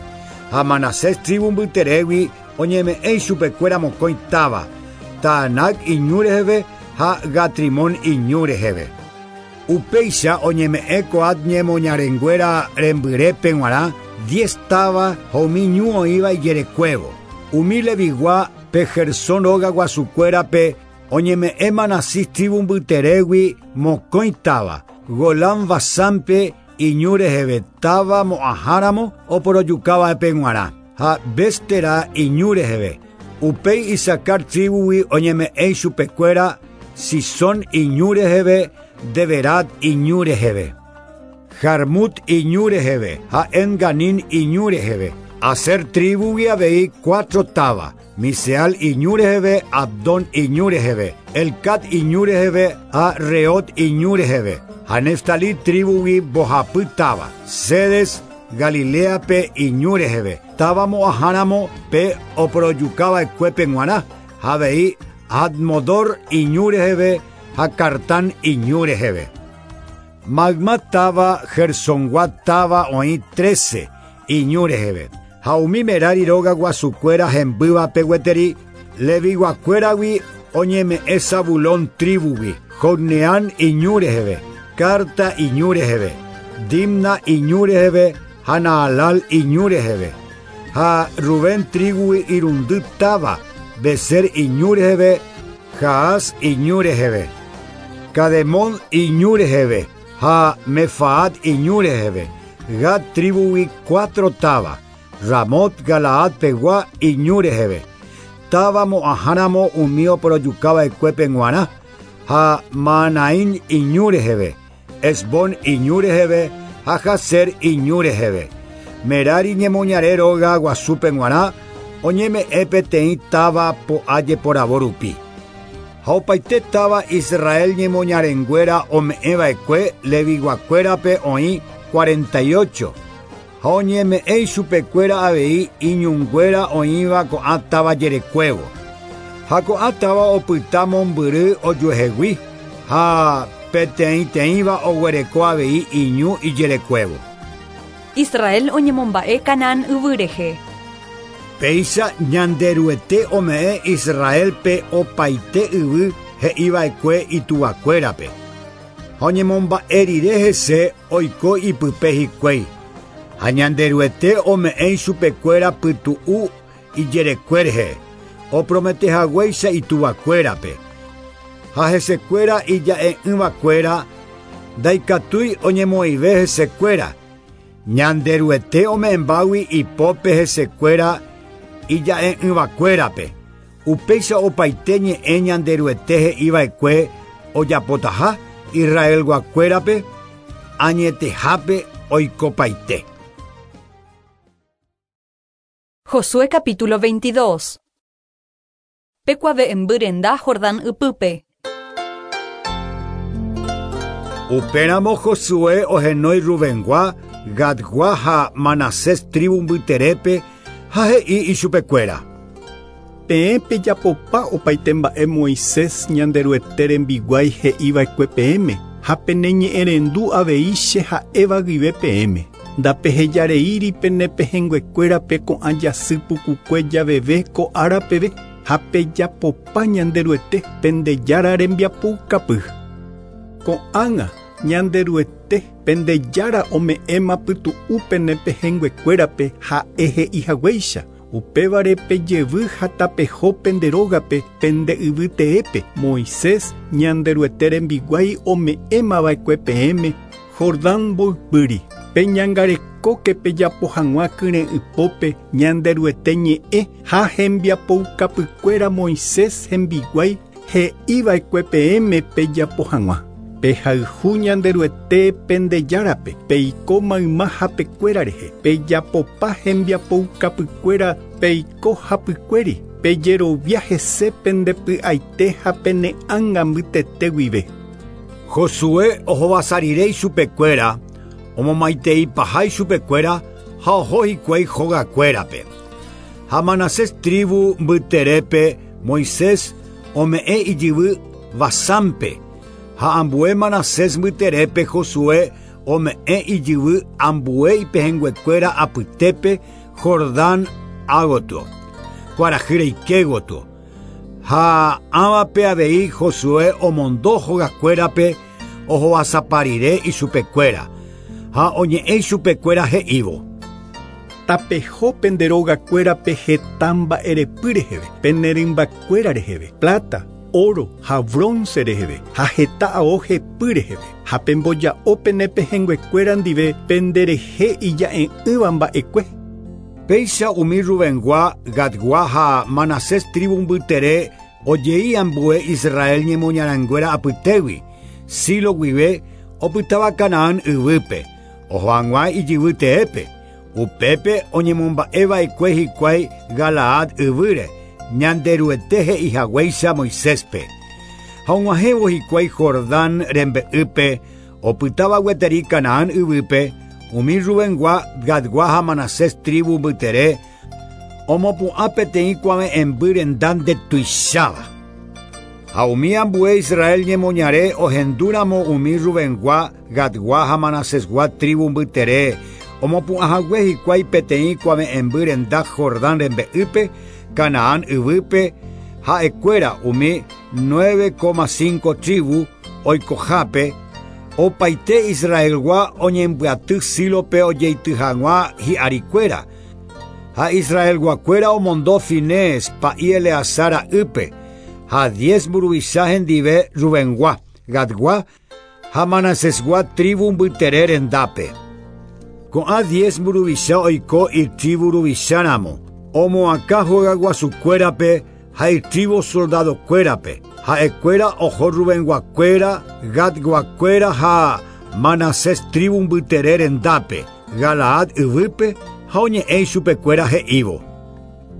[SPEAKER 12] Ha Manasés tribu mbyterégui oñeme'ẽ ichupekuéra mokõi táva, Taanac iñu reheve ha Gatrimón iñu reheve. Upéicha oñeme'ẽ Coat ñemoñarenguéra rembyrépe g̃uarã 10 táva ha umi ñu oĩva ijerekuévo. Umi Levigua pe Gersón róga guasukuérape oñeme'ẽ Manasés tribu mbyterégui mokõi táva, Golán Basánpe iñu reheve táva mo'ãháramo oporojukava'épe g̃uarã, ha Béstera iñu reheve. Upéi Isacar tribugui oñeme'ẽ ichupekuéra Sisón iñu reheve, Deberat iñu reheve, Jarmut iñu reheve ha Enganín iñu reheve. Aser tribugui avei 4 táva, Miseal iñu reheve, Abdón iñu reheve, Elcat iñu reheve ha Reot iñu reheve. Ha Neftalí tribugui mbohapy táva, Cedes Galileape iñu reheve, táva mo'ãháramo pe oporojukava'ekuépe g̃uarã, ha avei Admodor iñu reheve ha Cartán iñu reheve. Magma táva Gersongua táva oĩ 13 iñu reheve. Ha umi Merari róga guasukuéra hembývape gueteri Leviguakuéragui oñeme'ẽ Zabulón tribugui, Jocneán iñu reheve, Carta iñu reheve, Dimna iñu reheve ha Naalal iñu reheve. Ha Rubén tribugui irundy táva, Beser iñu reheve, Jaas iñu reheve, Cademón iñu reheve ha Mefaat iñu reheve. Gad tribugui 4 táva, Ramot Galaad pegua iñu reheve. Táva mo'ãháramo umi oporojukava'ekuépe g̃uarã, ha Maanaín iñu reheve, Esbón iñu reheve ha Jazer iñu reheve. Merari ñemoñare róga guasúpe g̃uarã oñeme'ẽ peteĩ táva po'a jeporavo rupi. Ha opaite táva Israel ñemoñarenguéra ome'ẽva'ekue Leviguakuérape oĩ 48. Ha oñeme'ẽ ichupekuéra avei iñunguéra oĩva ko'ã táva jerekuévo. Ha ko'ã táva opyta mombyry ojuehegui ha peteĩteĩva oguereko avei iñu ijerekuévo.
[SPEAKER 1] Israel oñemomba'e Canaán yvy rehe.
[SPEAKER 12] Péicha Ñanderuete ome'ẽ Israelpe opaite yvy he'iva'ekue ituvakuérape. Ha oñemomba'e rire hese oiko ipype hikuái. Ha Ñanderuete ome'ẽ ichupekuéra pytu'u ijerekue rehe, oprometehaguéicha ituvakuérape. Ha hesekuéra ija'e'ỹvakuéra ndaikatúi oñemoĩve hesekuéra. Ñanderuete ome'ẽmbágui ipópe hesekuéra ija'e'ỹvakuérape. Upéicha opaite ñe'ẽ Ñanderuete he'iva'ekue ojapotaha Israelguakuérape añetehápe oikopaite.
[SPEAKER 1] Josué capítulo 22. Pekuave'ẽmby renda Jordán ypýpe.
[SPEAKER 12] Upéramo Josué ohenói Rubengua, Gadgua ha Manasés tribu mbyterépe ha he'i ichupekuéra.
[SPEAKER 17] Peẽ pejapopa opaite mba'e Moisés Ñanderuete rembiguái he'iva'ekue peẽme ha peneñe'ẽrendu avei che ha'éva guive peẽme. Ndapehejareíri pene pehẽnguekuérape ko'ã jasy pukukue javeve ko ára peve ha pejapopa Ñanderuete pende Jára rembiapoukapy. Ko'ág̃a Ñanderuete pende Jára ome'ẽma pytu'u pene pehẽnguekuérape ha'e he'ihaguéicha. Upévare pejevy ha tapeho pende rógape pende yvy teépe Moisés Ñanderuete rembiguái ome'ẽmava'ekue peẽme Jordán mboypýri. Peñangarekóke pejapo hag̃ua kyre'ỹpópe Ñanderuete ñe'ẽ ha hembiapoukapykuéra Moisés hembiguái he'iva'ekue peẽme pejapo hag̃ua. Pehayhu Ñanderuete pende Járape, peiko mayma hapekuéra rehe, pejapopa hembiapoukapykuéra peiko hapykuéri, pejerovia hese pendepy'aite ha pene'ãnga mbytete guive.
[SPEAKER 12] Josué ohovasa rire ichupekuéra, omomaiteipaha ichupekuéra ha oho hikuái hogakuérape. Ha Manasés tribu mbyterépe Moisés ome'ẽ ijyvy Basánpe, ha ambue Manasés mbyterépe Josué ome'ẽ ijyvy ambue ipehẽnguekuéra apytépe Jordán ágotyo, kuarahy reike gotyo. Ha ãvape avei Josué omondo hogakuérape ohovasapa rire ichupekuéra, ha oñe'ẽ ichupekuéra he'ívo.
[SPEAKER 17] Tapeho pende rogakuérape heta mba'erepy reheve, pene rymbakuéra reheve, plata, oro ha bronce reheve, ha heta ao hepy reheve, ha pemboja'o pene pehẽnguekuéra ndive penderehe ija'e'ỹva mba'ekue.
[SPEAKER 12] Péicha umi Rubengua, Gadgua ha Manasés tribu mbytere ojei ambue Israel ñemoñarãnguéra apytégui, Silo guive opytáva Canaán yvýpe, oho hag̃ua ijyvy teépe, upépe oñemomba'eva'ekue hikuái Galaad yvýre, Ñanderuete he'ihaguéicha Moiséspe. Ha og̃uahẽvo hikuái Jordán rembe'ýpe, opytáva gueteri Canaán yvýpe, umi Rubengua, Gadgua ha Manasés tribu mbytere omopu'ã peteĩ kuave'ẽmby renda ndetuicháva. Ha umi ambue Israel ñemoñare ohendúramo umi Rubengua, Gadgua ha Manasesgua tribu mbytere omopu'ãhague hikuái peteĩ kuave'ẽmby renda Jordán rembe'ýpe, Canaán yvýpe, ha'ekuéra umi 9,5 tribu oikohápe, opaite Israelgua oñembyaty Sílope ojeity hag̃ua hi'arikuéra. Ha Israelguakuéra omondo Finees pa'i Eleazar ra'ýpe, ha 10 mburuvicha hendive Rubengua, Gadgua ha Manasesgua tribu mbytere rendápe. Ko'ã 10 mburuvicha oiko itribu ruvicháramo, omoakã hogaguasukuérape ha itribu soldadokuérape. Ha'ekuéra oho Rubenguakuéra, Gadguakuéra ha Manasés tribu mbytere rendápe, Galaad yvýpe ha oñe'ẽ ichupekuéra he'ívo.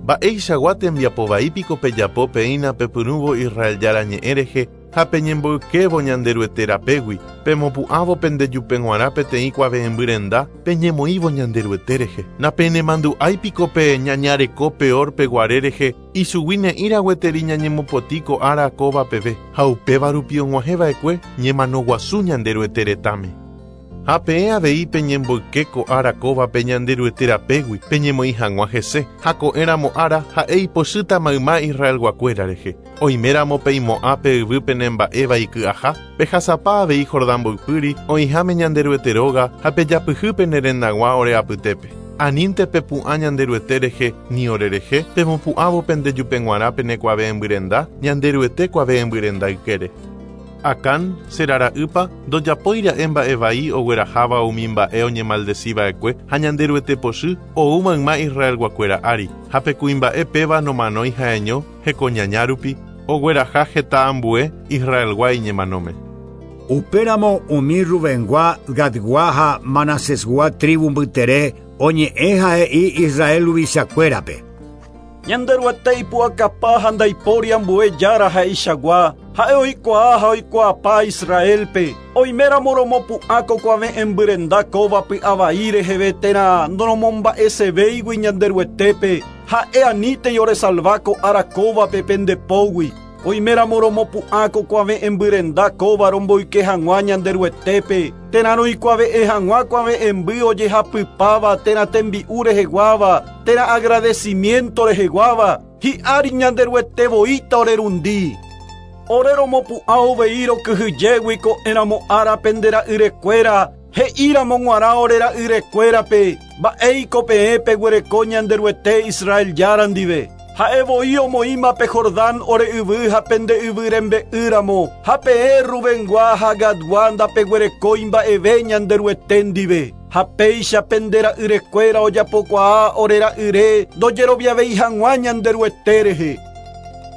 [SPEAKER 18] Mba'eichagua tembiapovaípiko pejapo peína pepyrũvo Israel Jára ñe'ẽ rehe ha peñemboykévo Ñanderuete rapégui, pemopu'ãvo pendejupe g̃uarã peteĩ kuave'ẽmby renda peñemoĩvo Ñanderuete rehe. Napenemandu'áipiko pe ñañareko peor peguare rehe ichugui ne'ĩra gueteri ñañemopotĩ ko ára kóva peve, ha upéva rupi og̃uahẽva'ekue ñemano guasu Ñanderuete retãme. Ha peẽ avei peñemboyke ko ára kóvape Ñanderuete rapégui peñemoĩ hag̃ua hese, ha ko'ẽramo ára ha'e ipochýta mayma Israelguakuéra rehe. Oiméramo peimo'ã pe yvy penemba'éva iky'aha, pehasapa avei Jordán mboypýri oĩháme Ñanderuete róga ha pejapyhy pene rendag̃ua ore apytépe. Anínte pepu'ã Ñanderuete rehe ni ore rehe, pemopu'ãvo pendejupe g̃uarã pene kuave'ẽmby renda, Ñanderuete kuave'ẽmby renda ykére. Acán, Zera ra'ýpa, ndojapóira'e mba'evai ogueraháva umi mba'e oñemaldeciva'ekue ha Ñanderuete pochy ou mayma Israelguakuéra ári, ha pe kuimba'e péva nomanói ha'eño hekoñaña rupi, ogueraha heta ambue Israelgua iñemanóme.
[SPEAKER 12] Upéramo umi Rubengua, Gadgua ha Manasesgua tribu mbytere oñe'ẽ ha he'i Israel ruvichakuérape.
[SPEAKER 5] Ñanderuete ipu'akapa ha ndaipóri ambue Jára ha'eichagua, ha'e oikuaa ha oikuaapa Israelpe, oiméramo romopu'ã ko kuave'ẽmby renda kóva py'avai reheve térã ndoromomba'esevéigui Ñanderuetépe, ha'e anítei oresalva ko ára kóvape pendepógui. Oiméramo romopu'ã ko kuave'ẽmby renda kóva romboyke hag̃ua Ñanderuetépe, térã roikuave'ẽ hag̃ua kuave'ẽmby ojehapypáva térã tembi'u reheguáva, térã agradecimiento reheguáva, hi'ári Ñanderuete voíta orerundi. Ore romopu'ã uvei rokyhyjégui ko'ẽramo ára pende ra'yrekuéra, he'íramo g̃uarã ore ra'yrekuérape, mba'éiko peẽ peguereko Ñanderuete Israel Jára ndive. Ha'e voi omoĩma pe Jordán ore yvy ha pende yvy rembe'ýramo, ha peẽ Rubengua ha Gadgua ndapeguerekói mba'eve Ñanderuete ndive. Ha péicha pende ra'yrekuéra ojapokuaa ore ra'yre ndojeroviavéi hag̃ua Ñanderuete rehe.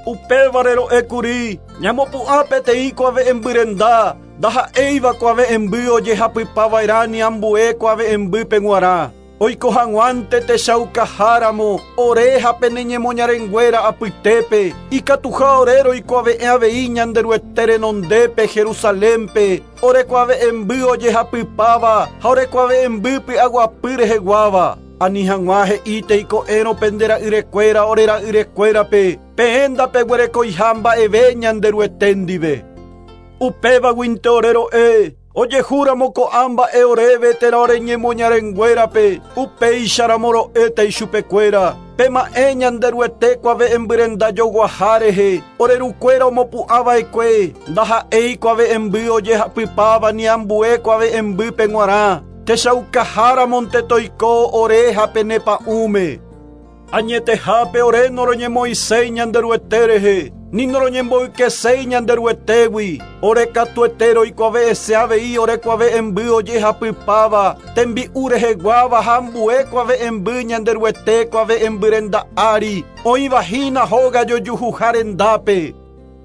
[SPEAKER 5] Upévare ro'ékuri ñamopu'ã peteĩ kuave'ẽmbyrenda ndaha'éiva kuave'ẽmby ojehapypava'erã ni ambue kuave'ẽmbýpe g̃uarã. Oiko hag̃uánte techaukaháramo ore ha pene ñemoñarenguéra apytépe ikatuha ore roikuave'ẽ avei Ñanderuete renondépe Jerusalénpe ore kuave'ẽmby ojehapypáva ha ore kuave'ẽmby py'aguapy reheguáva. Ani hag̃ua he'ítei ko'ẽrõ pende ra'yrekuéra ore ra'yrekuérape peẽ ndapeguerekoiha mba'eve Ñanderuete ndive. Upévaguinte ore ro'e ojehúramo ko'ã mba'e oréve térã ore ñemoñarenguérape upéicharamo ro'éta ichupekuéra pema'ẽ Ñanderuete kuave'ẽmbyrenda joguaha rehe ore rukuéra omopu'ãva'ekue ndaha'éi kuave'ẽmby ojehapypáva ni ambue kuave'ẽmbýpe g̃uarã techaukaháramonte toiko ore ha pene pa'ũme. Añetehápe ore noroñemoiséi Ñanderuete rehe ni noroñemboykeséi Ñanderuetégui ore katuete roikuave'ẽse avei ore kuave'ẽmby ojehapypáva tembi'u reheguáva ha ambue kuave'ẽmby Ñanderuete kuave'ẽmbyrenda ári oĩvahína hóga jojuhuha rendápe.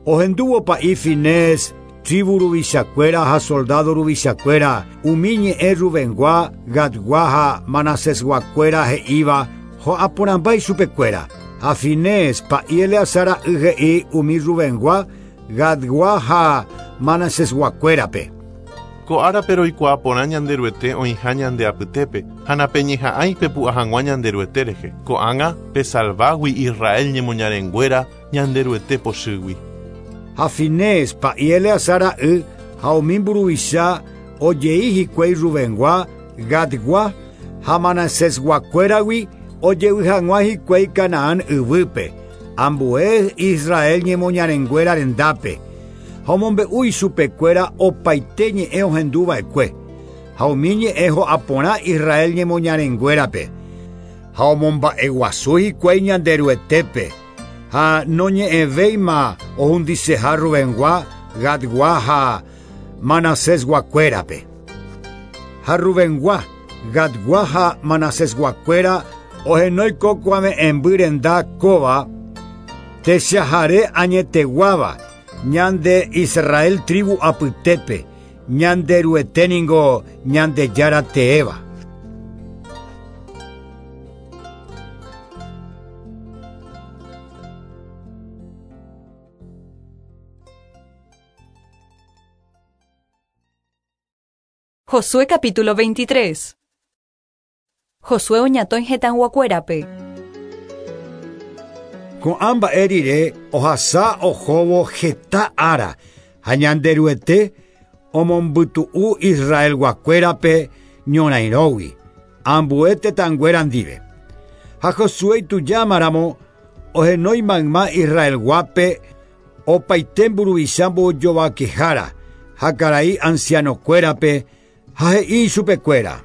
[SPEAKER 12] Ohendúvo pa'i Finés tribu ruvichakuéra ha soldado ruvichakuéra umi ñe'ẽ Rubengua, Gadgua ha Manasesguakuéra he'íva ho'aporãmba ichupekuéra. Ha Finés pa'i Eleazar ra'y he'i umi Rubengua, Gadgua ha Manasesguakuérape.
[SPEAKER 18] Ko árape roikuaa porã Ñanderuete oĩha ñande apytépe ha napeñeha'ãi pepu'ã hag̃ua Ñanderuete rehe. Ko'ág̃a pesalvágui Israel ñemoñarenguéra Ñanderuete pochýgui.
[SPEAKER 12] Ha Finés pa'i Eleazar ra'y ha umi mburuvicha ojei hikuái Rubengua, Gadgua ha Manasesguakuéragui ojevy hag̃ua hikuái Canaán yvýpe, ambue Israel ñemoñarenguéra rendápe. Ha omombe'u ichupekuéra opaite ñe'ẽ ohenduva'ekue. Ha umi ñe'ẽ ho'aporã Israel ñemoñarenguérape. Ha omomba'eguasu hikuái Ñanderuetépe. Ha noñe'ẽvéima ohundiseha Rubengua, Gadgua ha Manasesguakuérape. Ha Rubengua, Gadgua ha Manasesguakuéra ohenói ko kuave'ẽmby renda kóva techahare añeteguáva ñande Israel tribu apytépe Ñanderuete ningo Ñandejára teéva.
[SPEAKER 1] Josué capítulo 23. Josué oñatõi hetãguakuérape.
[SPEAKER 12] Ko'ã mba'e rire ohasa ohóvo heta ára ha Ñanderuete omombytu'u Israelguakuérape ñorairõgui ambue tetãnguéra ndive. Ha Josué itujámaramo ohenói mayma Israelguápe opaite mburuvicha mbojovakehára ha karai ancianokuérape ha he'i ichupekuéra.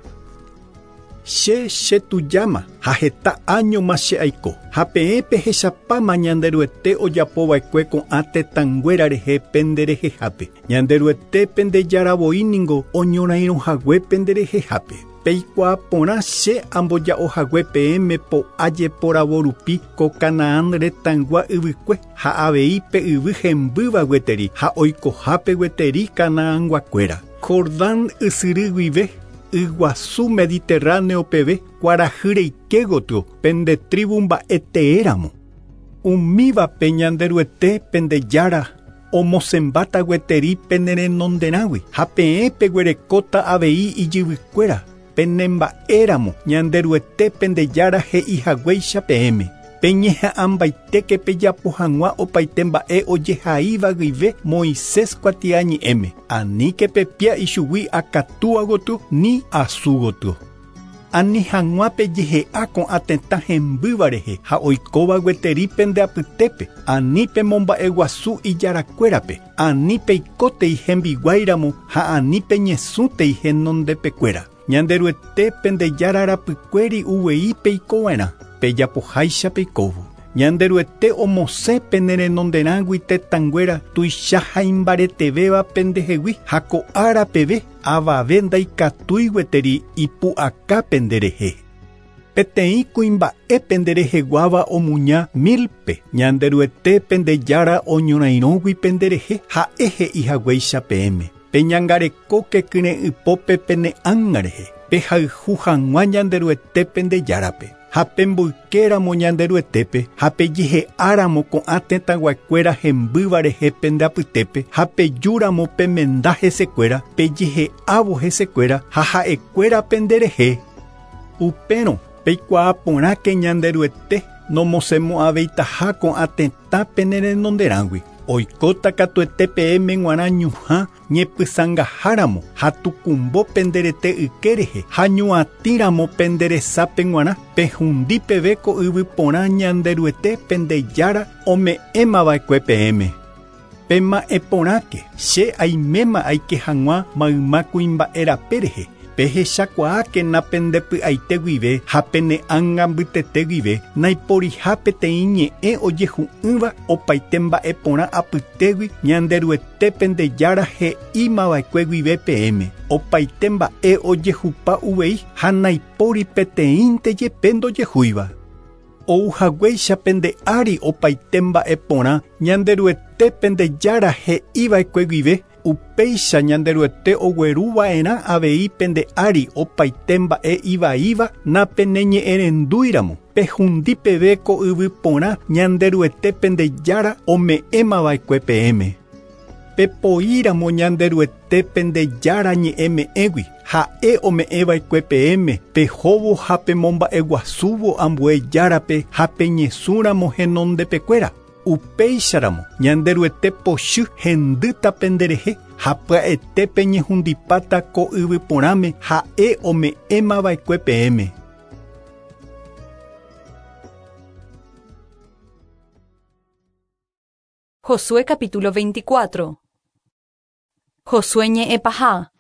[SPEAKER 17] Che chetujama ha heta áñoma che aiko ha peẽ pehechapáma Ñanderuete ojapova'ekue ko'ã tetãnguéra rehe penderehehápe. Ñanderuete pendejaravoi ningo oñorairõhague penderehehápe. Peikuaa porã che amboja'ohague peẽme po'a jeporavo rupi ko Canaán retãygua yvykue ha avei pe yvy hembýva gueteri ha oikohápe gueteri Canaanguakuéra. Jordán ysyry guive yguasu Mediterráneo peve kuarahy reike gotyo pende tribu mba'eteéramo. Umívape Ñanderuete pendejára omosẽmbáta gueteri penerenonderãgui ha peẽ peguerekóta avei ijyvykuéra penemba'éramo Ñanderuete pendejára he'ihaguéicha peẽme. Peñeha'ãmbaitéke pejapo hag̃ua opaite mba'e ojehaíva guive Moisés kuatiañe'ẽme. Aníke pepia ichugui akatúa gotyo ni asu gotyo. Ani hag̃ua pejehe'a ko'ã tetã hembýva rehe ha oikóva gueteri pende apytépe. Ani pemomba'eguasu ijarakuérape. Ani peikótei hembiguáiramo ha ani peñesũtei henondepekuéra. Ñanderuete pendejára rapykuéri uvei peikova'erã. Pejapoháicha peikóvo. Ñanderuete omosẽ pene renonderãgui tetãnguéra tuicha ha imbaretevéva pendehegui ha ko'ára peve avave ndaikatúi gueteri ipu'aka penderehe. Peteĩ kuimba'e pendereheguáva omuña 1000-pe Ñanderuete pendejára oñorairõgui penderehe ha'e he'ihaguéicha peẽme. Peñangarekóke kyre'ỹpópe pene ánga rehe pehayhu hag̃ua Ñanderuete pendejárape. Ha pemboykéramo Ñanderuetépe ha pejehe'áramo ko'ã tetãguakuéra hembýva rehe pende apytépe ha pejúramo pemenda hesekuéra pejehe'ávo hesekuéra ha ha'ekuéra penderehe. Upérõ peikuaa porãke Ñanderuete nomosemo'ãveitaha ko'ã tetã pene renonderãgui. Oikóta katuete peẽme g̃uarã ñuhã ñepysãngaháramo ha tukumbo penderete yke rehe ha ñuatĩramo penderesápe g̃uarã pehundi peve ko yvy porã Ñanderuete pendejára ome'ẽmava'ekue peẽme. Pema'ẽ porãke che aiméma aike hag̃ua mayma kuimba'e rape rehe pehechakuaákena pendepy'aite guive ha pene ánga mbytete guive naiporiha peteĩ ñe'ẽ ojehu'ỹva opaite mba'e porã apytégui Ñanderuete pendejára he'ímava'ekue guive peẽme opaite mba'e ojehupa uvei ha naipóri peteĩnte jepe ndojehúiva. Ouhaguéicha pende ári opaite mba'e porã Ñanderuete pendejára he'iva'ekue guive upéicha Ñanderuete ogueruva'erã avei pende ári opaite mba'e ivaíva napeneñe'ẽrendúiramo pehundi peve ko yvy porã Ñanderuete pendejára ome'ẽmava'ekue peẽme. Pepoíramo Ñanderuete pendejára ñe'ẽme'ẽgui ha'e ome'ẽva'ekue peẽme pehóvo ha pemomba'eguasúvo ambue járape ha peñesũramo henondepekuéra. Upéicharamo Ñanderuete pochy hendýta penderehe ha pya'ete peñehundipáta ko yvy porãme ha'e ome'ẽmava'ekue peẽme.
[SPEAKER 1] Josué capítulo 24. Josué ñe'ẽpaha.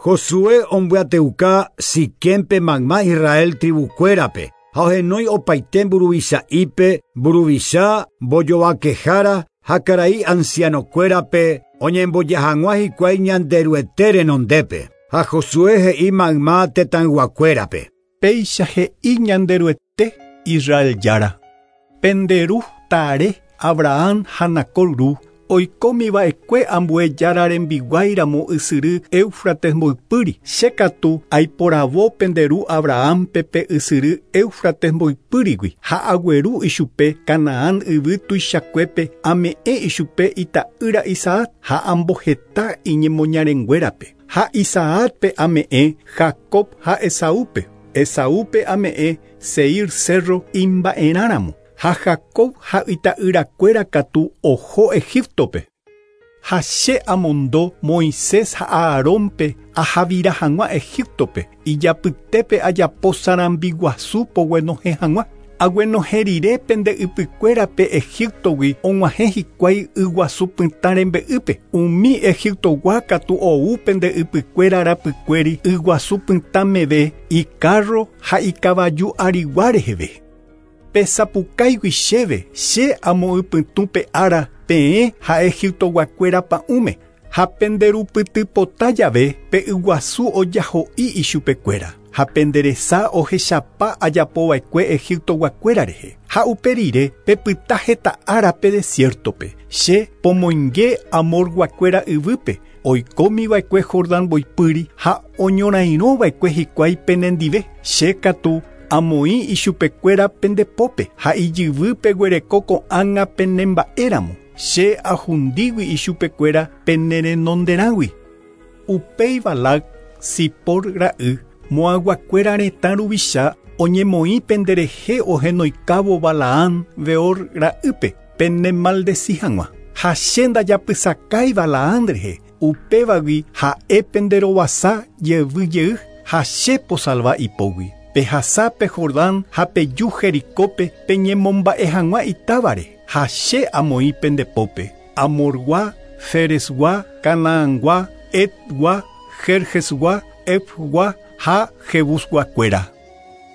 [SPEAKER 12] Josué ombyateuka Siquémpe mayma Israel tribukuérape ha ohenói opaite mburuvicha'ípe mburuvicha mbojovakehára ha karai ancianokuérape oñemboja hag̃ua hikuái Ñanderuete renondépe. Ha Josué he'i mayma tetãyguakuérape.
[SPEAKER 17] Péicha he'i Ñanderuete Israel jára. Penderu Tare Abraham ha Nacor ru oikómiva'ekue ambue jára rembiguáiramo ysyry Éufrates mboypýri. Che katu aiporavo penderu Abrahampe pe ysyry Éufrates mboypýrigui ha agueru ichupe Canaán yvy tuichakuépe ame'ẽ ichupe ita'ýra Isaac ha amboheta iñemoñarenguérape. Ha Isaacpe ame'ẽ Jacob ha Esaúpe. Esaúpe ame'ẽ Seir cerro imba'erãramo. Ha Jacob ha ita'yrakuéra katu oho Egiptope. Ha che amondo Moisés ha Aarónpe ahavira hag̃ua Egiptope ijapytépe ajapo sarambiguasu poguenohẽ hag̃ua. Aguenohẽ rire pende ypykuérape Egiptogui og̃uahẽ hikuái yguasu pytã rembe'ýpe. Umi Egiptogua katu ou pende ypykuéra rapykuéri yguasu pytã meve icarro ha ikavaju arigua reheve. Pesapukáigui chéve che amoypytũ pe ára peẽ ha Egiptoguakuéra pa'ũme ha penderupytypota jave pe yguasu ojaho'i ichupekuéra ha penderesa ohechapa ajapova'ekue Egiptoguakuéra rehe. Ha upe rire pepyta heta ára pe desiertope che pomoinge Amorguakuéra yvýpe oikómiva'ekue Jordán mboypýri ha oñorairõva'ekue hikuái penendive. Che katu amoĩ ichupekuéra pendepópe ha ijyvy peguereko ko'ág̃a penemba'éramo. Che ahundígui ichupekuéra penerenonderãgui. Upéi Balac Sipor ra'y Moaguakuéra retã ruvicha oñemoĩ penderehe ohenoikávo Balaam Beor ra'ýpe penemaldeci hag̃ua. Ha che ndajapysakái Balaam rehe upévagui ha'e penderovasa jevy jey ha che posalva ipógui. Pehasa pe Jordán ha peju Jericópe peñemomba'e hag̃ua itávare ha che amoĩ pendepópe. Amorgua, Feresgua, Canaangua, Etgua, Jerjesgua, Efgua ha Jebusguakuéra.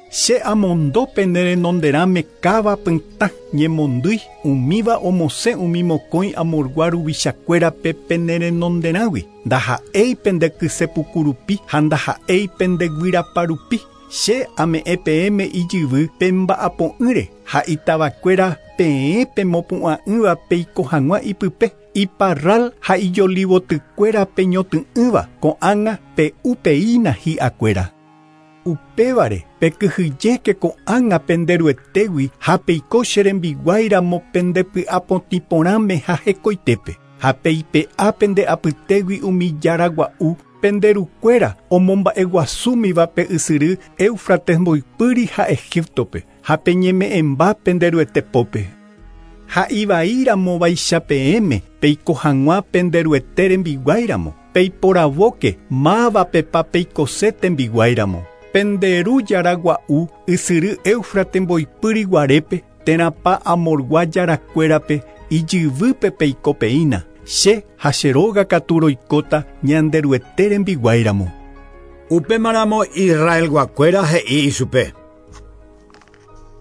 [SPEAKER 17] Che amondo pene renonderãme káva pytã ñemondýi umíva omosẽ umi mokõi Amorgua ruvichakuérape pene renonderãgui ndaha'éi pende kysepuku rupi ha ndaha'éi pende guyrapa rupi. Che ame'ẽ peẽme ijyvy pemba'apo'ỹre ha itavakuéra peẽ pemopu'ã'ỹva peiko hag̃ua ipype iparral ha ijolivotykuéra peñoty'ỹva ko'ág̃a pe'upeína hi'akuéra. Upévare pekyhyjéke ko'ág̃a penderuetégui ha peiko che rembiguáiramo pendepy'apotĩporãme ha hekoitépe ha peipe'a pende apytégui umi jára gua'u penderukuéra omomba'eguasúmiva pe ysyry Éufrates mboypýri ha Egiptope ha peñeme'ẽmba penderuete pópe. Ha ivaíramo vaicha peẽme peiko hag̃ua penderuete rembiguáiramo peiporavóke mávapepa peikose tembiguáiramo. Penderu jára gua'u ysyry Éufrates mboypýri guarépe térãpa Amorgua jarakuérape ijyvýpe peikopeína che ha che róga katu roikóta Ñanderuete rembiguáiramo.
[SPEAKER 12] Upémaramo Israelguakuéra he'i ichupe.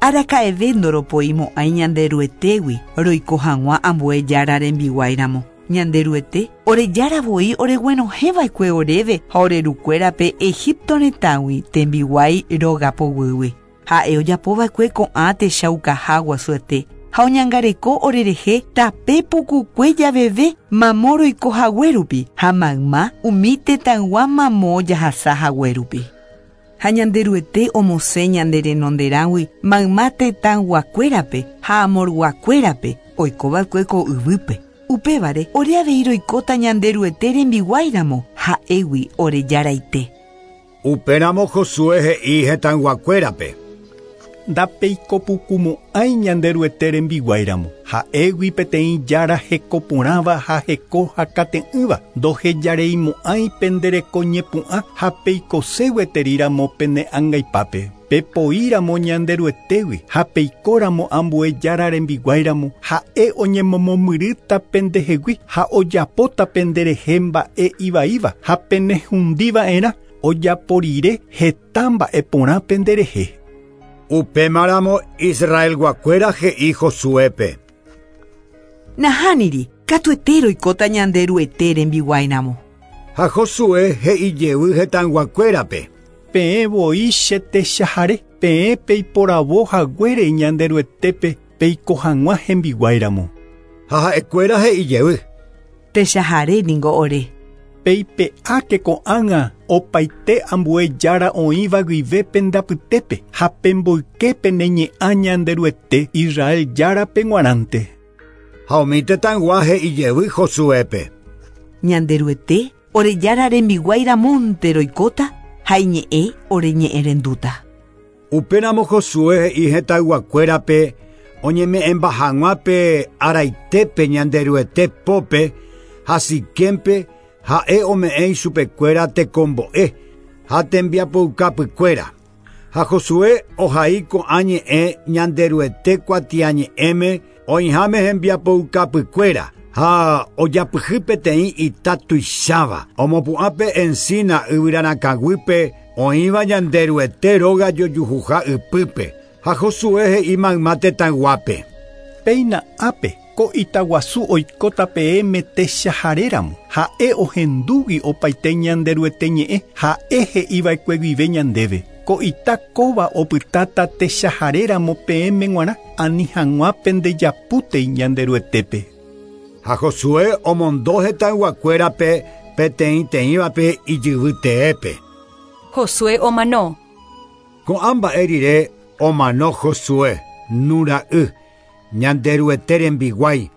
[SPEAKER 8] Araka'eve ndoropoimo'ãi Ñanderuetégui roiko hag̃ua ambue jára rembiguáiramo. Ñanderuete ore jára voi oreguenohẽva'ekue oréve ha orerukuérape Egipto retãgui tembiguái róga poguýgui. Ha'e ojapova'ekue ko'ã techaukaha guasuete ha oñangareko orerehe tape pukukue javeve mamo roiko haguérupi ha mayma umi tetãygua mamo jahasa haguérupi. Ha Ñanderuete omosẽ ñande renonderãgui mayma tetãyguakuérape ha amorguakuérape oikova'ekue ko yvýpe. Upévare ore avei roikóta Ñanderuete rembiguáiramo ha'égui ore jaraite.
[SPEAKER 12] Upéramo Josué he'i hetãyguakuérape.
[SPEAKER 17] Ndapeikopukumo'ãi Ñanderuete rembiguáiramo ha'égui peteĩ jára hekoporãva ha heko hakate'ỹva ndohejareimo'ãi pendereko ñepu'ã ha peikose gueteriramo pene angaipápe. Pepoíramo Ñanderuetégui ha peikóramo ambue jára rembiguáiramo ha'e oñemomomyrýta pendehegui ha ojapóta penderehe mba'e ivaíva ha penehundiva'erã ojaporire heta mba'e porã penderehe.
[SPEAKER 12] Upémaramo Israelguakuéra he'i Josuépe.
[SPEAKER 8] Nahániri, katuete roikóta Ñanderuete rembiguáiramo.
[SPEAKER 12] Ha Josué he'i jevy hetãyguakuérape.
[SPEAKER 17] Peẽ voi che techahare peẽ peiporavo haguére Ñanderuetépe peiko hag̃ua hembiguáiramo.
[SPEAKER 12] Ha ha'ekuéra he'i jevy.
[SPEAKER 8] Techahare ningo ore.
[SPEAKER 17] Peipe'áke ko'ág̃a opaite ambue jára oĩva guive pendapytépe ha pemboyke pene ñe'ã Ñanderuete Israel járape g̃uarãnte.
[SPEAKER 12] Ha umi tetãygua he'i jevy Josuépe.
[SPEAKER 8] Ñanderuete ore jára rembiguáiramonte roikóta ha iñe'ẽ ore ñe'ẽrendúta.
[SPEAKER 12] Upéramo Josué he'i hetãyguakuérape oñeme'ẽmba hag̃ua pe araitépe Ñanderuete pópe ha Siquémpe ha'e ome'ẽ ichupekuéra tekombo'e ha tembiapoukapykuéra. Ha Josué ohai ko'ã ñe'ẽ Ñanderuete kuatiañe'ẽme oĩháme hembiapoukapykuéra ha ojapyhy peteĩ ita tuicháva omopu'ãpe encina yvyrarakãguýpe oĩva Ñanderuete róga jojuhuha ypýpe ha Josué he'i mayma tetãyguápe.
[SPEAKER 17] Péina ápe ko itaguasu oikóta peẽme techaharéramo ha'e ohendúgui opaite Ñanderuete ñe'ẽ ha'e he'iva'ekue guive ñandéve. Ko ita kóva opytáta techaharéramo peẽme g̃uarã ani hag̃ua pendejapútei Ñanderuetépe.
[SPEAKER 12] Ha Josué omondo hetãyguakuérape peteĩteĩvape ijyvyteépe.
[SPEAKER 1] Josué omano.
[SPEAKER 12] Ko'ã mba'e rire omano Josué Nun ra'y Ñanderuete rembiguái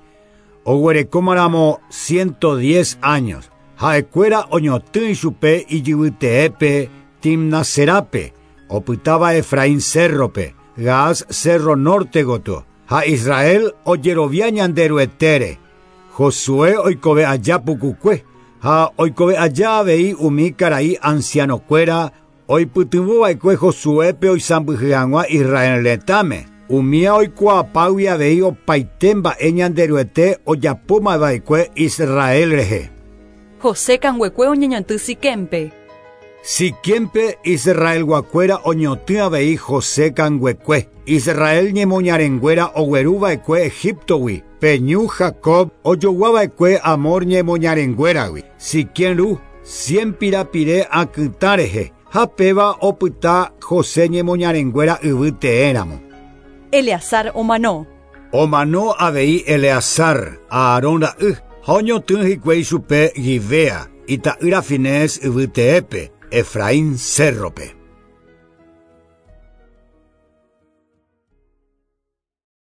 [SPEAKER 12] oguerekómaramo 110 años. Ha'ekuéra oñotỹ ichupe ijyvyteépe Timnaserápe opytáva Efraín cérrope Gaas cerro norte gotyo ha Israel ojerovia Ñanderuetére. Josué oikove aja pukukue ha oikove aja avei umi karai ancianokuéra oipytyvõva'ekue Josuépe oisãmbyhy hag̃ua Israel retãme. Umía oikuaapágui avei opaite mba'e Ñanderuete ojapómava'ekue Israel rehe.
[SPEAKER 1] José kanguekue oñeñotỹ Siquémpe.
[SPEAKER 12] Siquempe Israelguakuéra oñotỹ avei José kanguekue. Israel ñemoñarenguéra ogueruva'ekue Egiptogui. Pe ñu Jacob ojoguava'ekue Amor ñemoñarenguéragui. Siquem ru 100 pirapire akytã rehe ha péva opyta José ñemoñarenguéra yvy teéramo.
[SPEAKER 1] Eleazar omano.
[SPEAKER 12] Omano avei Eleazar, Aarón ra'y, ha oñotỹ hikuái chupe Gibea, ita'ýra Finés yvy teépe, Efraín cérrope.